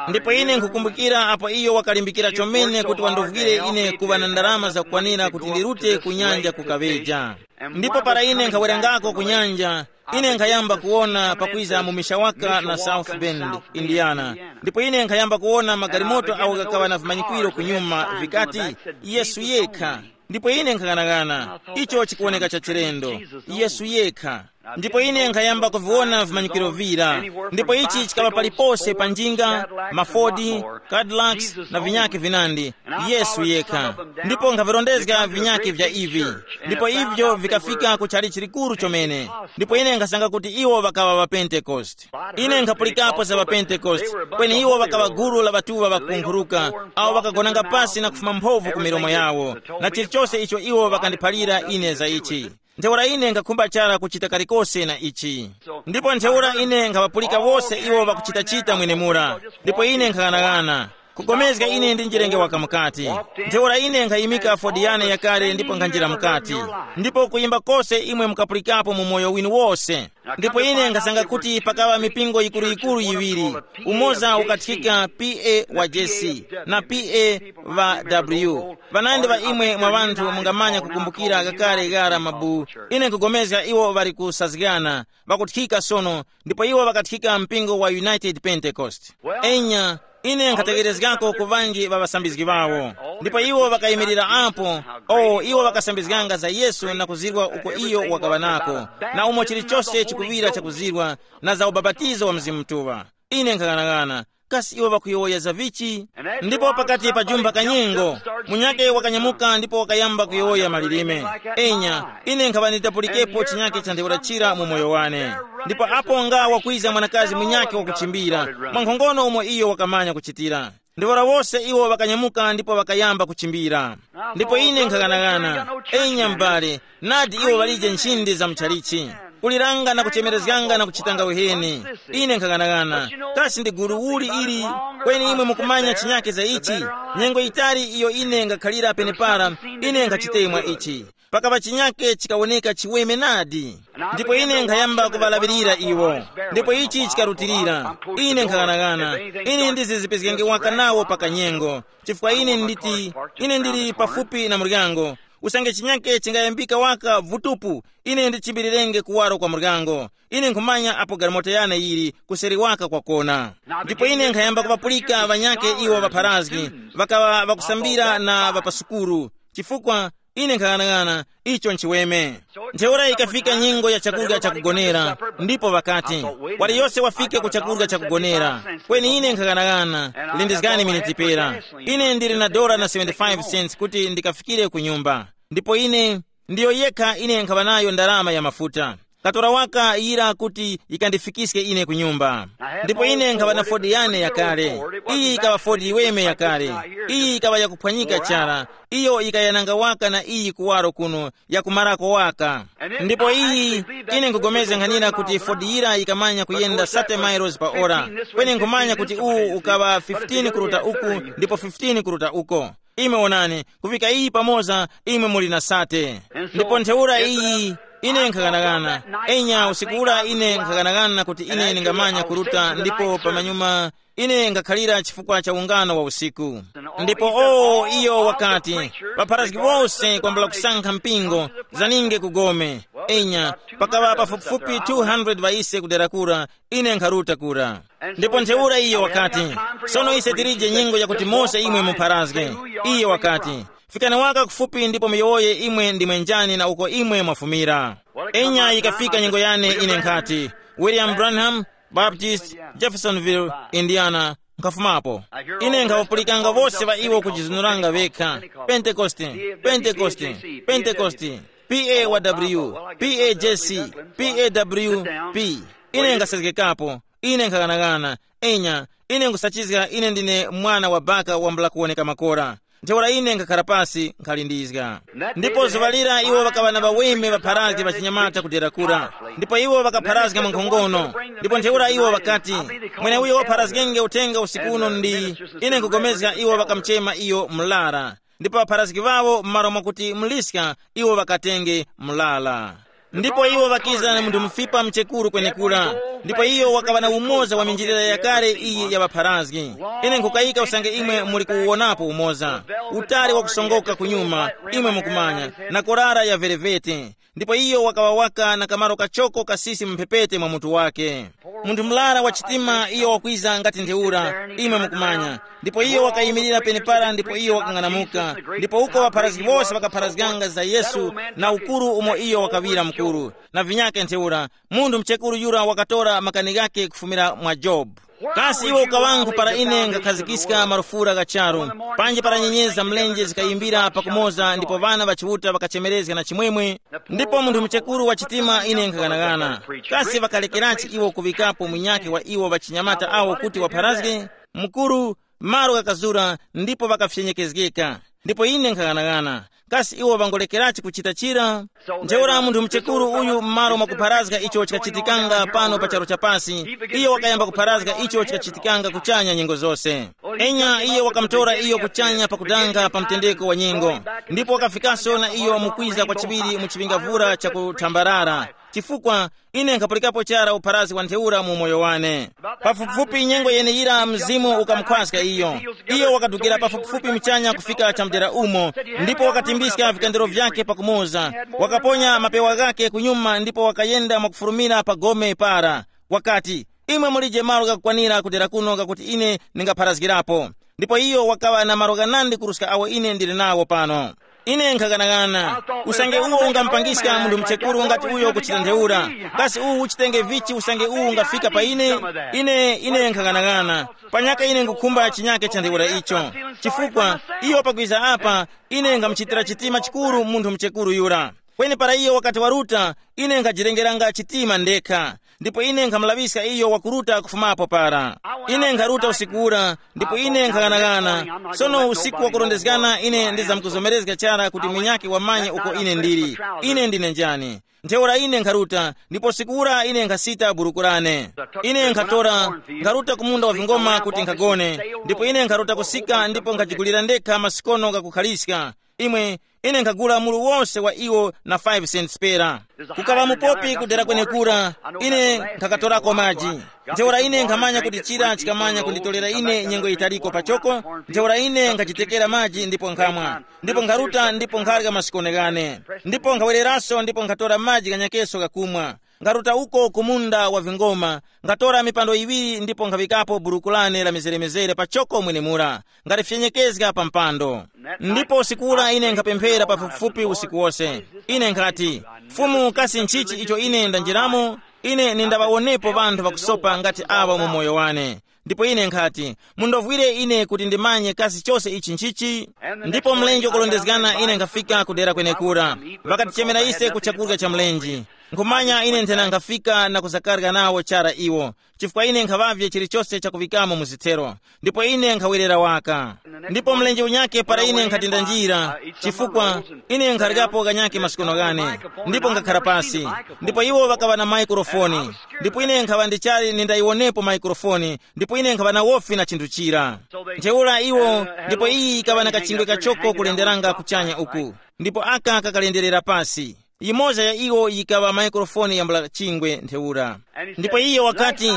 Ndipo ine nkukumbukira apo iyo wakalimbikira chomene kuti wandovwire ine kuŵa na ndalama zakukwanira kuti ndirute ku nyanja kukaŵeja. Ndipo para ine nkhawerengako ku nyanja, ine nkhayamba kuwona pakwiza mu Mishawaka na South Bend, Indiana. Ndipo ine nkhayamba kuwona magalimoto awo ghakaŵa na vimanyikwiro kunyuma vikati, Yesu yekha. Ndipo ine nkhang'anang'ana, icho chikuwoneka cha chilendo. Yesu yekha. Ndipo ine nkhayamba kuviwona vimanyikiro vira. Ndipo ichi chikapa palipose pa njinga, mafodi, cadillacs, na vinyake vinandi, Yesu yekha. Ndipo nkhavirondezga vinyake vya ivi. Ndipo ivyo vikafika ku chalichi chikuru chomene. Ndipo ine nkhasanga kuti iwo ŵakaŵa ŵa Pentekoste. Ine nkhapulikapo za ŵa Pentekoste, kweni iwo ŵakaŵa gulu la ŵatuŵa ŵakunkhuruka, awo ŵakagonanga pasi na kufuma mphovu ku milomo yawo, na chilichose icho iwo ŵakandiphalira ine za ichi. Ntheura ine nkhakhumba chara kuchita kalikose na ichi. Ndipo ntheura ine nkhaŵapulika wose iwo ŵakuchitachita mwenemura. Ndipo ine nkhaghanagana, kugomezga ine ndi njirenge waka mukati. Ntheura ine nkhayimika fodi yane yakale ndipo nkhanjira mukati. Ndipo kuyimba kose imwe mukapulikapo mu moyo winu wose. Ndipo ine nkhasanga kuti pakaŵa mipingo yikuru-yikuru yiŵiri. Umoza ukathikika P A wa J C na P A wa W. Ŵanandi ŵa imwe mwa ŵanthu mungamanya kukumbukira kakale ghara mabu. Ine nkugomezga iwo ŵali kusazgana, ŵakuthika sono, ndipo iwo ŵakathika mpingo wa United Pentecost. Enya, ine nkhatekerezgako ku ŵanji ŵa ŵasambizgi ŵawo. Ndipo iwo ŵakayimirira apo, o iwo ŵakasambizganga za Yesu na kuzirwa uko iyo wakaŵa nako, na umo chilichose chikuŵira chakuzirwa, na za ubapatizo wa Mzimu Mutuŵa. Ine nkhaghanagana, kasi iwo ŵakuyowoya za vichi? Ndipo pakati pa jumba kanyengo, munyake wakanyamuka ndipo wakayamba kuyowoya malilime. Enya, ine nkhaŵa nditapulikepo chinyake cha ntheura chira mu moyo wane. Ndipo apo nga wakwiza mwanakazi munyake wakuchimbira, mwankhongono umo iyo wakamanya kuchitira. Ntheura wose iwo ŵakanyamuka ndipo ŵakayamba kuchimbira. Ndipo ine nkhaghanagana, enya m'bale, nadi iwo ŵalije nchinde za mchalichi, kuliranga na kuchemerezganga na kuchitanga uheni. Ine nkhaghanagana, kasi ndi gulu uli ili? Kweni imwe mukumanya chinyake za ichi. Nyengo yitali iyo ine ngakhalira penepara, ine nkhachitemwa ichi. Pakaŵa chinyake chikawoneka chiweme nadi. Ndipo ine nkhayamba kuŵalaŵirira iwo. Ndipo ichi chikarutilira. Ine nkhaghanagana, ine ndizizipizgenge waka nawo pa kanyengo, chifukwa ine nditi, ine ndili pafupi na muryango. Usange chinyake chingayambika waka vutupu, ine ndichimbirirenge kuwaro kwa muryango. Ine nkhumanya apo galimoto yane yili kuseri waka kwakona. Ndipo ine nkhayamba kuŵapulika ŵanyake iwo ŵapharazgi, ŵakaŵa ŵakusambira na ŵapasukuru, chifukwa ine nkhaghanagana, icho nchiweme. Ntheura ikafika nyengo ya chakurya chakugonera, ndipo ŵakati, waliyose wafike ku chakurya chakugonera. Kweni ine nkhaghanagana, lindizgani miniti pera. Ine ndili na dora na seventy-five cents kuti ndikafikire ku nyumba. Ndipo ine, ndiyo yekha ine nkhaŵa nayo ndarama ya mafuta. Katora waka yira kuti yikandifikiske ine ku nyumba. Ndipo ine nkhaŵa na fodi yane yakale. Iyi yikaŵa fodi yiweme yakale. Iyi yikaŵa yakuphwanyika chara. Iyo yikayananga waka na iyi kuwaro kuno, yakumarako waka. Ndipo iyi, ine nkugomezga nkhanira kuti fodi yira yikamanya kuyenda thirty miles pa ora. Kweni nkhumanya kuti uwu ukaŵa fifteen kuruta uku, ndipo fifteen kuruta uko. Imwe wonani, kufika iyi pamoza, imwe muli na sate. Ndipo ntheura iyi, ine nkhaghanaghana. Enya, usiku ura ine nkhaghanaghana kuti ine ndingamanya kuruta, ndipo pamanyuma ine ngakhalira chifukwa cha ungano wa usiku. Ndipo o, iyo wakati, ŵapharazgi wose kwambula kusankha mpingo, zaninge ku gome. Enya, pakaŵa pafupifupi two hundred ŵa ise kudera kura, ine nkharuta kura. Ndipo ntheura iye wakati, sono ise tilije nyengo yakuti mose imwe mupharazge. Iye wakati, fikani waka kufupi ndipo muyowoye imwe ndimwe njani na uko imwe mwafumira. Enya yikafika nyengo yane ine nkhati, William Branham, Baptist, Jeffersonville, Indiana, nkhafumapo. Ine nkhawapulikanga wose ŵa iwo kujizunuranga ŵekha, Pentekoste, Pentekoste, Pentekoste, P A W, P A J C, P A W P. Ine nkasezgekapo, ine nkhaghanagana, enya, ine nkusachizga ine ndine mwana wa baka wambula kuwoneka makora. Ntheura ine nkhakhala pasi nkhalindizga. Ndipo zuŵa lira iwo ŵakaŵa na ŵaweme ŵapharazge ŵachinyamata kudera kura. Ndipo iwo ŵakapharazga mwankhongono. Ndipo ntheura iwo ŵakati, mweneuyo wapharazgenge uthenga usiku uno ndi, ine nkugomezga iwo ŵakamuchema iyo mlara. Ndipo ŵapharazgi ŵawo m'malo mwakuti muliska, iwo ŵakatenge mlala. Ndipo iwo ŵakiza na munthu mufipa mchekuru kwenekura. Ndipo iyo wakaŵa na umoza wa minjilira yakale iyi ya ŵapharazgi. Ine nkhukayika usange imwe muli kuwuwonapo umoza, utali wakusongoka kunyuma, imwe mukumanya, na korara ya verevete. Ndipo iyo wakaŵa waka na kamaro kachoko kasisi mu mphepete mwa mutu wake. Munthu murara wa chitima iyo wakwiza ngati ntheura, imwe mukumanya. Ndipo iyo wakayimirira penepara ndipo iyo wakang'anamuka. Ndipo uko ŵapharazgi wose ŵakapharazganga za Yesu, na ukuru umo iyo wakaŵira mkuru, na vinyake ntheura, munthu mchekuru yura wakatora makani ghake kufumira mwa Jobu. Kasi iwe ukaŵangu para ine ngakhazikiska marufura gha charu, panji para nyenyezi za mlenje zikayimbira pakumoza ndipo ŵana ŵa Chiuta ŵakachemerezga na chimwemwe? Ndipo munthu muchekuru wa chitima ine nkhaghanagana. Kasi ŵakalekerachi iwo kuŵikapo munyakhe wa iwo ŵachinyamata awo kuti wapharazge? Mukuru, malo ghakazura ndipo ŵakafyenyekezgeka. Ndipo ine nkhaghanagana, kasi iwo ŵangolekerachi kuchita chira? Ntheura munthu muchekuru uyu m'malo mwakupharazga icho chikachitikanga pano pa charu chapasi, iyo wakayamba kupharazga icho chikachitikanga kuchanya nyengo zose. Enya, iyo wakamutora iyo kuchanya pakudanga pa mtendeko wa nyengo, ndipo wakafikaso na iyo mukwiza kwa chiŵiri mu chiŵingavura chakuthambarara. Chifukwa ine nkhapulikapo chara upharazi wa ntheura mu umoyo wane. Pafupifupi nyengo yeneyira mzimu ukamukhwaska iyo. Iyo wakadukira pafupifupi mchanya kufika chamdera umo, ndipo wakatimbiska vikandiro vyake pakumoza, wakaponya mapewa ghake kunyuma ndipo wakayenda mwakufurumira pa gome para. Wakati, imwe mulije malo ghakukwanira kudera kuno ghakuti ine ndingapharazgirapo. Ndipo iyo wakaŵa na malo ghanandi kuruska awo ine ndili nawo pano. Ine nkhaghanagana, usange uwo ungamupangiska munthu mchekuru ngati uyo kuchita ntheura, kasi uwu uchitenge vichi usange uwu ungafika pa ine? Ine ine nkhaghanagana, panyaka ine ngukhumba chinyake cha ntheura icho. Chifukwa iyo pakwiza apa, ine nkhamuchitira chitima chikuru munthu mchekuru yura. Kweni para iyo wakati waruta, ine nkhajirengeranga chitima ndekha, ndipo ine nkhamulaŵiska iyo wakuruta kufumapo para. Ine nkharuta usiku ura, ndipo ine nkhaghanagana. Sono usiku wakurondezgana ine ndizamkuzomerezga chara kuti munyakhe wamanye uko ine ndili. Ine ndine njani? Ntheura ine nkharuta, ndipo usiku ura ine nkhasita buruku lane. Ine nkhatora, nkharuta ku munda wa vingoma kuti nkhagone, ndipo ine nkharuta kusika ndipo nkhajigulira ndekha masikono ghakukhaliska. Imwe, ine nkhagula mulu wose wa iwo na five cents pera. Kukaŵa mupopi kudera kwenekura, ine nkhakatorako maji. Ntheura ine nkhamanya kuti chira chikamanya kunditorera ine nyengo yitaliko pachoko. Ntheura ine nkhachitekera maji ndipo nkhamwa, ndipo nkharuta ndipo nkharya masikone ghane, ndipo nkhawereraso ndipo nkhatora maji ghanyakeso ghakumwa. Nkharuta uko ku munda wa vingoma, nkhatora mipando yiŵiri ndipo nkhaŵikapo buruku lane la mizeremizere pachoko mwenemura, ngarifyenyekeza pa mpando. Ndipo usiku ura ine nkhapemphera pafupifupi usiku wose. Ine nkhati, Fumu, kasi nchichi icho ine ndanjiramo? Ine nindaŵawonepo ŵanthu ŵakusopa ngati aŵa mu moyo wane. Ndipo ine nkhati, mundovwire ine kuti ndimanye kasi chose ichi nchichi. Ndipo mlenje ukulondezgana ine nkhafika kudera kwenekura. Ŵakatichemera ise ku chakurya cha mlenje. Nkhumanya ine nthena nkhafika na kuzakarya nawo chara iwo, chifukwa ine nkhaŵavye chilichose chakuŵikamo mu zithero, ndipo ine nkhawerera waka. Ndipo mlenje unyake para ine nkhati ndanjira, chifukwa ine nkharikapo kanyake masikono ghane, ndipo nkhakhara pasi, ndipo iwo ŵakaŵa na maikrofoni, ndipo ine nkhaŵa ndichali nindayiwonepo maikrofoni, ndipo ine nkhaŵa na wofi na chinthu chira. Ntheura iwo, ndipo iyi yikaŵa na kachingwe kachoko kulenderanga kuchanya uku, ndipo aka kakalenderera pasi. Yimoza ya iwo yikaŵa maikrofoni yambula chingwe ntheura. Ndipo iyo wakati,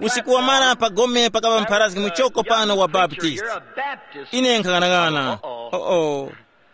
usiku wamara pa gome pakaŵa mpharazgi muchoko pano wa Baptist. Ine nkhang'anang'ana, oo,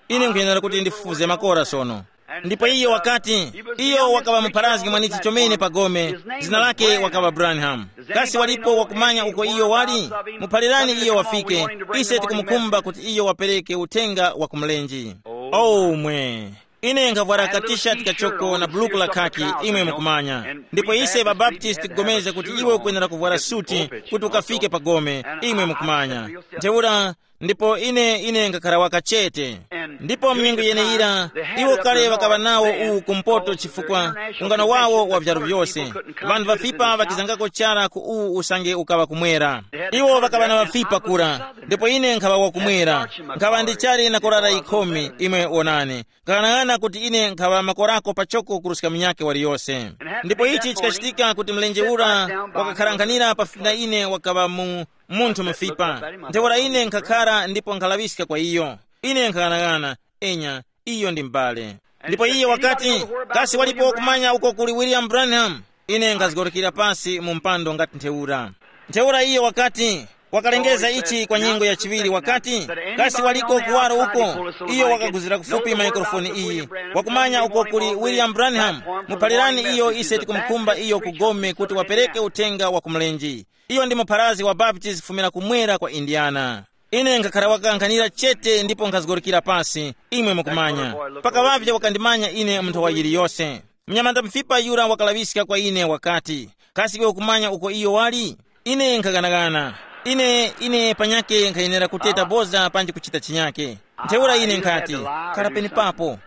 ine nkhuyenera kuti ndifufuze makora sono. Ndipo iyo wakati, iyo wakaŵa mupharazgi mwanichi chomene pa gome, zina lake wakaŵa Branham. Kasi walipo wakumanya uko iyo wali? Muphalirani iyo wafike, ise tikumukhumba kuti iyo wapereke uthenga wa kumlenje. Omwe. Ine nkhavwara katishati kachoko na buluku la khaki, imwe mukumanya. Ndipo ise ŵabaptisti tikugomeza kuti iwe ukwenera kuvwara suti kuti ukafike pa gome, imwe mukumanya. Ntheura, ndipo ine ine ngakhara waka chete. Ndipo mnyengo yeneyira, iwo kale ŵakaŵa nawo uwu kumpoto chifukwa ungano wawo wa vyaru vyose. Ŵanthu ŵafipa ŵakizangako chara ku uwu usange ukaŵa kumwera. Iwo ŵakaŵa na ŵafipa kura, ndipo ine nkhaŵa wakumwera. Nkhaŵa ndichali na korara yikhumi, imwe wonani. Nkaghanag'ana kuti ine nkhaŵa makorako pachoko kuruska munyakhe waliyose. Ndipo ichi chikachitika kuti mlenje ura wakakharankhanira pafupi na ine wakaŵa mu munthu mufipa. Ntheura ine nkhakhara ndipo nkhalaŵiska kwa iyo. Ine nkhaghanag'ana, enya, iyo ndi m'bale. Ndipo iye wakati, kasi walipo kumanya uko kuli William Branham? Ine nkhazgorokera pasi mu mpando ngati ntheura. Ntheura iye wakati, Wakalengeza ichi kwa nyengo ya chiŵiri wakati, kasi waliko kuwaro uko? Iyo wakaguzira kufupi maikrofoni iyi, wakumanya uko kuli William Branham. Muphalirani iyo, ise tikumukhumba iyo ku Gome kuti wapereke uthenga wa ku mlenje. Iyo ndi mupharazi wa Baptist kufumira kumwera kwa Indiana. Ine nkhakhara wakankhanira chete ndipo nkhazgorokera pasi, imwe mukumanya. Pakaŵavye wakandimanya ine mu nthawa yiliyose. Mnyamata mufipa yura wakalaŵiska kwa ine wakati, kasi iwe ukumanya uko iyo wali? Ine nkhaghanaghana. Ine ine panyake nkhayenera kuteta boza panji kuchita chinyake. Ntheura ine nkhati, khala penepapo.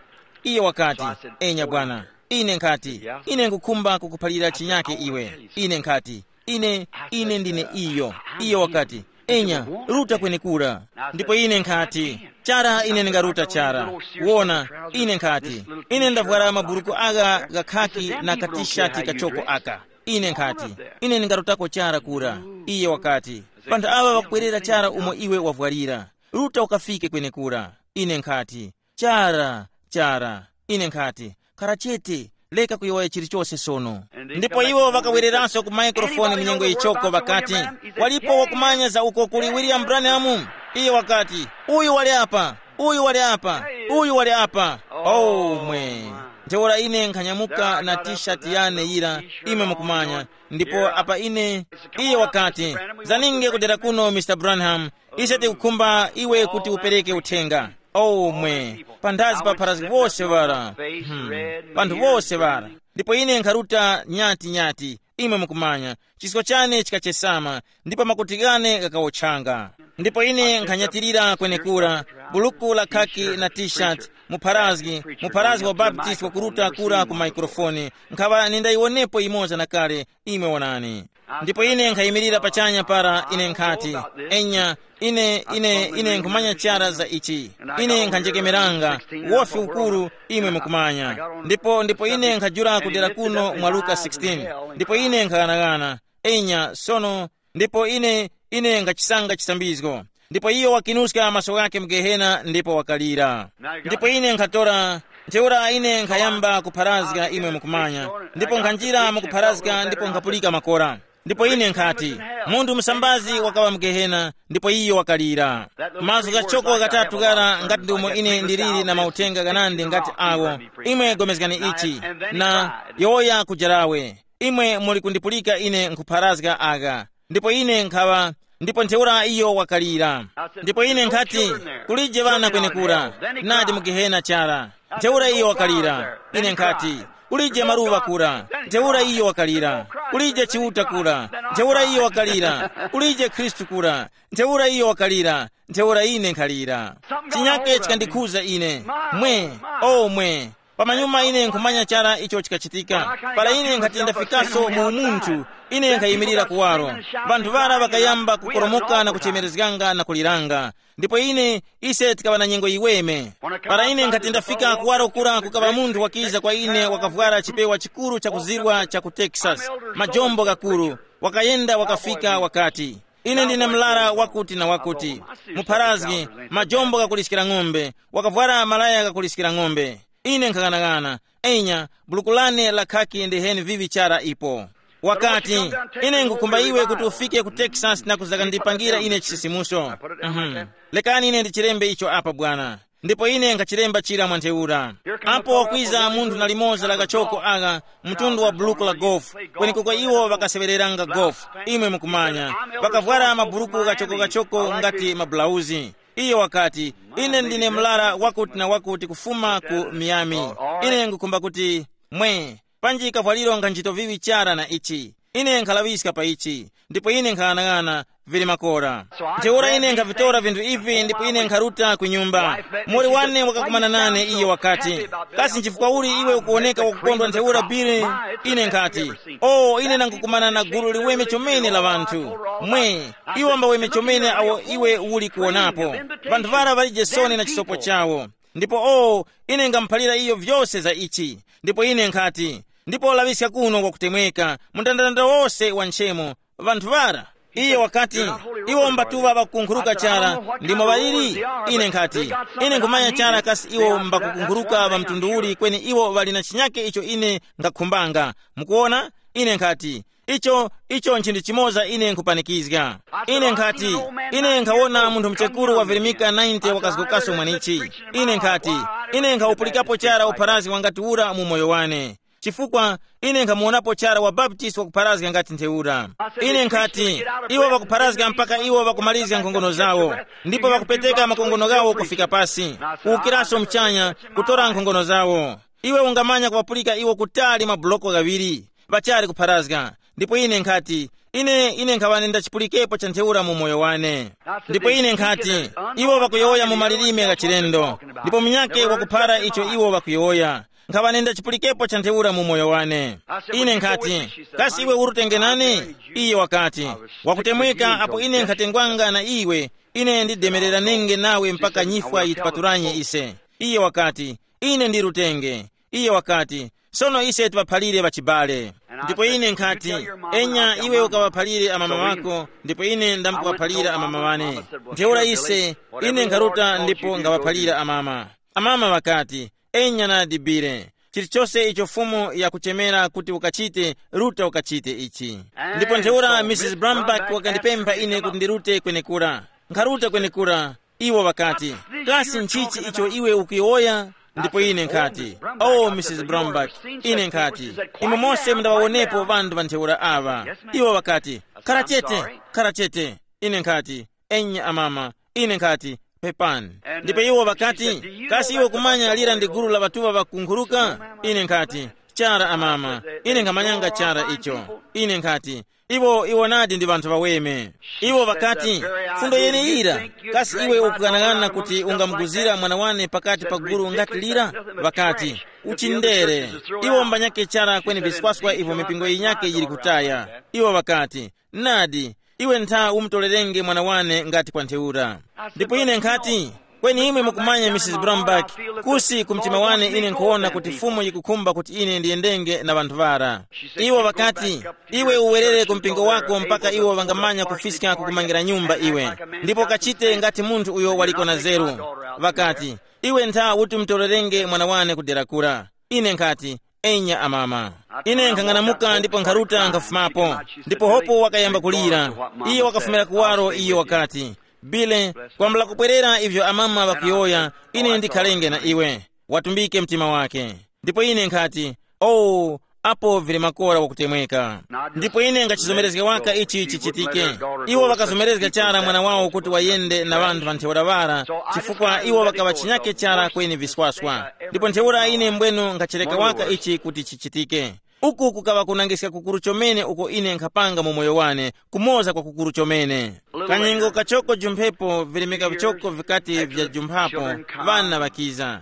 Iye wakati, enya bwana. Ine nkhati, ine nkukhumba kukuphalira chinyake iwe. Ine nkhati, ine ine ndine iyo. Iye wakati, enya, ruta kwenekura. Ndipo ine nkhati, chara ine ndingaruta chara. Wona, ine nkhati, ine ndavwara maburuku agha ghakhaki na katishati kachoko aka. Ine nkhati, ine ndingarutako chara kura. Iye wakati, panthu aŵa ŵakubwerera chara umo iwe wavwarira, ruta ukafike kwenekura. Ine nkhati, chara, chara. Ine nkhati, khara chete, reka kuyowoya chilichose sono. Ndipo iwo ŵakawereranso ku maikrofoni mu nyengo yichoko ŵakati, walipo wakumanya za uko kuli William Branham? Iye wakati, uyu wali apa, uyu wali apa, uyu wali apa. Oh mwe. Ntheura ine nkhanyamuka na t-shirt yane yira, imwe mukumanya. Ndipo apa ine, iye wakati, zaninge kudera kuno, Mr Branham, ise tikukhumba iwe kuti upereke uthenga. Oh mwe, panthazi pa pharazgi wose ŵara. Hmm. Panthu wose ŵara. Ndipo ine nkharuta nyati nyati, imwe mukumanya, chisko chane chikachesama, ndipo makuti ghane ghakawotchanga. Ndipo ine nkhanyatirira kwenekura, buluku la khaki na t-shirt, mupharazgi, mupharazgi wa Baptist wakuruta kura ku maikrofoni, nkhaŵa nindayiwonepo yimoza na kale, imwe wonani. Ndipo ine nkhayimirira pachanya para, ine nkhati, enya, ine ine ine nkhumanya chara za ichi. Ine nkhanjekemeranga, wofi ukuru, imwe mukumanya. Ndipo ndipo ine nkhajula kudera kuno mwa Luka sixteen. Ndipo ine nkhaghanagana, enya sono, ndipo ine ine nkhachisanga chisambizgo. Ndipo iyo wakinuska maso ghake mu Gehena ndipo wakalira. Ndipo ine nkhatora, ntheura ine nkhayamba kupharazga, imwe mukumanya, ndipo nkhanjira mukupharazga ndipo nkhapulika makora. Ndipo ine nkhati, munthu musambazi wakaŵa mu Gehena, ndipo iyo wakalira. Mazgu ghachoko ghatatu ghara ngati ndi umo ine ndiliri na mauthenga ghanandi ngati awo. Imwe pulikani ichi, na yowoya kujarawe. Imwe muli kundipulika ine nkhupharazga agha. Ndipo ine nkhaŵa, ndipo ntheura iyo wakalira. Ndipo ine nkhati, kulije ŵana kwenekura, nadi mu Gehena chara. Ntheura iyo wakalira. Ine nkhati, kulije maluŵa kura, ntheura iyo wakalira. Kulije Chiuta kura, ntheura iyo wakalira. Kulije Khristu kura, ntheura iyo wakalira. Ntheura ine nkhalira. Chinyake chikandikhuza ine. Mwe, o mwe. Pamanyuma ine nkhumanya chara icho chikachitika. Para ine nkhati ndafikaso mu umunthu, ine nkhayimirira kuwaro. Vanthu vara ŵakayamba kukoromoka na kuchemerezganga na kuliranga. Ndipo ine, ise tikaŵa na nyengo yiweme. Para ine nkhati ndafika kuwaro kura, kukaŵa munthu wakiza kwa ine wakavwara chipewa chikuru chakuzirwa cha ku Texas, majombo ghakuru. Wakayenda wakafika wakati, ine ndine mlara wakuti na wakuti, mupharazgi, majombo ghakuliskira ng'ombe, wakavwara malaya ghakuliskira ng'ombe. Ine nkhaghanagana, enya, buluku lane la khaki ndiheni vivi chara ipo. Wakati, ine ngukhumba iwe kuti ufike ku Texas na kuzakandipangira ine chisisimuso. Mhm. Lekani ine ndichilembe icho apa bwana. Ndipo ine nkhachilemba chira mwa ntheura. Apo wakwiza munthu na limoza la kachoko agha, mtundu wa buluku la golf, kwenekoko iwo ŵakaseŵereranga golf, imwe mukumanya. Ŵakavwara maburuku ghachoko-ghachoko ngati mabulauzi. Iyo wakati, ine ndine mlara wakuti na wakuti kufuma ku Miami. Ine ngukhumba kuti, mwe, panji kavwaliro nga nchito viŵi chara na ichi. Ine nkhalaŵiska pa ichi, ndipo ine nkhaghanaghana, vili makora. Ntheura ine nkhavitora vinthu ivi ndipo ine nkharuta ku nyumba. Muli wane wakakumana nane, iye wakati, kasi nchifukwa uli iwe ukuwoneka wakukondwa ntheura Billy? Ine nkhati, o, ine nangukumana na gulu liweme chomene la ŵanthu. Mwe, iwo mbaweme chomene awo iwe uli kuwonapo. Ŵanthu ŵara ŵalije soni na chisopo chawo. Ndipo o, ine ngamuphalira iyo vyose za ichi. Ndipo ine nkhati, ndipo laŵiska kuno kwakutemweka, mndandanda wose wa nchemo, ŵanthu ŵara. Iye wakati, iwo mbatuŵa ŵakukunkhuruka chara, ndimo ŵaliri? Ine nkhati, ine nkhumanya chara kasi iwo mbakukunkhuruka ŵa mtundu uli kweni iwo ŵali na chinyake icho ine ngakhumbanga. Mukuwona? Ine nkhati, Icho, icho nchinthu chimoza ine nkhupanikizga. Ine nkhati, ine nkhawona munthu mchekuru wavirimika ninety wakazgokaso mwanichi. Ine nkhati, ine nkhawupulikapo chara upharazgi wangati ura mu moyo wane. Chifukwa ine nkhamuwonapo chara wabaptist wakupharazga ngati ntheura. Ine nkhati, iwo ŵakupharazga mpaka iwo ŵakumalizga nkhongono zawo, ndipo ŵakupeteka makongono ghawo kufika pasi, kuwukiraso mchanya, kutora nkhongono zawo. Iwe ungamanya kuŵapulika iwo kutali mabuloko ghaŵiri, ŵachali kupharazga. Ndipo ine nkhati, ine ine nkhaŵa ndachipulikepo cha ntheura mu moyo wane. Ndipo ine nkhati, iwo ŵakuyowoya mu malilime gha chilendo, ndipo munyakhe wakuphara icho iwo ŵakuyowoya. Nkhaŵa ndachipulikepo cha ntheura mu moyo wane. Ine nkhati, kasi iwe urutenge nane? Iye wakati, wakutemweka apo ine nkhatengwanga na iwe. Ine ndidemereranenge nawe mpaka nyifwa yitipatulanye ise. Iye wakati, ine ndi rutenge. Iye wakati, sono ise tiŵaphalire ŵachibale. Ndipo ine nkhati, enya iwe ukaŵaphalire amama ŵako, ndipo ine ndamkuŵaphalira amama ŵane. Ntheura ise, ine nkharuta ndipo ngaŵaphalira amama. Amama ŵakati, enya nadi bile, chilichose icho Fumu yakuchemera kuti ukachite, ruta ukachite ichi. Ndipo ntheura Mrs Brambach wakandipempha ine kuti ndirute kwenekura. Nkharuta kwenekura. Iwo ŵakati, kasi nchichi icho iwe ukuyowoya? Ndipo ine nkhati, oh Mrs Brambach, ine nkhati, imwe mose mundaŵawonepo ŵanthu ŵa ntheura aŵa. Iwo ŵakati, khara chete, khara chete. Ine nkhati, enya amama. Ine nkhati, pepani. Ndipo iwo ŵakati, kasi iwe kumanya lira ndi gulu la ŵatuŵa ŵakunkhuruka? Ine nkhati, chara amama. Ine nkhamanyanga chara icho. Ine nkhati, iwo iwo nadi ndi ŵanthu ŵaweme. Iwo ŵakati, fundo yeneyira, kasi iwe ukughanagana kuti ungamuguzira mwana wane pakati pa gulu ngati lira? Ŵakati, uchindere. Iwo mbanyake chara kweni viswaswa ivo mipingo yinyake yili kutaya. Iwo ŵakati, nadi, iwe ntha umutorerenge mwana wane ngati kwa ntheura. Ndipo ine nkhati, kweni imwe mukumanya Mrs Brombach, kusi ku mtima wane ine nkhuwona kuti Fumu yikukhumba kuti ine ndiyendenge na ŵanthu ŵara. Iwo ŵakati, iwe uwerere ku mpingo wako mpaka iwo ŵangamanya kufiska kukumangira nyumba iwe, ndipo kachite ngati munthu uyo waliko na zeru. Ŵakati, iwe ntha uti umutorerenge mwana wane ku dera kura. Ine nkhati, enya amama. Ine nkhang'anamuka ndipo nkharuta nkhafumapo. Ndipo hopo wakayamba kulira. Iye wakafumira kuwaro, iye wakati, bile, kwambula kupwerera ivyo amama ŵakuyowoya, ine ndikhalenge na iwe. Watumbike mtima wake. Ndipo ine nkhati, oh, apo vili makora wakutemweka. Ndipo ine ngachizomerezga waka ichi chichitike. Iwo ŵakazomerezga chara mwana wawo kuti wayende na ŵanthu ŵa ntheura ŵara, chifukwa iwo ŵakaŵa chinyake chara kweni viswaswa. Ndipo ntheura ine mbwenu ngachereka waka ichi kuti chichitike. Uku kukaŵa kunangiska kukuru chomene uko ine nkhapanga mu moyo wane, kumoza kwa kukuru chomene. Kanyengo kachoko jumphepo virimika vichoko vikati vyajumphapo, ŵana ŵakiza.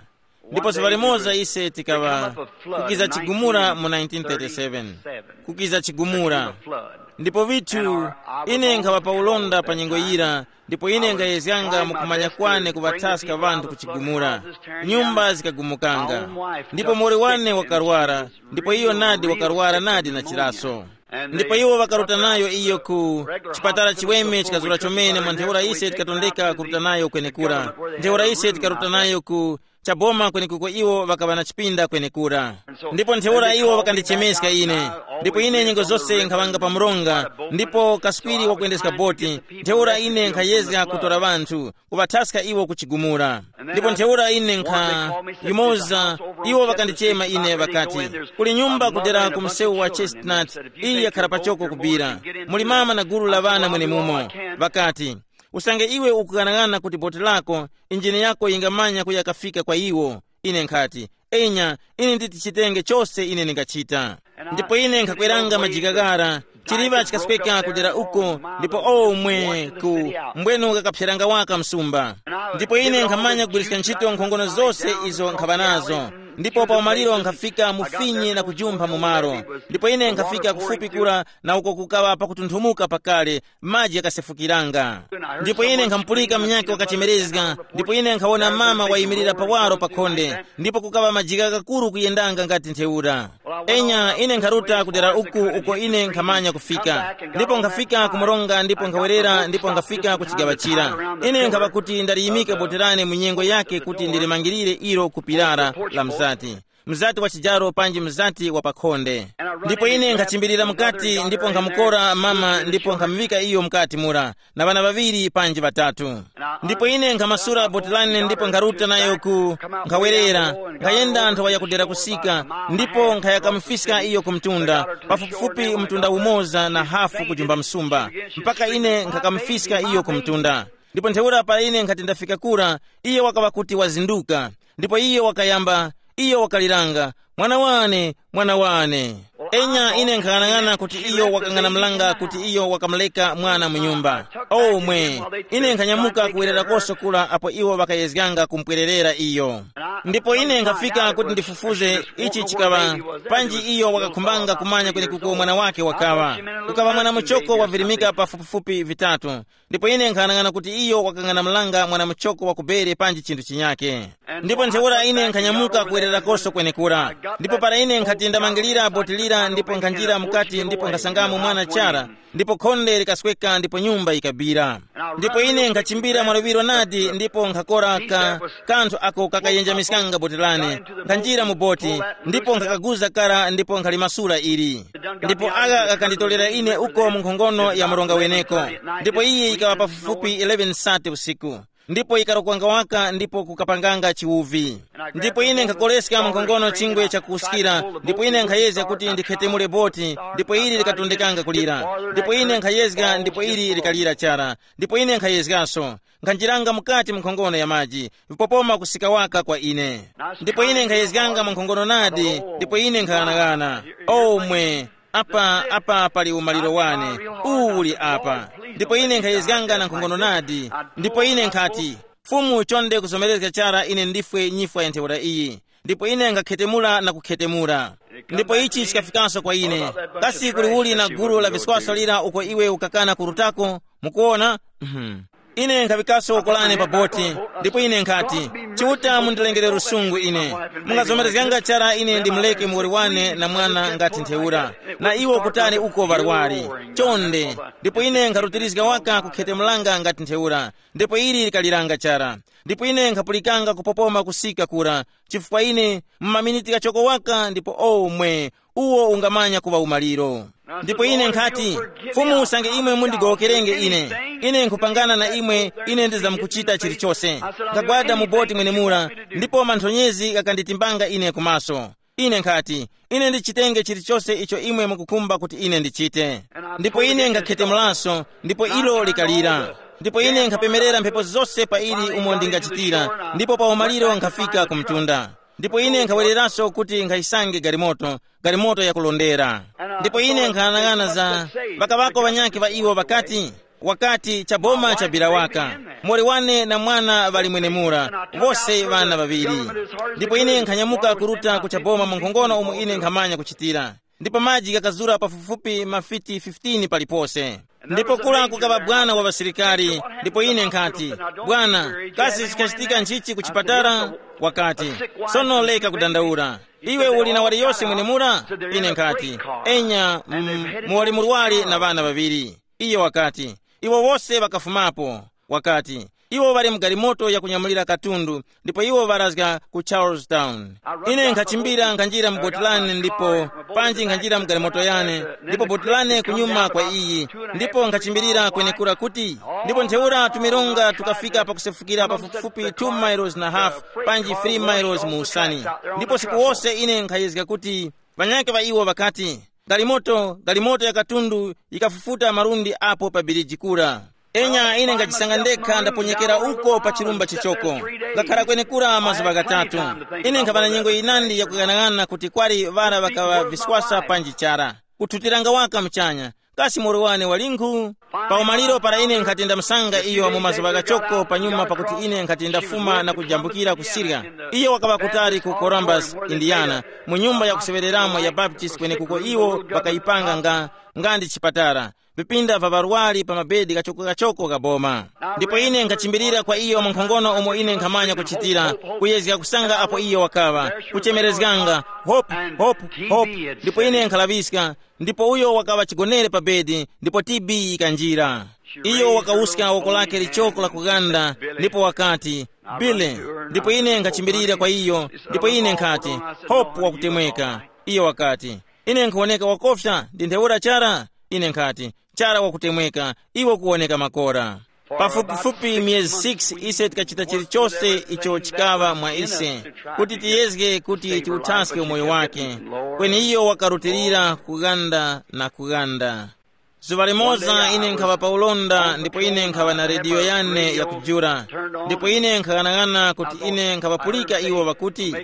Ndipo zuŵa limoza ise tikaŵa kukiza chigumula mu nineteen thirty-seven. Kukiza chigumula. Ndipo vithu, ine nkhaŵa pa ulonda pa nyengo yira, ndipo ine nkhayezyanga mukumanya kwane kuŵathaska ŵanthu ku chigumula. Nyumba zikagumukanga. Ndipo muwoli wane wakarwara, ndipo iyo nadi wakarwara nadi na chiraso. Ndipo iwo ŵakaruta nayo iyo ku chipatala chiweme chikazura chomene mwa ntheura ise tikatondeka kuruta nayo kwenekura. Ntheura ise tikaruta nayo ku chaboma kwenekuko iwo ŵakaŵa na chipinda kwenekura. Ndipo ntheura iwo ŵakandichemeska ine. Ndipo ine nyengo zose nkhaŵanga pa mronga, ndipo kaswiri wakuyendeska boti. Ntheura ine nkhayezga kutora ŵanthu, kuŵathaska iwo ku chigumula. Ndipo ntheura ine nkha yumoza, iwo ŵakandichema ine ŵakati, kuli nyumba kudera ku msewu wa Chestnut, iyi yakhala pachoko kubira. Muli mama na gulu la ŵana mwenemumo. Ŵakati, usange iwe ukughanagana kuti boti lako, injini yako yingamanya kuya kafika kwa iwo. Ine nkhati, enya, ine nditi chitenge chose ine ndingachita. Ndipo ine nkhakweranga majigagara, chiliŵa chikasweka kudera uko, ndipo omwe ku mbwenu kakapseranga waka msumba. Ndipo ine nkhamanya kugwiriska ntchito nkhongono zose izo nkhaŵa nazo. Ndipo pa umaliro nkhafika mufinyi na kujumpha mu malo. Ndipo ine nkhafika kufupi kura na uko kukaŵa pakutunthumuka pakale, maji ghakasefukiranga. Ndipo ine nkhamupulika munyakhe wakachemerezga, ndipo ine nkhawona mama wayimirira pawaro pa khonde, ndipo kukaŵa majigha ghakuru kuyendanga ngati ntheura. Enya, ine nkharuta kudera uku uko ine nkhamanya kufika, ndipo nkhafika ku mronga ndipo nkhawerera ndipo nkhafika ku chigaŵa chira. Ine nkhaŵa kuti ndariyimika boti lane mu nyengo yake kuti ndilimangirire ilo ku pilara la mzati. mzati wa chijaro panji mzati wa pakhonde. Ndipo ine nkhachimbirira mukati ndipo nkhamukora mama ndipo nkhamuŵika iyo mukati mura, na ŵana ŵaŵiri panji ŵatatu. Ndipo ine nkhamasula boti lane ndipo nkharuta nayo ku nkhawerera, nkhayenda nthawa yakudera kusika, ndipo nkhayakamufiska iyo ku mtunda, pafupifupi mtunda umoza na hafu kujumba msumba, mpaka ine nkhakamufiska iyo ku mtunda. Ndipo ntheura para ine nkhati ndafika kura, iyo wakaŵa kuti wazinduka. Ndipo iyo wakayamba, iyo wakaliranga, "Mwana wane, mwana wane." Enya ine nkhang'anang'ana kuti iyo wakang'anamulanga kuti iyo wakamuleka mwana mu nyumba. Omwe ine nkhanyamuka kuwererakoso kula apo iwo ŵakayezganga kumpwererera iyo. Ndipo ine nkhafika kuti ndifufuze ichi chikaŵa, panji iyo wakakhumbanga kumanya kwenekuko mwana wake wakaŵa. Ukaŵa mwana muchoko wavirimika pafupifupi vitatu. Ndipo ine nkhanang'ana kuti iyo wakang'anamulanga mwana muchoko wa kubere panji chinthu chinyake. Ndipo ntheura ine nkhanyamuka kuwererakoso kwenekura. Ndipo para ine nkhati ndamangilira boti lira ndipo nkhanjira mukati ndipo nkhasangamo mwana chara, ndipo khonde likasweka ndipo nyumba yikabira. Ndipo ine nkhachimbira mwaluŵiro nadi ndipo nkhakora ka kanthu ako kakayenjamiskanga boti lane, nkhanjira mu boti, ndipo nkhakaguza kara ndipo nkhalimasula ili. Ndipo aka kakanditolera ine uko mu nkhongono ya mronga weneko. Ndipo iyi yikaŵa pafupifupi eleven sate usiku. Ndipo yikarokwanga waka ndipo kukapanganga chiwuvi. Ndipo ine nkhakoleska mu nkhongono chingwe chakuwuskira, ndipo ine nkhayezga kuti ndikhetemule boti, ndipo ili likatondekanga kulira. Ndipo ine nkhayezga ndipo ili likalira chara. Ndipo ine nkhayezgaso, nkhanjiranga mukati mu nkhongono ya maji, vipopoma kusika waka kwa ine. Ndipo ine nkhayezganga mu nkhongono nadi, ndipo ine nkhaghanaghana. Omwe, apa apa pali umaliro wane, uwu uli apa. Ndipo ine nkhayezganga na nkhongono nadi. Ndipo ine nkhati, "Fumu, chonde kuzomerezga chara ine ndifwe nyifwa ya ntheura iyi." Ndipo ine nkakhetemula na kukhetemula. Ndipo ichi chikafikanso kwa ine, kasi kuli uli na gulu la viswaso lira uko iwe ukakana kurutako? Mukuona? Mhm. Ine nkhaŵikaso uko lane pa boti, ndipo ine nkhati, "Chiuta mundilengere lusungu ine. Mungazomerezganga chara ine ndimuleke muwoli wane na mwana ngati ntheura, na iwo kutali uko ŵarwari. Chonde." Ndipo ine nkharutirizga waka kukhetemulanga ngati ntheura, ndipo ili likaliranga chara. Ndipo ine nkhapulikanga kupopoma kusika kura, chifukwa ine mu maminiti ghachoko waka ndipo omwe, uwo ungamanya kuŵa umaliro. Ndipo ine nkhati, "Fumu, usange imwe mundigowokerenge ine, ine nkhupangana na imwe, ine ndizamkuchita chilichose." Nkhagwada mu boti mwenemura, ndipo manthonyezi ghakanditimbanga ine kumaso. Ine nkhati, "Ine ndichitenge chilichose icho imwe mukukhumba kuti ine ndichite." Ndipo ine nkhakhete mulaso, ndipo ilo likalira. Ndipo ine nkhapemerera mphepo zose pa ili umo ndingachitira, ndipo pa umaliro nkhafika ku mtunda. Ndipo ine nkhawereraso kuti nkhayisange galimoto, galimoto yakulondera. Ndipo ine nkhanang'ana za ŵakaŵako ŵanyakhe ŵa iwo ŵakati, wakati, "Chaboma chabira waka. Mori wane na mwana ŵali mwenemura, wose ŵana ŵaŵiri." Ndipo ine nkhanyamuka kuruta ku chaboma mu nkhongono umo ine nkhamanya kuchitira. Ndipo maji ghakazura pafupifupi mafiti fifteen palipose. Ndipo kula kukaŵa bwana wa ŵasilikari, ndipo ine nkhati, "Bwana, kasi chikachitika nchichi ku chipatala?" Wakati, "Sono reka kudandaula. Iwe uli na waliyose mwenemura?" Ine nkhati, "Enya, mm, muwali murwari na ŵana ŵaŵiri." Iyo wakati, "Iwo wose ŵakafumapo." Wakati, "Iwo ŵali mu galimoto yakunyamulira katundu, ndipo iwo ŵarazga ku Charlestown." Ine nkhachimbira nkhanjira mu boti lane ndipo panji nkhanjira mu galimoto yane, ndipo boti lane kunyuma kwa iyi, ndipo nkhachimbirira kwenekura kuti, ndipo ntheura tumironga tukafika pakusefukira pafupifupi two miles na half, panji three miles mu usani. Ndipo siku wose ine nkhayezga kuti, ŵanyakhe ŵa iwo ŵakati, "Galimoto, galimoto ya katundu yikafufuta malundi apo pa biriji kura." Enya ine ngajisanga ndekha ndaponyekera uko pa chirumba chichoko. Ngakhara kwenekura mazuŵa ghatatu. Ine nkhaŵa na nyengo yinandi yakuyang'anang'ana kuti kwali ŵara ŵakaŵa viswasa panji chara. Kuthutiranga waka muchanya. Kasi moro wane walinkhu? Pa umaliro para ine nkhati ndamusanga iyo mu mazuŵa ghachoko panyuma pakuti ine nkhati ndafuma na kujambukira ku Syria. Iyo wakaŵa kutali ku Columbus, Indiana, mu nyumba yakuseŵereramo ya Baptist kwenekuko iwo ŵakayipanga nga, nga ndi chipatala. Vipinda va ŵarwari pa mabedi ghachoko-ghachoko gha boma. Ndipo ine nkhachimbirira kwa iyo mu nkhongono umo ine nkhamanya kuchitira, kuyezga kusanga apo iyo wakaŵa, kuchemerezganga, "Hope, Hope, Hope." Ndipo ine nkhalaŵiska, ndipo uyo wakaŵa chigonere pa bedi, ndipo T B yikanjira. Iyo wakawuska woko lake lichoko la kughanda, ndipo wakati, Billy, ndipo ine nkhachimbirira kwa iyo, ndipo ine nkhati, Hope wakutemweka. Iyo wakati, Ine nkhuwoneka wakofya ndi ntheura chara? Ine nkhati, Chara wakutemweka, iwe ukuwoneka makora. Pafupifupi miyezi six ise tikachita chilichose icho chikaŵa mwa ise, kuti tiyezge kuti tiuthaske umoyo wake. Kweni iyo wakarutilira kughanda na kughanda. Zuŵa limoza ine nkhaŵa pa ulonda ndipo ine nkhaŵa na rediyo yane yakujula, ndipo ine nkhaghanag'ana kuti ine nkhaŵapulika iwo ŵakuti,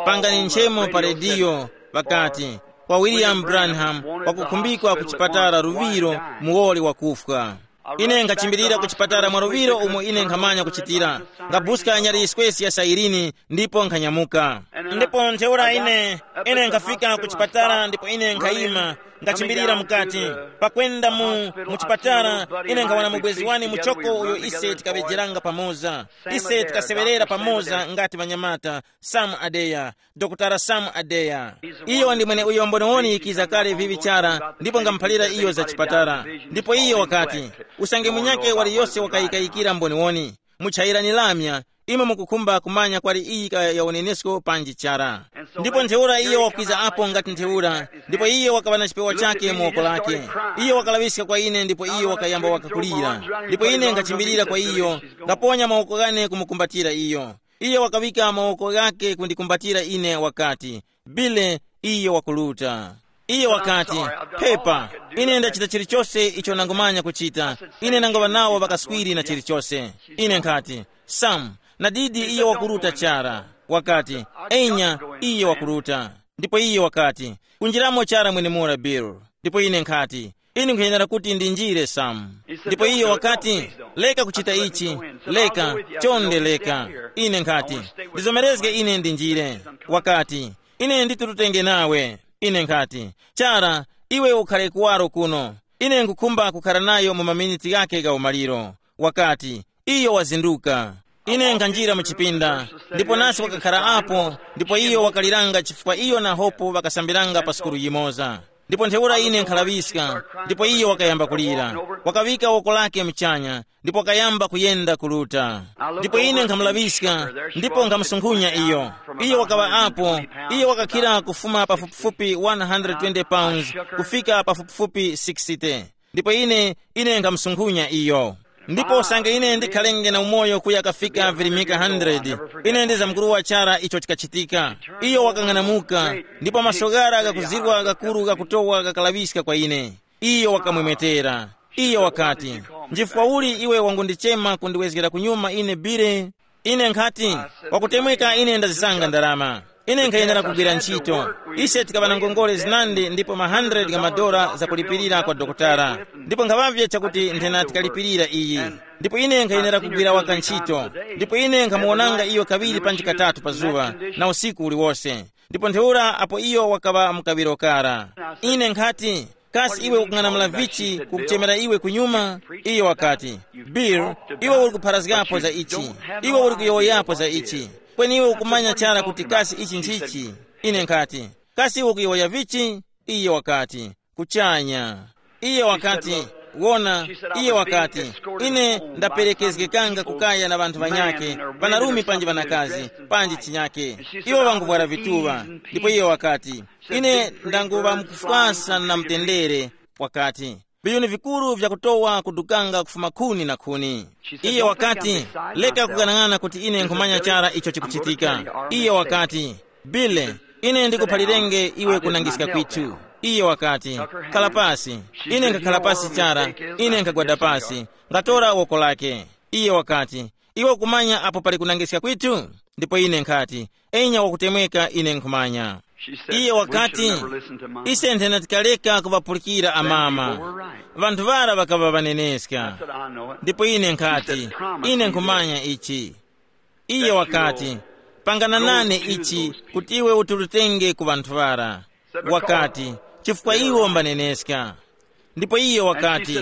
Pangani nchemo pa rediyo, ŵakati, kwa William Branham, wakukhumbikwa ku chipatala luŵiro, muwoli wakufwa. Ine nkhachimbirira ku chipatala mwa luŵiro umo ine nkhamanya kuchitira. Ngabuska nyali yiswesi ya sairini, ndipo nkhanyamuka. Ndipo ntheura ine ine nkhafika ku chipatala ndipo ine nkhayima, ngachimbirira mukati. Pakwenda mu mu chipatala, ine nkhawana mubwezi wani muchoko uyo ise tikaŵejeranga pamoza. Ise tikasewerera pamoza ngati ŵanyamata. Sam Adeya, Dokotala Sam Adeya. Iyo ndi mwene uyo mboniwoni yikiza kale vivi chara ndipo ngamuphalira iyo za chipatala. Ndipo iyo wakati, usange munyake waliyose wakayikayikira mboniwoni, muchayirani lamya, imwe mukukhumba kumanya kwali iyi kaya ya unenesko panji chara. Ndipo ntheura iyo wakwiza apo ngati ntheura, ndipo iyo wakaŵa na chipewa chake mu woko lake. Iyo wakalaŵiska kwa ine ndipo iyo wakayamba wakakulira. Ndipo ine nkhachimbirira kwa iyo, ngaponya mawoko ghane kumukumbatira iyo. Iye wakaŵika mawoko ghakhe kundikumbatira ine wakati, Bile, iye wakuluta. Iye wakati, Pepa, ine ndachita chilichose icho nangumanya kuchita. Ine nangaŵa nawo ŵakaswiri na chilichose. Ine nkhati, Sam, nadidi iye wakuluta chara. Wakati, Enya, iye wakuluta. Ndipo iye wakati, kunjiramo chara mwenemura Bill. Ndipo ine nkhati, ine nkhuyenera kuti ndinjire Sam. Ndipo iye wakati, leka kuchita ichi. Leka, chonde leka. Ine nkhati, ndizomerezge ine ndinjire. Wakati, ine nditurutenge nawe. Ine nkhati, chara, iwe ukhare kuwaro kuno. Ine nkhukhumba kukhara nayo mu maminiti ghakhe gha umaliro. Wakati, iyo wazinduka. Ine nkhanjira mu chipinda, ndipo nasi wakakhara apo, ndipo iyo wakaliranga chifukwa iyo na Hope ŵakasambiranga pa sukulu yimoza. Ndipo ntheura ine nkhalaŵiska, ndipo iyo wakayamba kulira. Wakaŵika woko lake muchanya, ndipo wakayamba kuyenda kuluta. Ndipo ine nkhamulaŵiska, ndipo nkhamusunkhunya iyo. Iyo wakaŵa apo, iyo wakakhira kufuma pafupifupi one hundred twenty pounds kufika pafupifupi sixty. Ndipo ine, ine nkhamusunkhunya iyo. Ndipo usange ine ndikhalenge na umoyo kuya kafika virimika hundred, ine ndizamkuruwa chara icho chikachitika. Iyo wakang'anamuka, ndipo maso ghara ghakuzirwa ghakuru ghakutowa ghakalaŵiska kwa ine. Iyo wakamwemwetera. Iyo wakati, njifukwa uli iwe wangundichema kundiwezgera kunyuma ine Bile? Ine nkhati, wakutemweka ine ndazisanga ndarama. Ine nkhayenera kugwira ntchito. Ise tikaŵa na ngongole zinandi ndipo ma hundred gha madora zakulipirira kwa dokotala. Ndipo nkhaŵavye chakuti nthena tikalipirira iyi. Ndipo ine nkhayenera kugwira waka ntchito. Ndipo ine nkhamuwonanga iyo kaŵiri panji katatu pa zuŵa, na usiku uliwose. Ndipo ntheura apo iyo wakaŵa mukaŵiro kara. Ine nkhati, kasi iwe ukung'anamula vichi kukuchemera iwe kunyuma? Iyo wakati, Bill, iwe uli kupharazgapo za ichi. Iwe uli kuyowoyapo za ichi. Kweni iwe ukumanya chara kuti kasi ichi nchichi. Ine nkhati, kasi iwe ukuyowoya vichi? Iye wakati, kuchanya. Iye wakati, wona, iye wakati, ine ndaperekezgekanga kukaya na ŵanthu ŵanyakhe, ŵanarumi panji ŵanakazi, panji chinyakhe. Iwo ŵanguvwara vituŵa. Ndipo iye wakati, ine ndanguŵa mukufwasa na mtendere. Wakati, viyuni vikuru vyakutowa kudukanga kufuma khuni na khuni. Iye wakati, leka kughanag'ana kuti ine nkhumanya chara icho chikuchitika. Iye wakati, Bile, ine ndikuphalirenge iwe kunangiska kwithu. Iye wakati, khala pasi. Ine nkhakhala pasi chara. Ine nkhagwada pasi, ngatora woko lake. Iye wakati, iwe ukumanya apo pali kunangiska kwithu? Ndipo ine nkhati, enya wakutemweka ine nkhumanya. Iye wakati, ise nthena tikaleka kuŵapulikira amama. Vanthu ŵara ŵakaŵa ŵaneneska. Ndipo ine nkhati, ine nkhumanya ichi. Iye wakati, pangana nane ichi kuti iwe uturutenge ku ŵanthu ŵara. Wakati, chifukwa iwo mbaneneska. Ndipo iye wakati,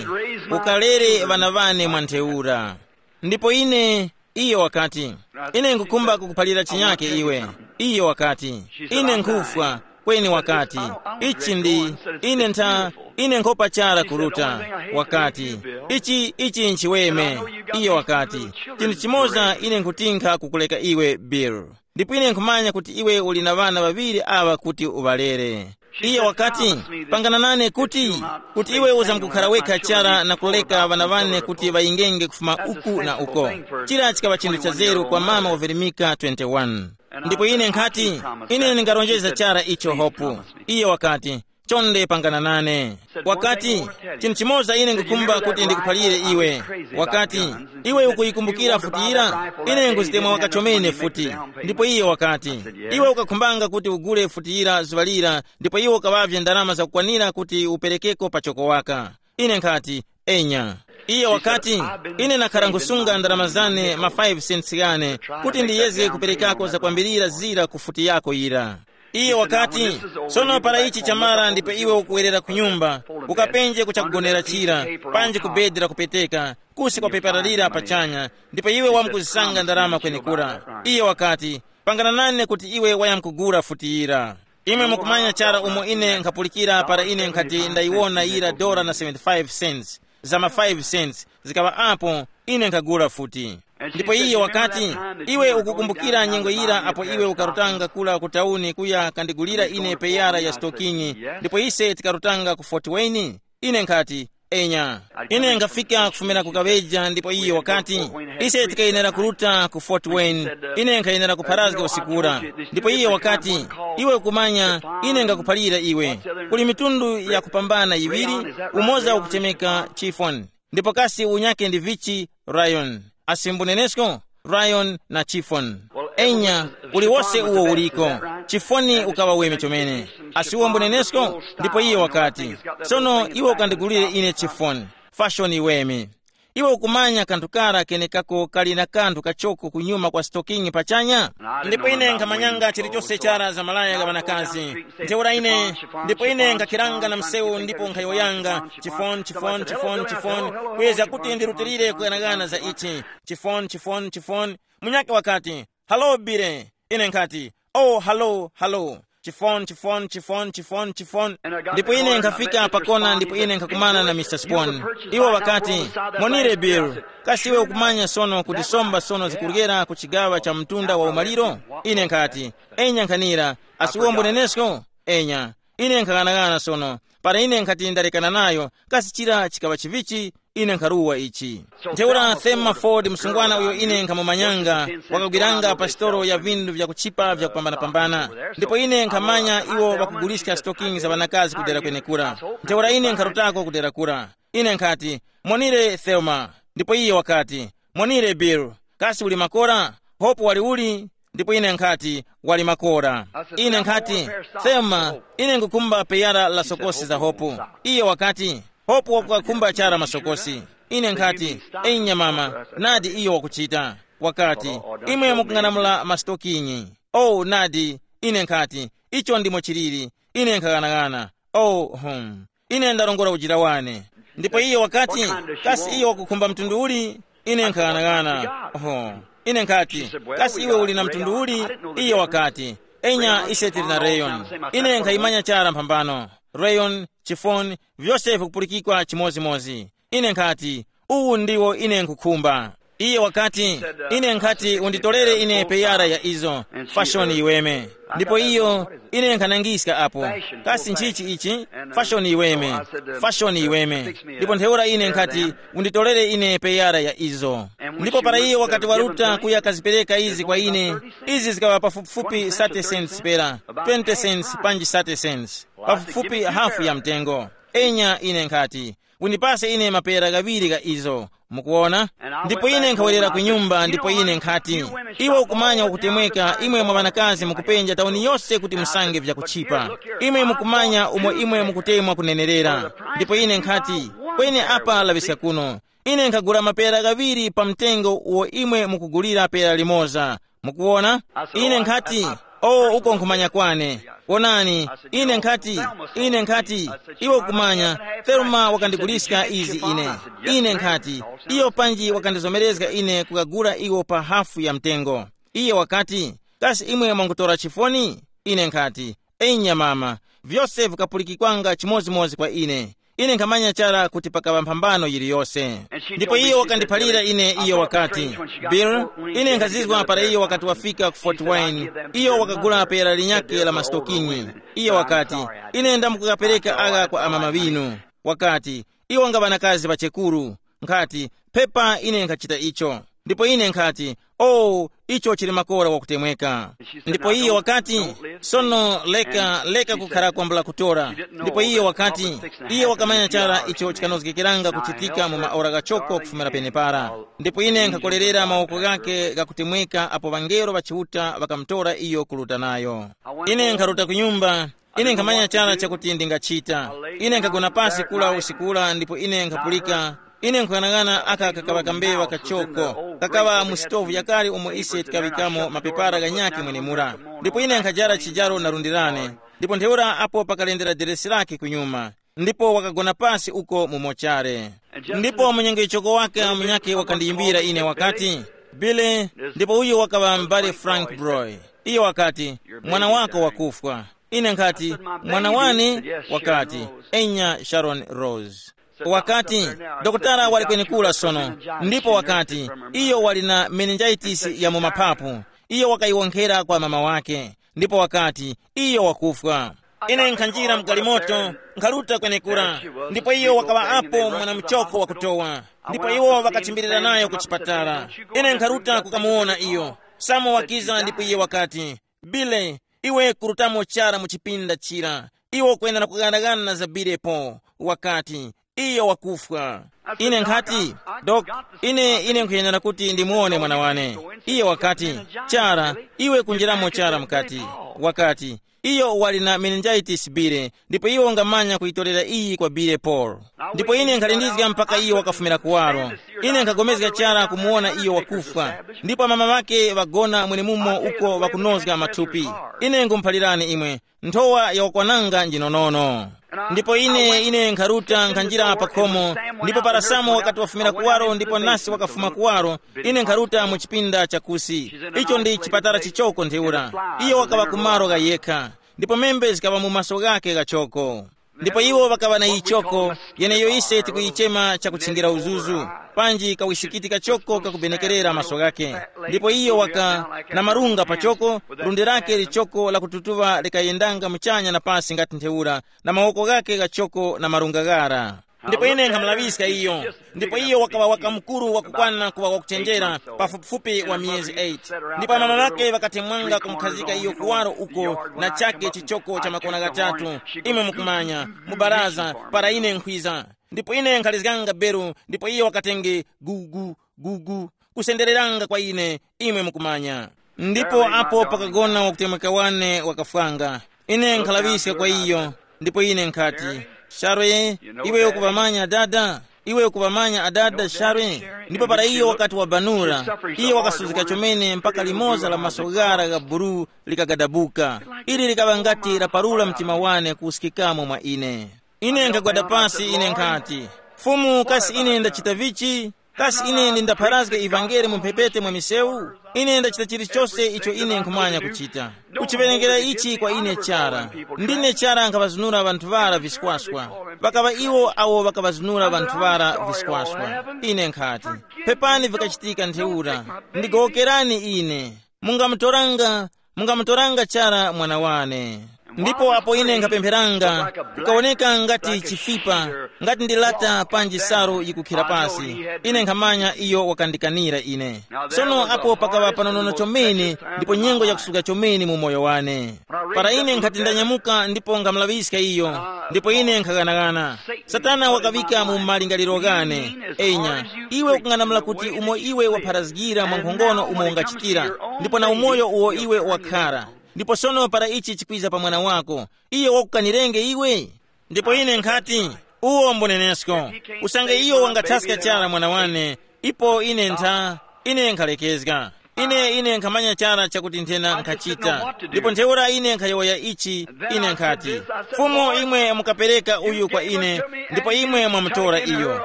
ukalere ŵana ŵane mwa ntheura. Ndipo ine, iye wakati, ine nkhukhumba kukuphalira chinyake iwe. Iye wakati, ine nkhufwa. Kweni wakati, ichi ndi, ine ntha, Ine nkhopa chara ku Ruta. Wakati, ichi ichi nchiweme. Iye wakati, chinthu chimoza ine nkutinkha kukuleka iwe, Bill. Ndipo ine nkhumanya kuti iwe uli na ŵana ŵaŵiri aŵa kuti uŵalere. Iye wakati, pangana nane kuti kuti iwe uzamkukhara wekha chara na kuleka ŵana ŵane kuti ŵayingenge kufuma uku na uko. Chira chikaŵa chinthu cha zeru kwa mama waverimika twenty-one. Ndipo ine nkhati, ine ndingarongeza chara icho hopu. Iye wakati, chonde pangana nane. Wakati, chinthu chimoza ine ngukhumba kuti ndikuphalire iwe. Wakati, iwe ukuyikumbukira futi yira? Ine nguzitemwa waka chomene futi. Ndipo iye wakati, iwe ukakhumbanga kuti ugule futi yira zuŵa lira, ndipo iwe ukaŵavye ndalama zakukwanira kuti uperekeko pachoko waka. Ine nkhati, enya. Iye wakati, ine nakhara nkusunga ndalama zane ma five cents ghane kuti ndiyezge kuperekako zakwambirira zira ku futi yako yira. Iye wakati, sono para ichi chamara ndipo iwe ukuwerera ku nyumba, ukapenje kuchakugonera chira, panji ku bedi lakupeteka, kusi kwa pepara lira pachanya, ndipo iwe wamkuzisanga ndarama kwenekura. Iye wakati, pangana nane kuti iwe wayamkugula futi yira. Imwe mukumanya chara umo ine nkhapulikira para ine nkhati ndayiwona yira dora na seventy-five cents, za ma five cents zikaŵa apo, ine nkhagula futi. Ndipo iye wakati, iwe ukukumbukira nyengo yira apo iwe ukarutanga kula ku tauni kuya kandigulira ine peyara ya stokingi, ndipo ise tikarutanga ku Fort Wayne? Ine nkhati, enya. Ine nkhafika kufumira ku Kaŵeja ndipo iye wakati, ise tikayenera kuruta ku Fort Wayne. Ine nkhayenera kupharazga usikura. Ndipo iye wakati, iwe ukumanya, ine ngakuphalira iwe, kuli mitundu yakupambana yiŵiri, umoza ukuchemeka Chiffon, ndipo kasi unyake ndi vichi? Ryan. Asimbunenesko, Ryan na Chiffon. Enya, uliwose uwo uliko. Chifoni ukaŵa weme chomene. Asiwo mbunenesko. Ndipo iye wakati, sono iwe ukandigulire ine Chiffon, fashoni weme. Iwe ukumanya kanthu kara kenekako kali na kanthu kachoko kunyuma kwa stokingi pachanya? Ndipo ine nkhamanyanga chilichose chara za malaya gha ŵanakazi. Ntheura ine, ndipo ine nkhakiranga na msewu ndipo nkhayowoyanga, chifoni, chifoni, chifoni, chifoni, kuyezga kuti ndirutilire kughanaghana za ichi. Chifoni, chifoni, chifoni. Munyakhe wakati, halo bire. Ine nkhati, oh, halo, halo. Chifoni, chifoni, chifoni, chifoni, chifoni. Ndipo ine nkhafika pakona ndipo ine nkhakumana na Mister Spon. Iwo ŵakati, monire Bill, kasi iwe ukumanya sono kuti somba sono zikuryera ku chigaŵa cha mtunda wa umaliro? Ine nkhati, enya nkhanira. Asiwombo nenesko? Enya. Ine nkhaghanagana sono. Para ine nkhati ndarekana nayo, kasi chira chikaŵa chivichi? Ine nkharuwa ichi. Ntheura Thelma Ford, msungwana uyo ine nkhamumanyanga, wakagwiranga pa sitolo ya vindu vyakuchipa vyakupambanapambana. Ndipo ine nkhamanya iwo ŵakuguliska stokingi za ŵanakazi kudera kwenekura. Ntheura ine nkharutako kudera kura. Ine nkhati, monire Thelma. Ndipo iye wakati, monire Bill. Kasi uli makora? Hope wali uli? Ndipo ine nkhati, wali makora. Ine nkhati, Thelma, ine nkukhumba peyara la sokosi za Hope. Iye wakati, Hope wakukakhumba chara masokosi. Ine nkhati, eyi nyamama, nadi iyo wakuchita. Wakati, imwe mukung'anamula masitokinyi. Oh, nadi. Ine nkhati, icho ndimo chiliri. Ine nkhaghanagana. Oh, hum. Ine ndarongora ujira wane. Ndipo iye wakati, kasi iye wakukhumba mtundu uli? Ine nkhaghanagana. Oho. Ine nkhati, kasi iwe uli na mtundu uli? Iye wakati, enya ise tili na rayon. Ine nkhayimanya chara mphambano. Rayon, chifoni, vyose vikupulikikwa chimozimozi. Ine nkhati, uwu ndiwo ine nkhukhumba. Iye wakati, ine nkhati unditorere ine peyara ya izo, fashoni iweme. Ndipo iyo, ine nkhanangiska apo, kasi nchichi ichi? Fashoni iweme. Fashoni iweme. Ndipo ntheura ine nkhati, unditorere ine peyara ya izo. Ndipo para iyo wakati waruta kuya kazipereka izi kwa ine, izi zikaŵa pafupifupi thirty cents pera, twenty cents panji thirty cents, pafupifupi hafu ya mtengo. Enya, ine nkhati, undipase ine mapera ghaŵiri gha izo. Mukuwona? Ndipo ine nkhawerera ku nyumba ndipo ine nkhati, iwe ukumanya wakutemweka, imwe mwa ŵanakazi mukupenja tauni yose kuti musange vyakuchipa. Imwe mukumanya umo imwe mukutemwa kunenerera. Ndipo ine nkhati, kweni apa laŵiska kuno. Ine nkhagula mapera ghaŵiri pa mtengo uwo imwe mukugulira pera limoza. Mukuwona? Ine nkhati, o, uko nkhumanya kwane. Wonani, ine nkhati, ine nkhati, iwe ukumanya, Thelma wakandiguliska izi ine. Ine nkhati, iyo panji wakandizomerezga ine kukagula iwo pa hafu ya mtengo. Iye wakati, kasi imwe mwangutora chifoni? Ine nkhati, enya mama, vyose vikapulikikwanga chimozimozi kwa ine. Ine nkhamanya chara kuti pakaŵa mphambano yiliyose. Ndipo iyo wakandiphalira ine, iyo wakati, "Bill, ine nkhazizwa para iyo wakati wafika ku Fort Wayne, iyo wakagula pera linyakhe la masitokinyi. Iyo wakati, 'Ine ndamukukapereka agha kwa amama ŵinu.' Wakati, 'Iwo nga ŵanakazi ŵa chekuru.' Nkhati, 'Pepa ine nkhachita icho.' Ndipo ine nkhati, 'Oh, icho chili makora wakutemweka.' Ndipo iye wakati, 'Sono leka, leka kukhara kwambula kutora.' Ndipo iye wakati, iye wakamanya chara icho chikanozgekeranga kuchitika mu maora ghachoko kufumira penepara. Ndipo ine nkhakolerera mawoko ghake ghakutemweka apo ŵangelo ŵa Chiuta ŵakamutora iyo kuruta nayo. Ine nkharuta ku nyumba. Ine nkhamanya chara chakuti ndingachita. Ine nkhagona pasi kula usiku ula ndipo ine nkhapulika. Ine nkhuyang'ana aka kakaŵa kambewa kachoko, kakaŵa mu sitovu yakale umo ise tikaŵikamo mapepara ghanyakhe mwenemura. Ndipo ine nkhajara chijaro na lundi lane. Ndipo ntheura apo pakalendera deresi lake kunyuma, ndipo wakagona pasi uko mu mochare. Ndipo mu nyengo yichoko wake munyakhe wakandiyimbira ine wakati, "Bile," ndipo uyo wakaŵa m'bale Frank Broy. Iyo wakati, "Mwana wako wakufwa." Ine nkhati, "Mwana wane?" Wakati, "Enya, Sharon Rose." Wakati, "Dokotala wali kwenekura sono." Ndipo wakati, "Iyo wali na meningitis ya mu mapapu." Iyo wakayiwonkhera kwa mama wake, ndipo wakati, "Iyo wakufwa." Ine nkhanjira mgalimoto, nkharuta kwenekura, ndipo iyo wakaŵa apo mwana muchoko wakutowa. Ndipo iwo ŵakachimbirira nayo ku chipatala. Ine nkharuta kukamuwona iyo. Samo wakiza ndipo iye wakati, "Bile, iwe kurutamo chara mu chipinda chira. Iwe ukwenera kughanagana na za Bilepo." Wakati, "Iyo wakufwa." Ine nkhati, "Dok, ine, ine nkhuyenera kuti ndimuwone mwana wane." Iye wakati, "Chara, iwe kunjiramo chara mukati." Wakati, "Iyo wali na meningitis Bile, ndipo iwe ungamanya kuyitorera iyi kwa Bile Paul." Ndipo ine nkhalindizga mpaka iyo wakafumira kuwaro. Ine nkhapulikana chara kumuwona iyo wakufwa, ndipo mama ŵake ŵagona mwenemumo uko ŵakunozga mathupi. Ine ngumuphalirani imwe, nthowa ya wakwananga njinonono. Ndipo ine, ine nkharuta nkhanjira pa khomo, ndipo para Samo wakati wafumira kuwaro ndipo nasi wakafuma kuwaro, ine nkharuta mu chipinda chakusi. Icho ndi chipatala chichoko ntheura. Iyo wakaŵa ku malo gha yekha, ndipo membe zikaŵa mu maso ghake ghachoko. Ndipo iwo ŵakaŵa na yichoko, yeneyo ise tikuyichema chakutchingira uzuzu, panji kawisikiti kachoko kakubenekerera maso ghake. Ndipo iyo waka na marunga pachoko, lundi lake lichoko lakututuŵa likayendanga muchanya na pasi ngati ntheura, na mawoko ghake ghachoko na marunga ghara. Ndipo ine nkhamulaŵiska iyo. Ndipo iyo wakaŵa waka mukuru wakukwana kuŵa wakuchenjera, pafupifupi wa miyezi eight. Ndipo amama ŵake ŵakatemwanga kumukhazika iyo kuwaro uko na chake chichoko cha makona ghatatu, imwe mukumanya, mu baraza, para ine nkhwiza. Ndipo ine nkhalizganga beru, ndipo iyo wakatenge gugu, gugu, kusendereranga kwa ine, imwe mukumanya. Ndipo apo pakagona wakutemweka wane wakafwanga. Ine nkhalaŵiska kwa iyo, ndipo ine nkhati, "Sharwe, iwe ukuŵamanya adada? Iwe ukuŵamanya adada, Sharwe?" Ndipo para iyo wakati wabanura, iyo wakasuzgika chomene mpaka limoza la maso ghara gha buru likagadabuka. Ili likaŵa ngati laparura mtima wane kuwuskikamo mwa ine. Ine nkhagwada pasi, ine nkhati, "Fumu, kasi ine ndachita vichi? Kasi ine ndindapharazga ivangeli mu mphepete mwa misewu? Ine ndachita chilichose icho ine nkhumanya kuchita." Kuchiwerengera ichi kwa ine chara. Ndine chara nkhaŵazunura ŵanthu ŵara viskwaswa. Ŵakaŵa iwo awo ŵakaŵazunura ŵanthu ŵara viskwaswa. Ine nkhati, "Pepani vikachitika ntheura. Ndigowokerani ine. Mungamutoranga, mungamutoranga chara mwana wane." Ndipo apo ine nkhapempheranga, kukawoneka ngati chifipa, ngati ndi lata panji salu yikukhira pasi. Ine nkhamanya iyo wakandikanira ine. Sono apo pakaŵa panonono chomene, ndipo nyengo yakusuka chomene mu moyo wane. Para ine nkhati ndanyamuka ndipo nkhamulaŵiska iyo, ndipo ine nkhaghanagana. Satana wakaŵika mu malingaliro ghane, enya, iwe ukung'anamula kuti umo iwe wapharazgira mwa nkhongono umo ungachitira, ndipo na umoyo uwo iwe wakhara. Ndipo sono para ichi chikwiza pa mwana wako, iyo wakukanirenge iwe? Ndipo ine nkhati, uwo mbunenesko. Usange iyo wangathaska chara mwana wane, ipo ine ntha, ine nkhalekezga. Ine, ine nkhamanya chara chakuti nthena nkhachita. Ndipo ntheura ine nkhayowoya ichi, ine nkhati, "Fumu, imwe mukapereka uyu kwa ine, ndipo imwe mwamutora iyo.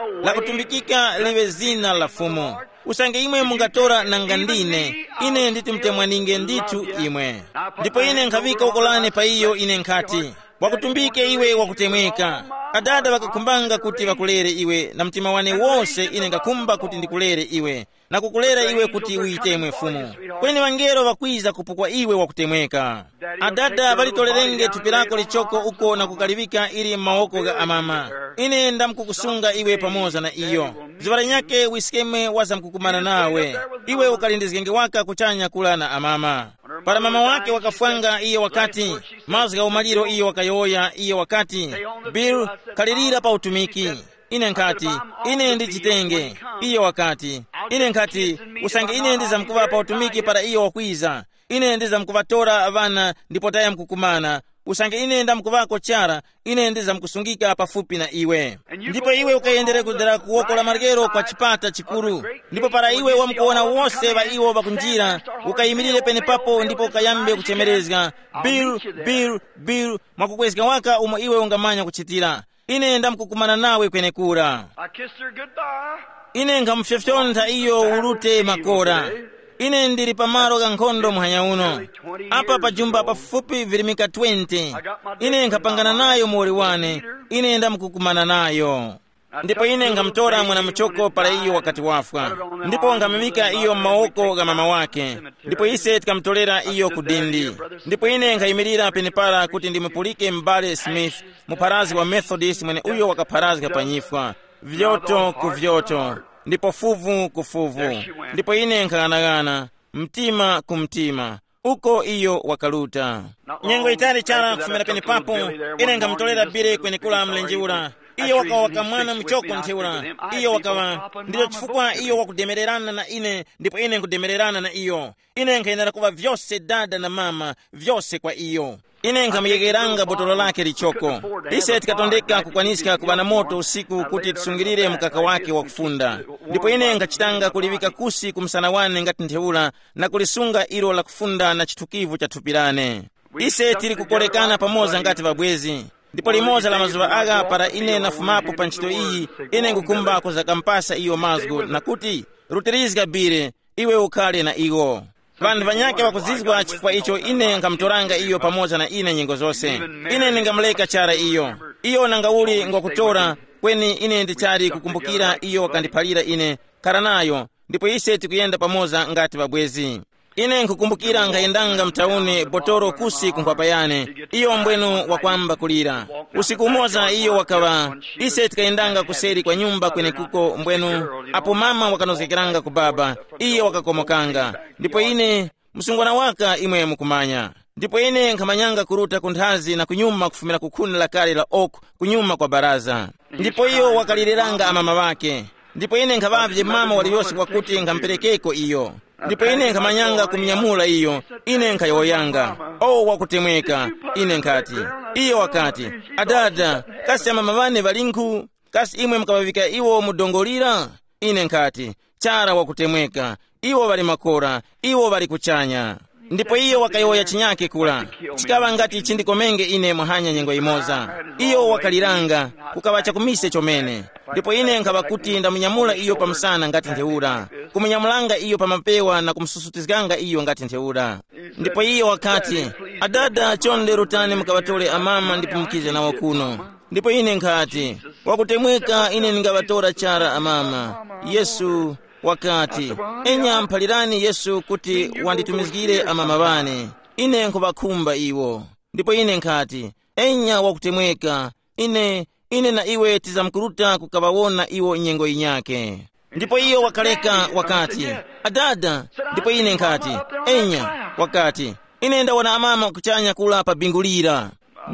Lakutumbikika liŵe zina la Fumu. Usange imwe mungatora nanga ndine, ine nditi mutemwaninge ndithu imwe." Ndipo ine nkhaŵika woko lane pa iyo, ine nkhati, "Wakutumbike iwe wakutemweka." Adada ŵakakhumbanga kuti ŵakulere iwe na mtima wane wose. Ine ngakhumba kuti ndikulere iwe, na kukulera iwe kuti uyitemwe Fumu. Kweni ŵangelo ŵakwiza kupukwa iwe wakutemweka. Adada ŵalitolerenge thupi lako lichoko uko na kukaliŵika ili m'mawoko gha amama. Ine ndamkukusunga iwe pamoza na iyo. Zuŵa linyakhe wiskeme wazamkukumana nawe. Iwe ukalindizgenge waka kuchanya kula na amama. Para mama wake wakafwanga, iye wakati, mazgu gha umaliro iyo wakayowoya, iye wakati, Bill, kalirira pa utumiki. Ine nkhati, ine ndichitenge. Iye wakati, ine nkhati, usange ine ndizamkuŵa pa utumiki para iyo wakwiza, ine ndizamkuŵatora ŵana ndipo tayamkukumana. Usange ine ndamkuŵako chara, ine ndizamkusungika pafupi na iwe. Ndipo iwe ukayendere kudera ku woko la maryero kwa chipata chikuru, ndipo para iwe wamkuwona wose ŵa iwo ŵakunjira, ukayimirire penepapo ndipo ukayambe kuchemerezga, Bill, Bill, Bill, mwakukwezga waka umo iwe ungamanya kuchitira. Ine ndamkukumana nawe kwenekura. I kissed her goodbye. Ine nkhamufyofyontha iyo ulute makora. Ine ndili pamalo gha nkhondo muhanya uno. Apa pajumba pafupi virimika twenty. Ine nkhapangana nayo muwoli wane. Ine ndamkukumana nayo. Ndipo ine nkhamutora mwana muchoko para iyo wakati wafwa, ndipo nkhamuŵika iyo m'mawoko gha mama wake. Ndipo ise tikamutorera iyo ku dindi. Ndipo ine nkhayimirira penepara kuti ndimupulike m'bale Smith, mupharazi wa Methodist mweneuyo wakapharazga pa nyifwa, vyoto ku vyoto, ndipo fuvu ku fuvu. Ndipo ine nkhaghanag'ana, mtima ku mtima, uko iyo wakaruta. Nyengo yitali chara kufumira penepapo, ine nkhamutolera Bile kwenekura mlenje ura. Iyo wakawa kamwana muchoko ntheura. Iyo wakawa, ndicho chifukwa iyo wakudemererana na ine, ndipo ine nkudemererana na iyo. Ine nkhayenera kuŵa vyose dada na mama, vyose kwa iyo. Ine nkhamuyegeranga botolo lake lichoko. Ise tikatondeka kukwaniska kuŵa na moto usiku kuti tisungirire mkaka wake wakufunda. Ndipo ine nkhachitanga kuliŵika kusi ku msana wane ngati ntheura, na kulisunga ilo lakufunda na chithukivu cha thupi lane. Ise tili kukorekana pamoza ngati ŵabwezi. Ndipo limoza la mazuŵa agha para ine nafumapo pa ntchito iyi, ine ngukhumba kuzakampasa iyo mazgu na kuti, rutirizga Bile, iwe ukhale na iwo. Ŵanthu ŵanyakhe ŵakuzizwa chifukwa icho ine nkhamutoranga iyo pamoza na ine nyengo zose. Ine ndingamuleka chara iyo. Iyo nangauli ngwakutora, kweni ine ndichali kukumbukira iyo wakandiphalira ine, khara nayo, ndipo ise tikuyenda pamoza ngati ŵabwezi. Ine nkhukumbukira nkhayendanga mtauni botoro kusi ku nkhwapa yane, iyo mbwenu wakwamba kulira. Usiku umoza iyo wakaŵa, ise tikayendanga kuseri kwa nyumba kwenekuko mbwenu, apo mama wakanozgekeranga ku baba, iyo wakakomokanga. Ndipo ine, msungwana waka imwe mukumanya. Ndipo ine nkhamanyanga kuruta ku nthazi na kunyuma kufumira ku khuni lakale la oak kunyuma kwa baraza. Ndipo iyo wakalireranga amama ŵake. Ndipo ine nkhaŵavye mama waliyose wakuti nkhamperekeko iyo. Ndipo ine nkhamanyanga kumunyamula iyo, ine nkhayowoyanga, o wakutemweka. Ine nkhati, iyo wakati, adada, kasi amama ŵane ŵalinkhu? Kasi imwe mukaŵaŵika iwo mu dongo lira? Ine nkhati, chara wakutemweka, iwo ŵali makora, iwo ŵali kuchanya. Ndipo iyo wakayowoya chinyake kula, chikaŵa ngati chindikomenge ine muhanya nyengo yimoza. Iyo wakaliranga, kukaŵa chakumise chomene. Ndipo ine nkhaŵa kuti ndamunyamula iyo pa msana ngati ntheura, kumunyamulanga iyo pa mapewa na kumususutizganga iyo ngati ntheura. Ndipo iyo wakati, adada, chonde rutani mukaŵatore amama ndipo mukize nawo kuno. Ndipo ine nkhati, wakutemweka, ine ndingaŵatora chara amama. Yesu wakati, enya mphalirani Yesu kuti wanditumizgire amama ŵane. Ine nkhuŵakhumba iwo. Ndipo ine nkhati, enya wakutemweka, ine, ine na iwe tizamkuruta kukaŵawona iwo nyengo yinyakhe. Ndipo iyo wakaleka wakati, adada. Ndipo ine nkhati, enya, wakati, ine ndawona amama kuchanya kula pa bingu lira.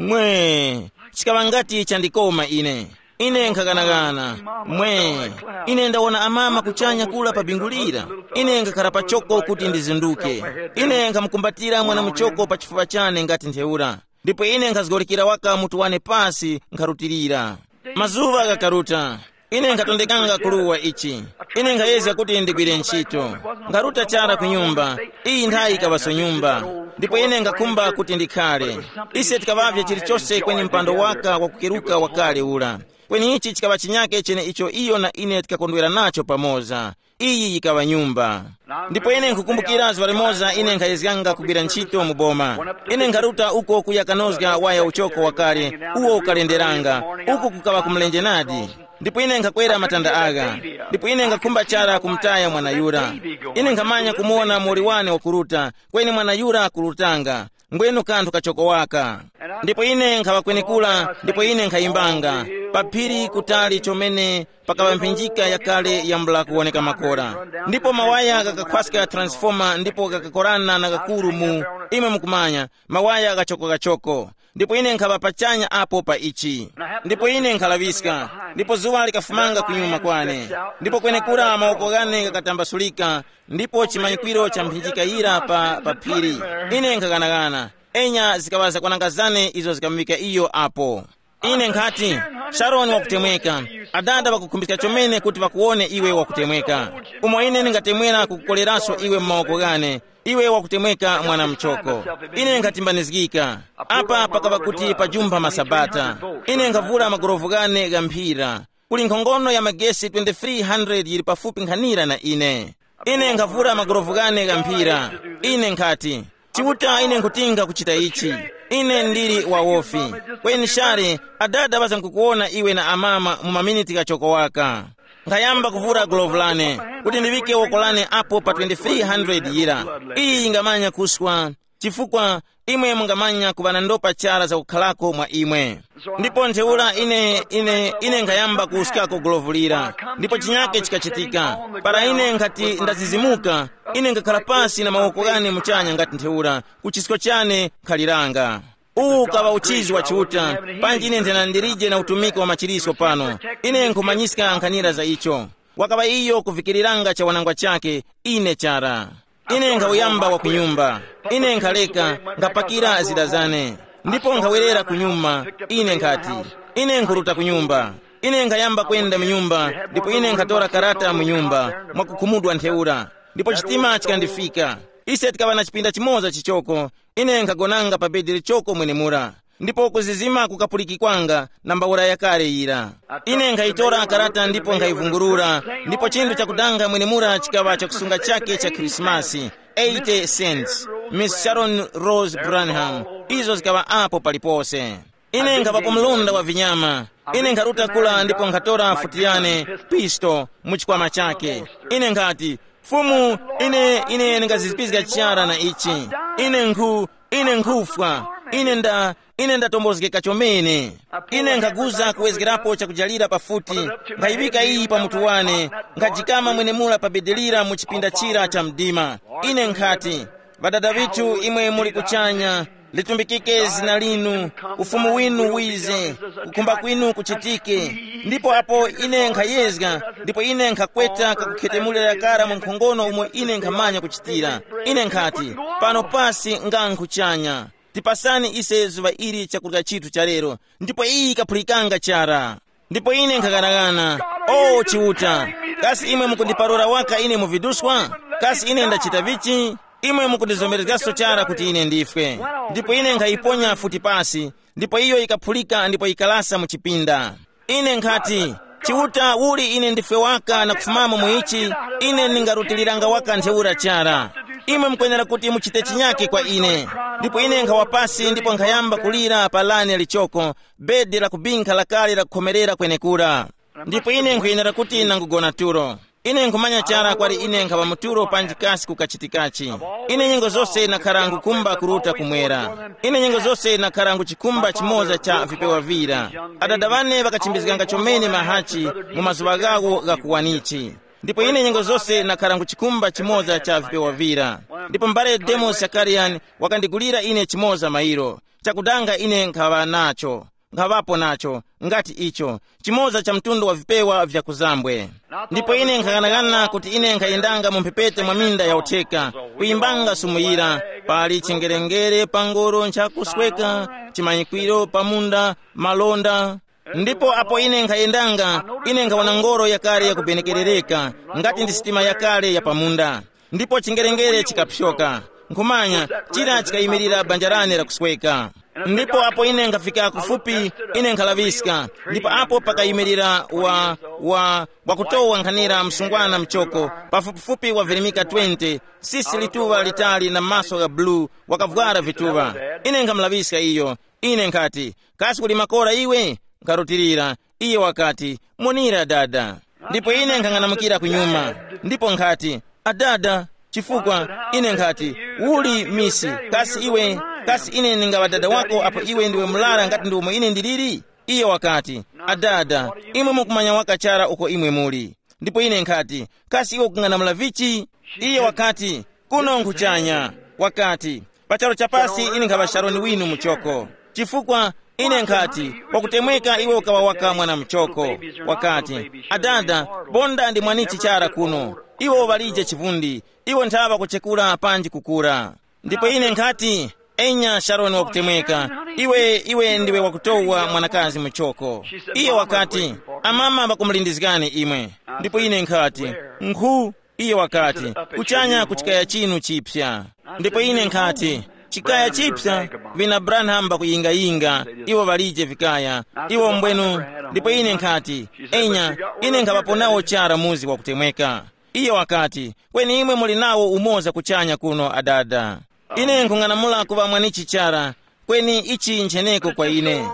Mwe, chikaŵa ngati chandikoma ine. Ine nkhaghanaghana. Mwe, ine ndawona amama kuchanya kula pa bingu lira. Ine nkhakhala pachoko kuti ndizinduke. Ine nkhamukumbatira mwana muchoko pa chifuwa chane ngati ntheura. Ndipo ine nkhazgorikira waka mutu wane pasi nkharutilira. Mazuŵa ghakaruta. Ine nkhatondekanga kuluwa ichi. Ine nkhayezga kuti ndigwire ntchito. Nkharuta chara ku nyumba. Iyi nthayi ikaŵaso nyumba. Ndipo ine nkhakhumba kuti ndikhale. Ise tikaŵavye chilichose kweni mpando waka wakukeruka wakale ura. Kweni ichi chikaŵa chinyake chene icho iyo na ine tikakondwera nacho pamoza. Iyi yikaŵa nyumba. Ndipo ine nkhukumbukira zuŵa limoza ine nkhayezganga kugwira ntchito mu boma. Ine nkharuta uko kuya kanozga waya uchoko wakale, uwo ukalenderanga. Uku kukaŵa kumlenje nadi. Ndipo ine nkhakwera matanda agha. Ndipo ine nkhakhumba chara kumutaya mwana yura. Ine nkhamanya kumuwona muwoli wane wakuruta, kweni mwana yura akurutanga. Ngwenu kanthu kachoko waka. Ndipo ine nkhaŵa kwenekura, ndipo ine nkhayimbanga pa phiri kutali chomene pakaŵa mphinjika yakale yambula kuwoneka makora. Ndipo mawaya ghakakhwaska transfoma ndipo ghakakorana na ghakuru mu, imwe mukumanya, mawaya ghachokogachoko. Ndipo ine nkhaŵa pachanya apo pa ichi. Ndipo ine nkhalaŵiska, ndipo zuŵa likafumanga kunyuma kwane. Ndipo kwenekura mawoko ghane ghakatambasulika, ndipo chimanyikwiro cha mphinjika yira pa, pa phiri. Ine nkhaganaghana, enya zikaŵa zakwananga zane izo zikamuŵika iyo apo. Ine nkhati, Sharoni wakutemweka. Adada ŵakukhumbiska chomene kuti ŵakuwone iwe wakutemweka. Umo ine ndingatemwera kukukoleranso iwe mu mawoko ghane, iwe wakutemweka mwana mchoko. Ine nkatimbanizgika. Apa pakaŵa kuti pajumpha masabata. Ine nkhavura magorovu ghane gha mphira. Kuli nkhongono ya magesi twenty-three hundred yili pafupi nkhanira na ine. Ine nkhavura magorovu ghane gha mphira. Ine nkhati, Chiuta, ine nkhutinga kuchita ichi. Ine ndili wawofi. Kweni share, adada ŵaza nkukuwona iwe na amama mu maminiti ghachoko waka. Nkhayamba kuvura gulovu lane, kuti ndiŵike woko lane apo pa twenty-three hundred yira. Iyi yingamanya kuswa, chifukwa imwe mungamanya kuŵa na ndopa chara zakukharako mwa imwe. Ndipo ntheura ine ine ine nkhayamba kuwuskako gulovu lira, ndipo chinyake chikachitika. Para ine nkhati ndazizimuka, ine nkhakhala pasi na mawoko ghane muchanya ngati ntheura, ku chisko chane nkhaliranga. Uwu ukaŵa uchizi wa Chiuta, panji ine nthena ndilije na utumiki wa machirisco pano. Ine nkhumanyiska nkhanira za icho. Wakaŵa iyo kuvikiriranga chawanangwa chake, ine chara. Ine nkhawuyamba wa kunyumba. Ine nkhaleka, nkhapakira zida zane. Ndipo nkhawerera kunyuma. Ine nkhati, ine nkhuruta kunyumba. Ine nkhayamba kwenda mu nyumba, ndipo ine nkhatora karata mu nyumba, mwakukhumudwa ntheura. Ndipo chitima chikandifika. Ise tikaŵa na chipinda chimoza chichoko. Ine nkhagonanga pa bedi lichoko mwenemura, ndipo kuzizima kukapulikikwanga na mbawura yakale yira. Ine nkhayitora karata ndipo nkhayivungulura, ndipo chinthu chakudanga mwenemura chikaŵa chakusunga chake cha Khrisimasi, eighty cents, Miss Sharon Rose Branham. Izo zikaŵa apo palipose. Ine nkhaŵapo mlonda wa vinyama. Ine nkharuta kula ndipo nkhatora futi yane, pisto, mu chikwama chake. Ine nkhati, Fumu, ine ine ndingazizipizga chara na ichi. Ine nkhu ine nkhufwa. Ine nda ine ndatombozgeka chomene. Ine nkhaguza kuwezgerapo chakujalira pafuti, nkhayiŵika iyi pa mutu wane, nkhajikama mwenemura pa bedelira mu chipinda chira cha mdima. Ine nkhati, Ŵadada ŵithu imwe muli kuchanya, litumbikike zina linu, ufumu winu wize, kukhumba kwinu kuchitike. Ndipo apo ine nkhayezga, ndipo ine nkhakweta kakukhetemulira kara mu nkhongono umo ine nkhamanya kuchitira. Ine nkhati, pano pasi nga nkhuchanya. Tipasani ise zuŵa ili chakurya chithu cha lero. Ndipo iyi ikaphulikanga chara. Ndipo ine nkhaganaghana, o Chiuta, kasi imwe mukundiparura waka ine mu viduswa? Kasi ine ndachita vichi? Imwe mukundizomerezgaso chara kuti ine ndifwe. Ndipo ine nkhayiponya futi pasi, ndipo iyo yikaphulika ndipo yikalasa mu chipinda. Ine nkhati, Chiuta, uli ine ndifwe waka na kufumamo mu ichi? Ine ndingarutiliranga waka ntheura chara. Imwe mukwenera kuti muchite chinyake kwa ine. Ndipo ine nkhawa pasi ndipo nkhayamba kulira pa lane lichoko, bedi lakubinkha lakale lakukhomerera kwenekura. Ndipo ine nkhuyenera kuti nangugona tulo. Ine nkhumanya chara kwali ine nkhaŵa mu tulo panji kasi kukachitikachi. Ine nyengo zose nakhara ngukumba kuruta kumwera. Ine nyengo zose nakhara nguchikumba chimoza cha vipewa vira. Adada ŵane ŵakachimbizganga chomene mahachi mu mazuŵa ghawo gha kuwanichi. Ndipo ine nyengo zose nakhara nguchikumba chimoza cha vipewa vira. Ndipo mbale Demos Zakarian wakandigulira ine chimoza mairo. Chakudanga ine nkhaŵa nacho, nkhaŵapo nacho, ngati icho, chimoza cha mtundu wa vipewa vya kuzambwe. Ndipo ine nkhaghanagana kuti ine nkhayendanga mu mphepete mwa minda ya utheka, kuyimbanga sumu yira, pali chingerengere pa ngoro nchakusweka, chimanyikwiro pa munda, malonda. Ndipo apo ine nkhayendanga, ine nkhawona ngoro yakale yakubenekerereka, ngati ndi sitima yakale ya pamunda. Ndipo chingerengere chikapsyoka. Nkhumanya, chira chikayimirira banja lane lakusweka. Ndipo apo ine nkhafika kufupi, ine nkhalaŵiska. Ndipo apo pakayimirira wa wa wakutowa nkhanira msungwana mchoko, pafupifupi wavirimika twenty, sisi lituŵa litali na maso gha bulu, wakavwara vituŵa. Ine nkhamulaŵiska iyo. Ine nkhati, kasi kuli makora iwe? Nkharutilira. Iye wakati, monera dada. Ndipo ine nkhang'anamukira kunyuma, ndipo nkhati, adada, chifukwa ine nkhati, uli misi, kasi iwe, kasi ine ndingaŵa dada wako apo iwe ndiwe mlara ngati ndiwomwe ine ndiliri? Iye wakati, adada, imwe mukumanya waka chara uko imwe muli. Ndipo ine nkhati, kasi iwe ukung'anamula vichi? Iye wakati, kuno nkhuchanya. Wakati, pachalo chapasi ine nkhaŵa Sharoni winu muchoko. Chifukwa ine nkhati, wakutemweka iwe ukaŵa waka mwana muchoko. Wakati, adada, bonda ndi mwanichi chara kuno. Iwe uŵalije chivundi. Iwe nthaŵa kuchekura panji kukura. Ndipo ine nkhati, enya Sharoni wakutemweka, iwe iwe ndiwe wakutowa mwanakazi muchoko. Iye wakati, amama ŵakumulindizgani imwe. Ndipo ine nkhati, nkhu. Iye wakati, kuchanya ku chikaya chinu chipsa. Ndipo ine nkhati, chikaya chipsa? Vina Branham ŵakuyingayinga, iwo ŵalije vikaya, iwo mbwenu. Ndipo ine nkhati, enya, ine nkhaŵapo nawo chara muzi wakutemweka. Iye wakati, kweni imwe muli nawo umoza kuchanya kuno adada. Ine nkhung'anamula kuŵa mwanichi chara, kweni ichi ncheneko kwa ine.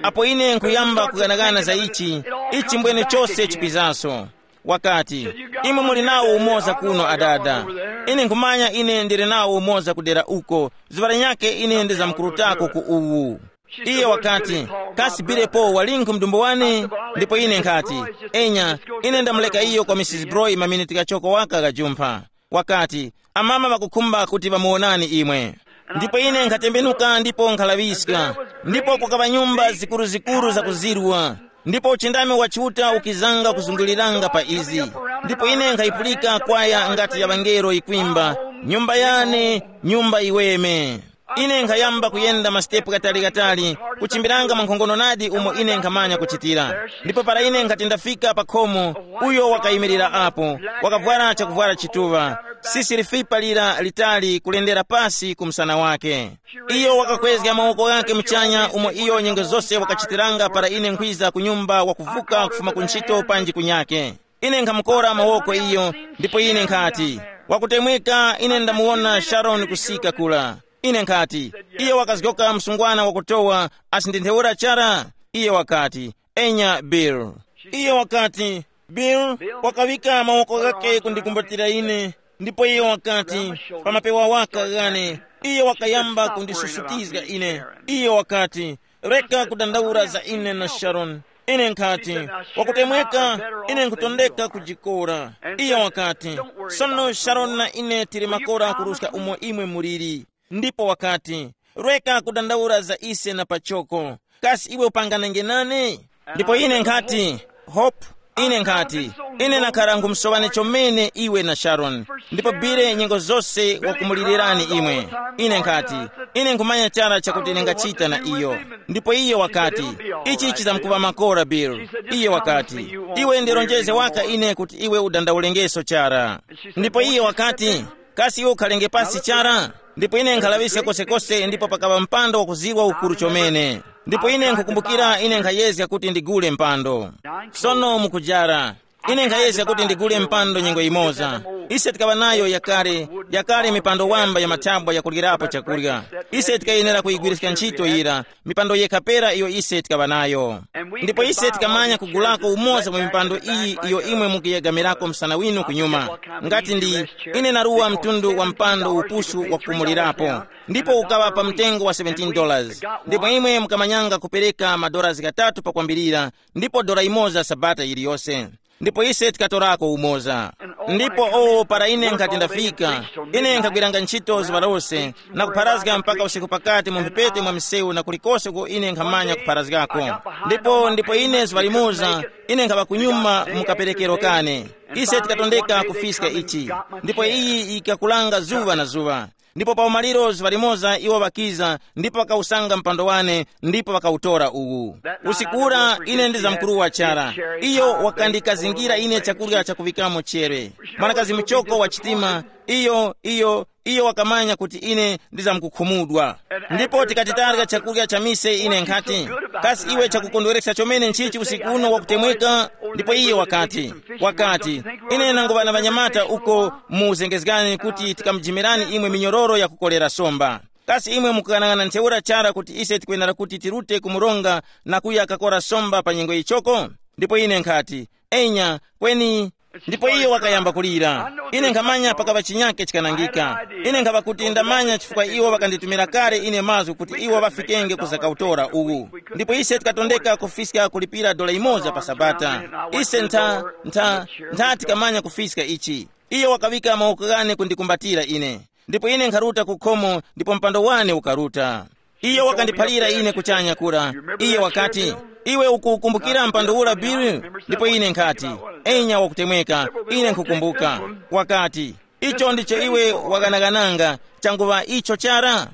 Apo ine nkhuyamba kuganagana za ichi, ichi mbwene chose chipizaso. Wakati, imwe muli nawo umoza kuno adada. Ine nkhumanya ine ndili nawo umoza kudera uko, zuŵa linyakhe ine ndizamkurutako ku uwu. Iye wakati, kasi bilepo walinkhu mdumbu wane? Ndipo ine nkhati, enya, ine ndamuleka iyo kwa mrs Broy maminiti ghachoko waka ghajumpha. Wakati, amama ŵakukhumba kuti ŵamuwonani imwe. Ndipo ine nkhatembenuka ndipo nkhalaŵiska, ndipo kukaŵa nyumba zikuruzikuru zakuzirwa, ndipo uchindami wa Chiuta ukizanga kuzunguliranga pa izi. Ndipo ine nkhayipulika kwaya ngati ya ŵangelo yikwimba, nyumba yane, nyumba iweme. Ine nkhayamba kuyenda masitepu ghatali-ghatali, kuchimbiranga mwankhongono nadi umo ine nkhamanya kuchitira. Ndipo para ine nkhati ndafika pa khomo, uyo wakayimirira apo, wakavwara chakuvwara chituŵa, sisi lifipa lira litali kulendera pasi ku msana wake. Iyo wakakwezga mawoko ghake muchanya umo iyo nyengo zose wakachitiranga para ine nkhwiza ku nyumba wakuvuka kufuma ku ntchito panji kunyake. Ine nkhamukora mawoko iyo, ndipo ine nkhati, wakutemweka, ine ndamuwona Sharoni kusika kula. Ine nkhati, iyo wakazgoka msungwana wakutowa, asi ndi ntheura chara? Iye wakati, enya Bill. Iye wakati, Bill wakaŵika mawoko ghake kundikumbatira ine, ndipo iye wakati, pa mapewa waka ghane, iye wakayamba kundisusutizga ine. Iye wakati, reka kudandaula za ine na Sharon. Ine nkhati, wakutemweka, ine nkutondeka kujikora. Iye wakati, sono Sharon na ine tili makora kuruska umo imwe muliri. Ndipo wakati, reka kudandaula za ise na pachoko. Kasi iwe upanganenge nane? Ndipo ine nkhati, Hope, ine nkhati, ine nakhara nkhumusoŵani chomene iwe na Sharon. Ndipo Bill nyengo zose wakumulilirani imwe. Ine nkhati, ine nkhumanya chara chakuti ndingachita na iyo. Ndipo iyo wakati, ichi chizamkuŵa makora Bill. Iyo wakati, iwe ndironjeze waka ine kuti iwe udandaulengeso chara. Ndipo iyo wakati, kasi iwe ukhalenge pasi chara? Ndipo ine nkhalaŵiska kosekose ndipo pakaŵa mpando wakuzirwa ukuru chomene. Ndipo ine nkhukumbukira ine nkhayezga kuti ndigule mpando. Sono mukujara, ine nkhayezga kuti ndigule mpando nyengo imoza. Ise tikaŵa nayo yakale, yakale mipando wamba ya mathabwa yakuryirapo chakurya. Ise tikayenera kuyigwiriska ntchito yira, mipando yekha pera iyo ise tikaŵa nayo. Ndipo ise tikamanya kugulako umoza mwa mipando iyi iyo imwe mukuyegamirako msana winu kunyuma. Ngati ndi, ine naruwa mtundu wa mpando upusu wakukumulirapo, ndipo ukaŵa pa mtengo wa seventeen dollars. Ndipo imwe mukamanyanga kupereka madollars ghatatu pakwambirira, ndipo dora imoza sabata yiliyose. Ndipo ise tikatorako umoza. Ndipo o para ine nkhati ndafika, ine nkhagwiranga ntchito zuŵa lose, na kupharazga mpaka usiku pakati mu mphepete mwa msewu na kulikose uko ine nkhamanya kupharazgako. Ndipo ndipo ine zuŵa limoza, ine nkhaŵa kunyuma mu kaperekero kane. Ise tikatondeka kufiska ichi. Ndipo iyi yikakulanga zuŵa na zuŵa. Ndipo pa umaliro zuŵa limoza iwo ŵakiza ndipo ŵakawusanga mpando wane, ndipo ŵakawutora uwu. Usiku ura ine ndizamkuruwa chara. Iyo wakandikazingira ine chakurya chakuŵikamo chere. Mwanakazi muchoko wa chitima, iyo iyo iyo wakamanya kuti ine ndizamkukhumudwa. Ndipo tikati tarya chakurya cha mise ine nkhati, Kasi iwe chakukondwerekesa chomene nchichi usiku uno wakutemweka? Ndipo iye wakati, wakati, ine nangoŵa na ŵanyamata uko mu uzengezgani kuti tikamujimirani imwe minyororo yakukolera somba. Kasi imwe mukughanag'ana ntheura chara kuti ise tikwenera kuti tirute ku mronga na kuya kakora somba pa nyengo yichoko? Ndipo ine nkhati, enya, kweni. Ndipo iyo wakayamba kulira. Ine nkhamanya pakaŵa chinyake chikanangika. Ine nkhaŵa kuti ndamanya chifukwa iwo ŵakanditumira kale ine mazgu kuti iwo ŵafikenge ku zakautora uwu. Ndipo ise tikatondeka kufiska kulipira dola imoza pa sabata. Ise ntha, ntha, ntha tikamanya kufiska ichi. Iyo wakaŵika mawoko ghane kundikumbatira ine. Ndipo ine nkharuta ku khomo ndipo mpando wane ukaruta. Iye wakandiphalira ine kuchanya kura. Iye wakati, iwe ukukumbukira mpando ura Bill? Ndipo ine nkhati, enya wakutemweka, ine nkhukumbuka. Wakati, icho ndicho iwe waghanagananga, changuŵa icho chara?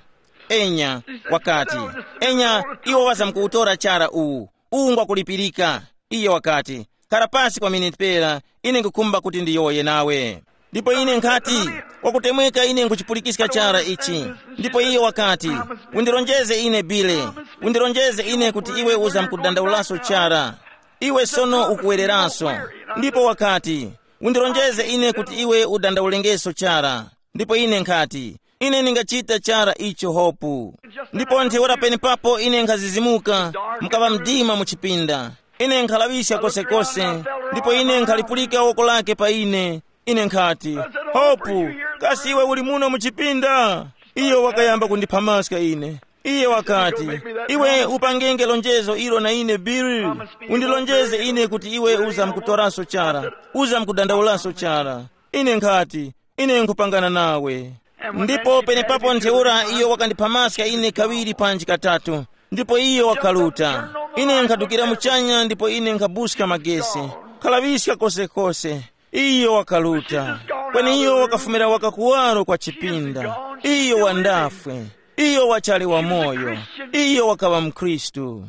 Enya, wakati, enya, iwo ŵazamkuwutora chara uwu. Uwu ngwakulipirika. Iye wakati, khara pasi kwa miniti pera, ine nkukhumba kuti ndiyowoye nawe. Ndipo ine nkhati, kwakutemweka ine nkuchipulikiska chara ichi. Ndipo iye wakati, undirongeze ine Bile, undirongeze ine kuti iwe uzamkudandaulaso chara. Iwe sono ukuwereranso. Ndipo wakati, undirongeze ine kuti iwe udandaulengeso chara. Ndipo ine nkhati, ine ndingachita chara icho hopu. Ndipo ntheura penepapo ine nkhazizimuka, mukaŵa mdima mu chipinda. Ine nkhalaŵiska kosekose, ndipo ine nkhalipulika woko lake pa ine. Ine nkhati, hopu, kasi iwe uli muno mu chipinda? Iyo wakayamba kundiphamaska ine. Iye wakati, iwe upangenge lonjezo ilo na ine Bill. Undilonjeze ine kuti iwe uzamkutoraso chara, uzamkudandaulaso chara. Ine nkhati, ine nkhupangana nawe. Ndipo penepapo ntheura iyo wakandiphamaska ine kaŵiri panji katatu. Ndipo iyo wakaruta. Ine nkadukira muchanya ndipo ine nkhabuska magesi, khalaŵiska kosekose. Iyo wakaruta. Kweni iyo wakafumira waka kuwaro kwa chipinda. Iyo wandafwe. Iyo wachali wamoyo. Iyo wakaŵa mkhristu.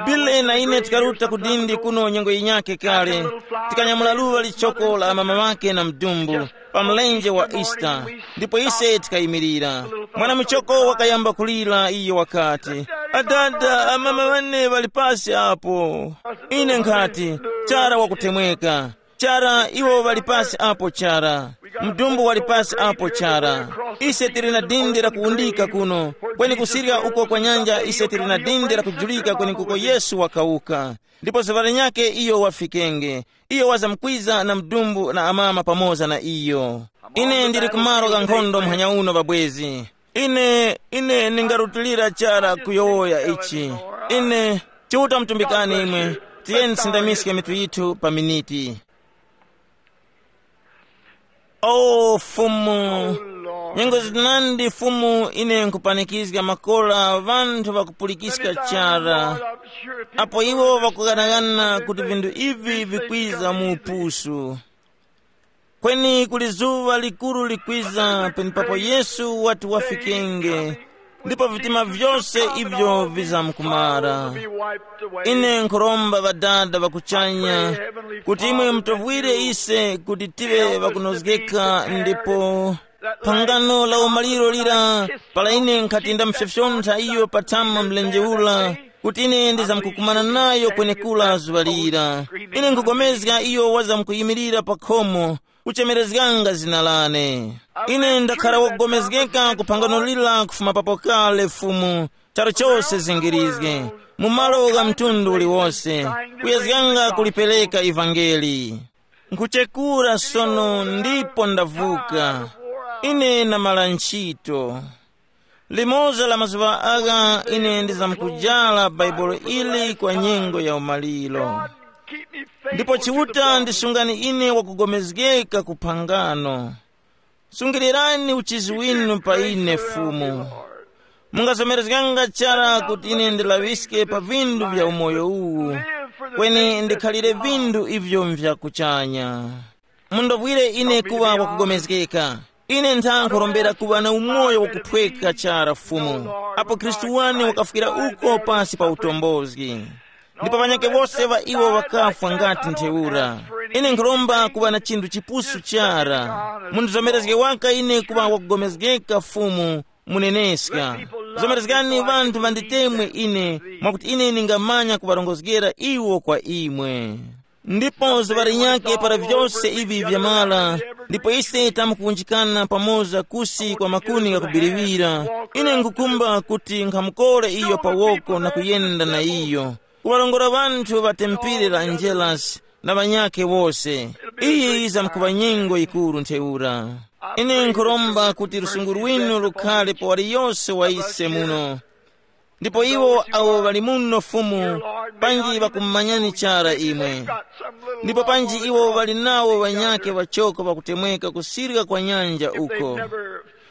Bile na ine tikaruta ku dindi kuno nyengo yinyakhe kale, tikanyamula luŵa lichoko la amama ŵake na mdumbu pa mlenje wa Easter. Ndipo ise tikayimirira. Mwana muchoko wakayamba kulira, iyo wakati, adada, amama ŵane ŵali pasi apo. Ine nkhati, chara wakutemweka. Chara, iwo ŵali pasi apo chara. Mdumbu wali pasi apo chara. Ise tili na dindi la kuwundika kuno, kweni kusirya uko kwa nyanja ise tili na dindi la kujulika kwenekuko Yesu wakawuka. Ndipo zuŵa linyakhe iyo wafikenge. Iyo wazamkwiza na mdumbu na amama pamoza na iyo. Ine ndili kumaro gha nkhondo muhanya uno ŵabwezi. Ine, ine ndingarutilira chara kuyowoya ichi. Ine, Chiuta mutumbikani imwe. Tiyeni tisindamiske mitu yithu pa miniti. O Fumu, nyengo zinandi Fumu, ine nkupanikizga makora ŵanthu ŵakupulikiska chara, apo iwo ŵakughanaghana kuti vinthu ivi vikwiza mu upusu. Kweni kuli zuŵa likuru likwiza penepapo Yesu wati wafikenge, ndipo vitima vyose ivyo vizamkumara. Ine nkhuromba Ŵadada ŵa kuchanya kuti imwe mutovwire ise kuti tive ŵakunozgeka, ndipo phangano la umaliro lira, para ine nkhati ndamufyofyontha iyo pathama mlenje ura, kuti ine ndizamkukumana nayo kwenekura zuŵa lira. Ine nkhupulikana iyo wazamkuyimirira pa khomo, kuchemerezganga zina lane. Ine ndakhara wakupulikana ku phangano lira kufuma papo kale, Fumu, charu chose zingirizge, mu malo gha mtundu uliwonse, kuyezganga kulipereka ivangeli. Nkhuchekura sono ndipo ndavuka. Ine namala ntchito. Limoza la mazuŵa agha ine ndizamkujala Baibulo ili kwa nyengo ya umaliro. Ndipo Chiuta ndisungani ine wakugomezgeka ku phangano. Sungilirani uchizi winu pa ine, Fumu. Mungazomerezganga chara kuti ine ndilaŵiske pa vindu vya umoyo uwu, kweni ndikhalire vindu ivyo mvya kuchanya. Mundovwire ine kuŵa wakugomezgeka. Ine ntha nkhurombera kuŵa na umoyo wakuphweka chara, Fumu, apo Khristu wane wakafwira uko pasi pa utombozgi. Ndipo ŵanyakhe wose ŵa iwo ŵakafwa ngati ntheura. Ine nkhuromba kuŵa na chinthu chipusu chara. Mundizomerezge waka ine kuŵa wakugomezgeka, Fumu, muneneska. Zomerezgani ŵanthu ŵanditemwe ine, mwakuti ine ningamanya kuŵarongozgera iwo kwa imwe. Ndipo zuŵa linyakhe para vyose ivi vyamara, ndipo ise tamkuwunjikana pamoza kusi kwa makuni ghakubiriwira, ine nkhukumba kuti nkhamukore iyo pa woko na kuyenda na iyo, kuŵarongora ŵanthu ŵa tempere la Angelasi na ŵanyakhe wose. Iyi yizamkuŵa nyengo yikuru ntheura. Ine nkhuromba kuti lusungu lwinu lukhale pa waliyose wa ise muno. Ndipo iwo awo ŵali muno Fumu, panji ŵakumumanyani chara imwe. Ndipo panji iwo ŵali nawo ŵanyakhe ŵachoko ŵakutemweka kusirika kwa nyanja uko.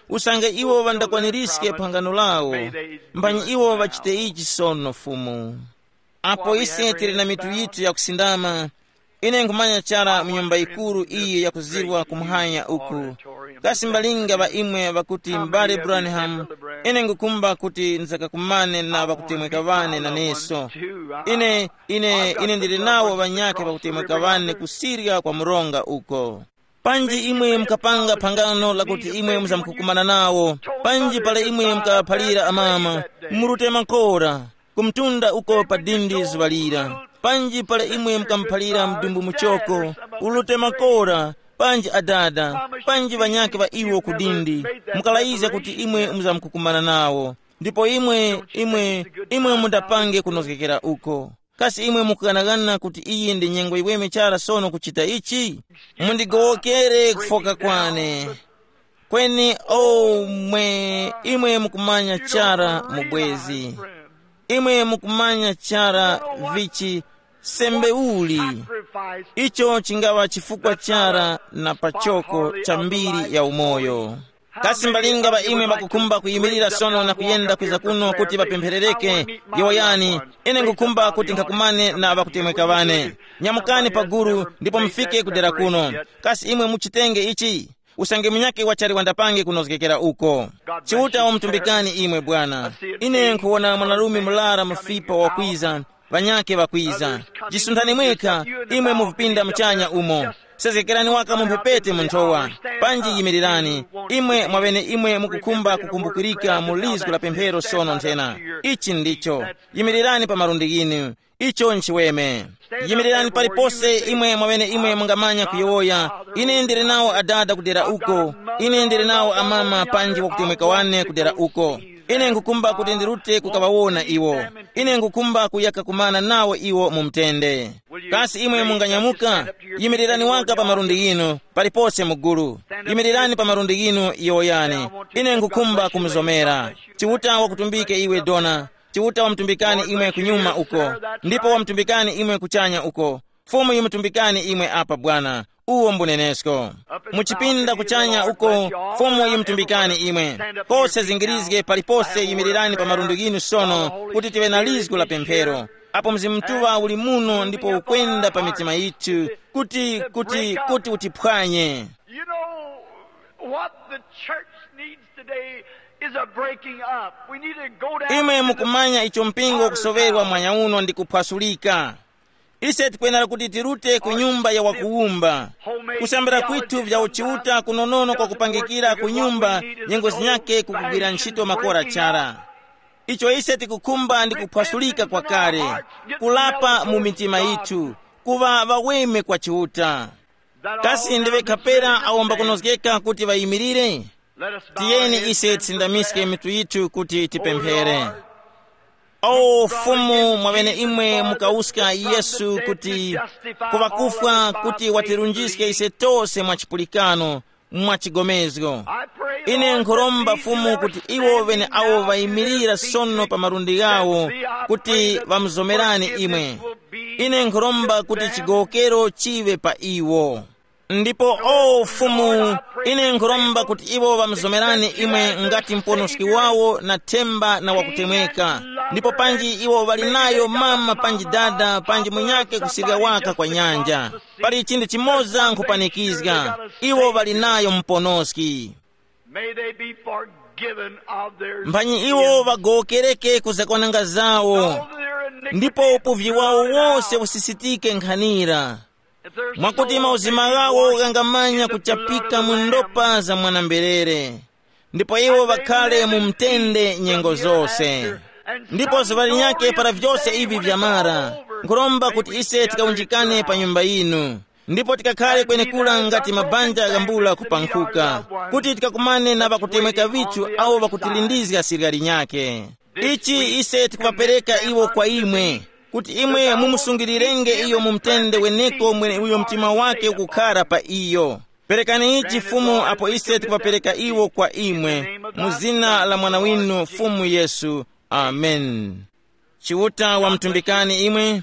Usange iwo ŵandakwanirizge phangano lawo, mphanyi iwo ŵachite ichi sono Fumu. Apo ise tili na mitu yithu yakusindama, ine nkhumanya chara mu nyumba yikuru iyi yakuzirwa kumuhanya uku. Kasi mbalinga ŵa imwe ŵakuti, m'bale Branham, ine ngukumba kuti nzakakumane na ŵakutemweka ŵane naneso. Ine, ine, ine ndili nawo ŵanyakhe ŵakutemweka ŵane kusirya kwa mronga uko. Panji imwe mukapanga phangano lakuti imwe muzamkukumana nawo, panji para imwe mukaŵaphalira amama, murute makora, kumtunda uko pa dindi zuŵa lira, panji para imwe mukamuphalira mdumbu muchoko, urute makora, panji adada, panji ŵanyakhe ŵa iwo ku dindi, mukalayizga kuti imwe muzamkukumana nawo. Ndipo imwe, imwe, imwe mundapange kunozgekera uko. Kasi imwe mukughanaghana kuti iyi ndi nyengo yiweme chara sono kuchita ichi? Mundigowokere kufoka kwane. Kweni o mwe, imwe mukumanya chara mubwezi. Imwe mukumanya chara vichi sembe uli. Icho chingaŵa chifukwa chara na pachoko cha mbiri ya umoyo. Kasi mbalinga ŵa imwe ŵakukhumba kuyimirira sono na kuyenda kwiza kuno kuti ŵapempherereke? Yowoyani, ine ngukhumba kuti nkhakumane na ŵakutemweka ŵane. Nyamukani paguru ndipo mufike kudera kuno. Kasi imwe muchitenge ichi? Usange munyakhe wachali wandapange kunozgekera uko. Chiuta wamutumbikani imwe bwana. Ine nkhuwona mwanarume mulara mufipa wakwiza, ŵanyakhe ŵakwiza. Jisunthani mwekha, imwe muvipinda muchanya umo. Sezgekerani waka mu mphepete mu nthowa. Panji yimirirani, imwe mwaŵene imwe mukukhumba kukumbukirika mu lizgu la pemphero sono nthena. Ichi ndicho. Yimirirani pa malundi ghinu. Icho nchiweme. Yimirirani palipose imwe mwaŵene imwe mungamanya kuyowoya. Ine ndili nawo adada kudera uko. Ine ndili nawo amama panji wakutemweka wane kudera uko. Ine nkukumba kuti ndirute kukaŵawona iwo. Ine nkukumba kuyaka kumana nawo iwo mu mtende. Kasi imwe munganyamuka? Yimirirani waka pa malundi ghinu, palipose mugulu. Yimirirani pa malundi ghinu yowoyani. Ine nkukumba kumuzomera. Chiuta wakutumbike iwe dona. Chiuta wamutumbikani imwe kunyuma uko, ndipo wamutumbikani imwe kuchanya uko. Fumu yimutumbikani imwe apa bwana. Uwo mbunenesko. Muchipinda kuchanya uko, Fumu yimutumbikani imwe. Kose zingirizge palipose yimirirani pa malundi ghinu sono kuti tiwe na lizgu la pemphero. Apo Mzimu Mutuŵa uli muno ndipo ukwenda pa mitima yithu kuti, kuti, kuti utiphwanye. You know what the church needs today is a breaking up. We need to go down imwe in the mukumanya icho mpingo ukusowerwa mwanya uno ndi kuphwasulika. Ise tikwenera kuti tirute ku nyumba ya wakuwumba. Kusambira kwithu vya uchiuta kunonono kwa kupangikira ku nyumba nyengo zinyake kukugwira ntchito makora chara. Icho ise tikukhumba ndi kuphwasulika kwakale, kulapa mu mitima yithu, kuŵa ŵaweme kwa Chiuta. Kasi ndiwe kapera awo mbakunozgeka kuti ŵayimirire? Tiyeni ise tisindamiske mitu yithu kuti tipemphere. O Fumu, mwaŵene imwe mukawuska Yesu kuti kuŵakufwa kuti watirunjiske ise tose mwa chipulikano, mwa chigomezgo. Ine nkhuromba Fumu kuti iwo ŵene awo ŵayimirira sono pa malundi ghawo kuti ŵamuzomerani imwe. Ine nkhuromba kuti chigowokero chiŵe pa iwo. Ndipo o Fumu, ine nkhuromba kuti iwo ŵamuzomerani imwe ngati muponoski wawo na themba na wakutemweka. Ndipo panji iwo ŵali nayo mama panji dada panji munyake kusirya waka kwa nyanja. Pali chinthu chimoza nkhupanikizga, iwo ŵali nayo muponoski. May they be forgiven of their mphanyi iwo sins. Ŵagowokereke ku zakwananga zawo, All their iniquities ndipo upuvi wawo blotted wose out. Usisitike nkhanira. If their mwakuti souls mauzima may be ghawo washed ghangamanya in the blood of kuchapika the mu Lamb. Ndopa za mwanamberere. Ndipo iwo ŵakhale mu mtende nyengo zose. Ndipo zuŵa linyakhe para vyose ivi vyamara, nkhuromba kuti ise tikawunjikane pa nyumba yinu, ndipo tikakhale kwenekura ngati mabanja ghambula kupankhuka, kuti tikakumane na ŵakutemweka vithu awo ŵakutilindizga sirya linyakhe. Ichi ise tikuŵapereka iwo kwa imwe, kuti imwe mumusungilirenge iyo mu mtende weneko mweneuyo mtima wake ukukhara pa iyo. Perekani ichi Fumu apo ise tikuŵapereka iwo kwa imwe, mu zina la Mwana winu Fumu Yesu. Amen. Chiuta wamtumbikani imwe.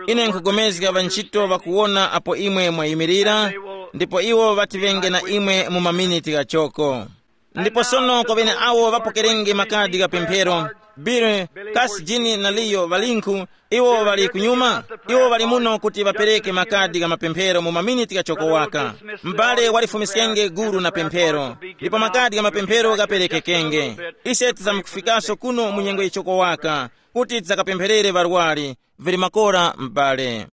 Ine nkhupulikana ŵantchito ŵakuwona apo imwe mwayimirira, ndipo iwo ŵatiŵenge na imwe mu maminiti ghachoko. Ndipo sono kwa ŵene awo ŵapokerenge makadi gha pemphero, Bill, Kasi Jini na Liyo ŵalinkhu? Iwo ŵali kunyuma. Iwo ŵali muno kuti ŵapereke makadi gha mapemphero mu maminiti ghachoko waka. M'bale walifumiskenge gulu na pemphero, ndipo makadi gha mapemphero ghaperekekenge. Ise tizamkufikaso kuno mu nyengo yichoko waka, kuti tizakapempherere ŵarwari. Vili makora m'bale.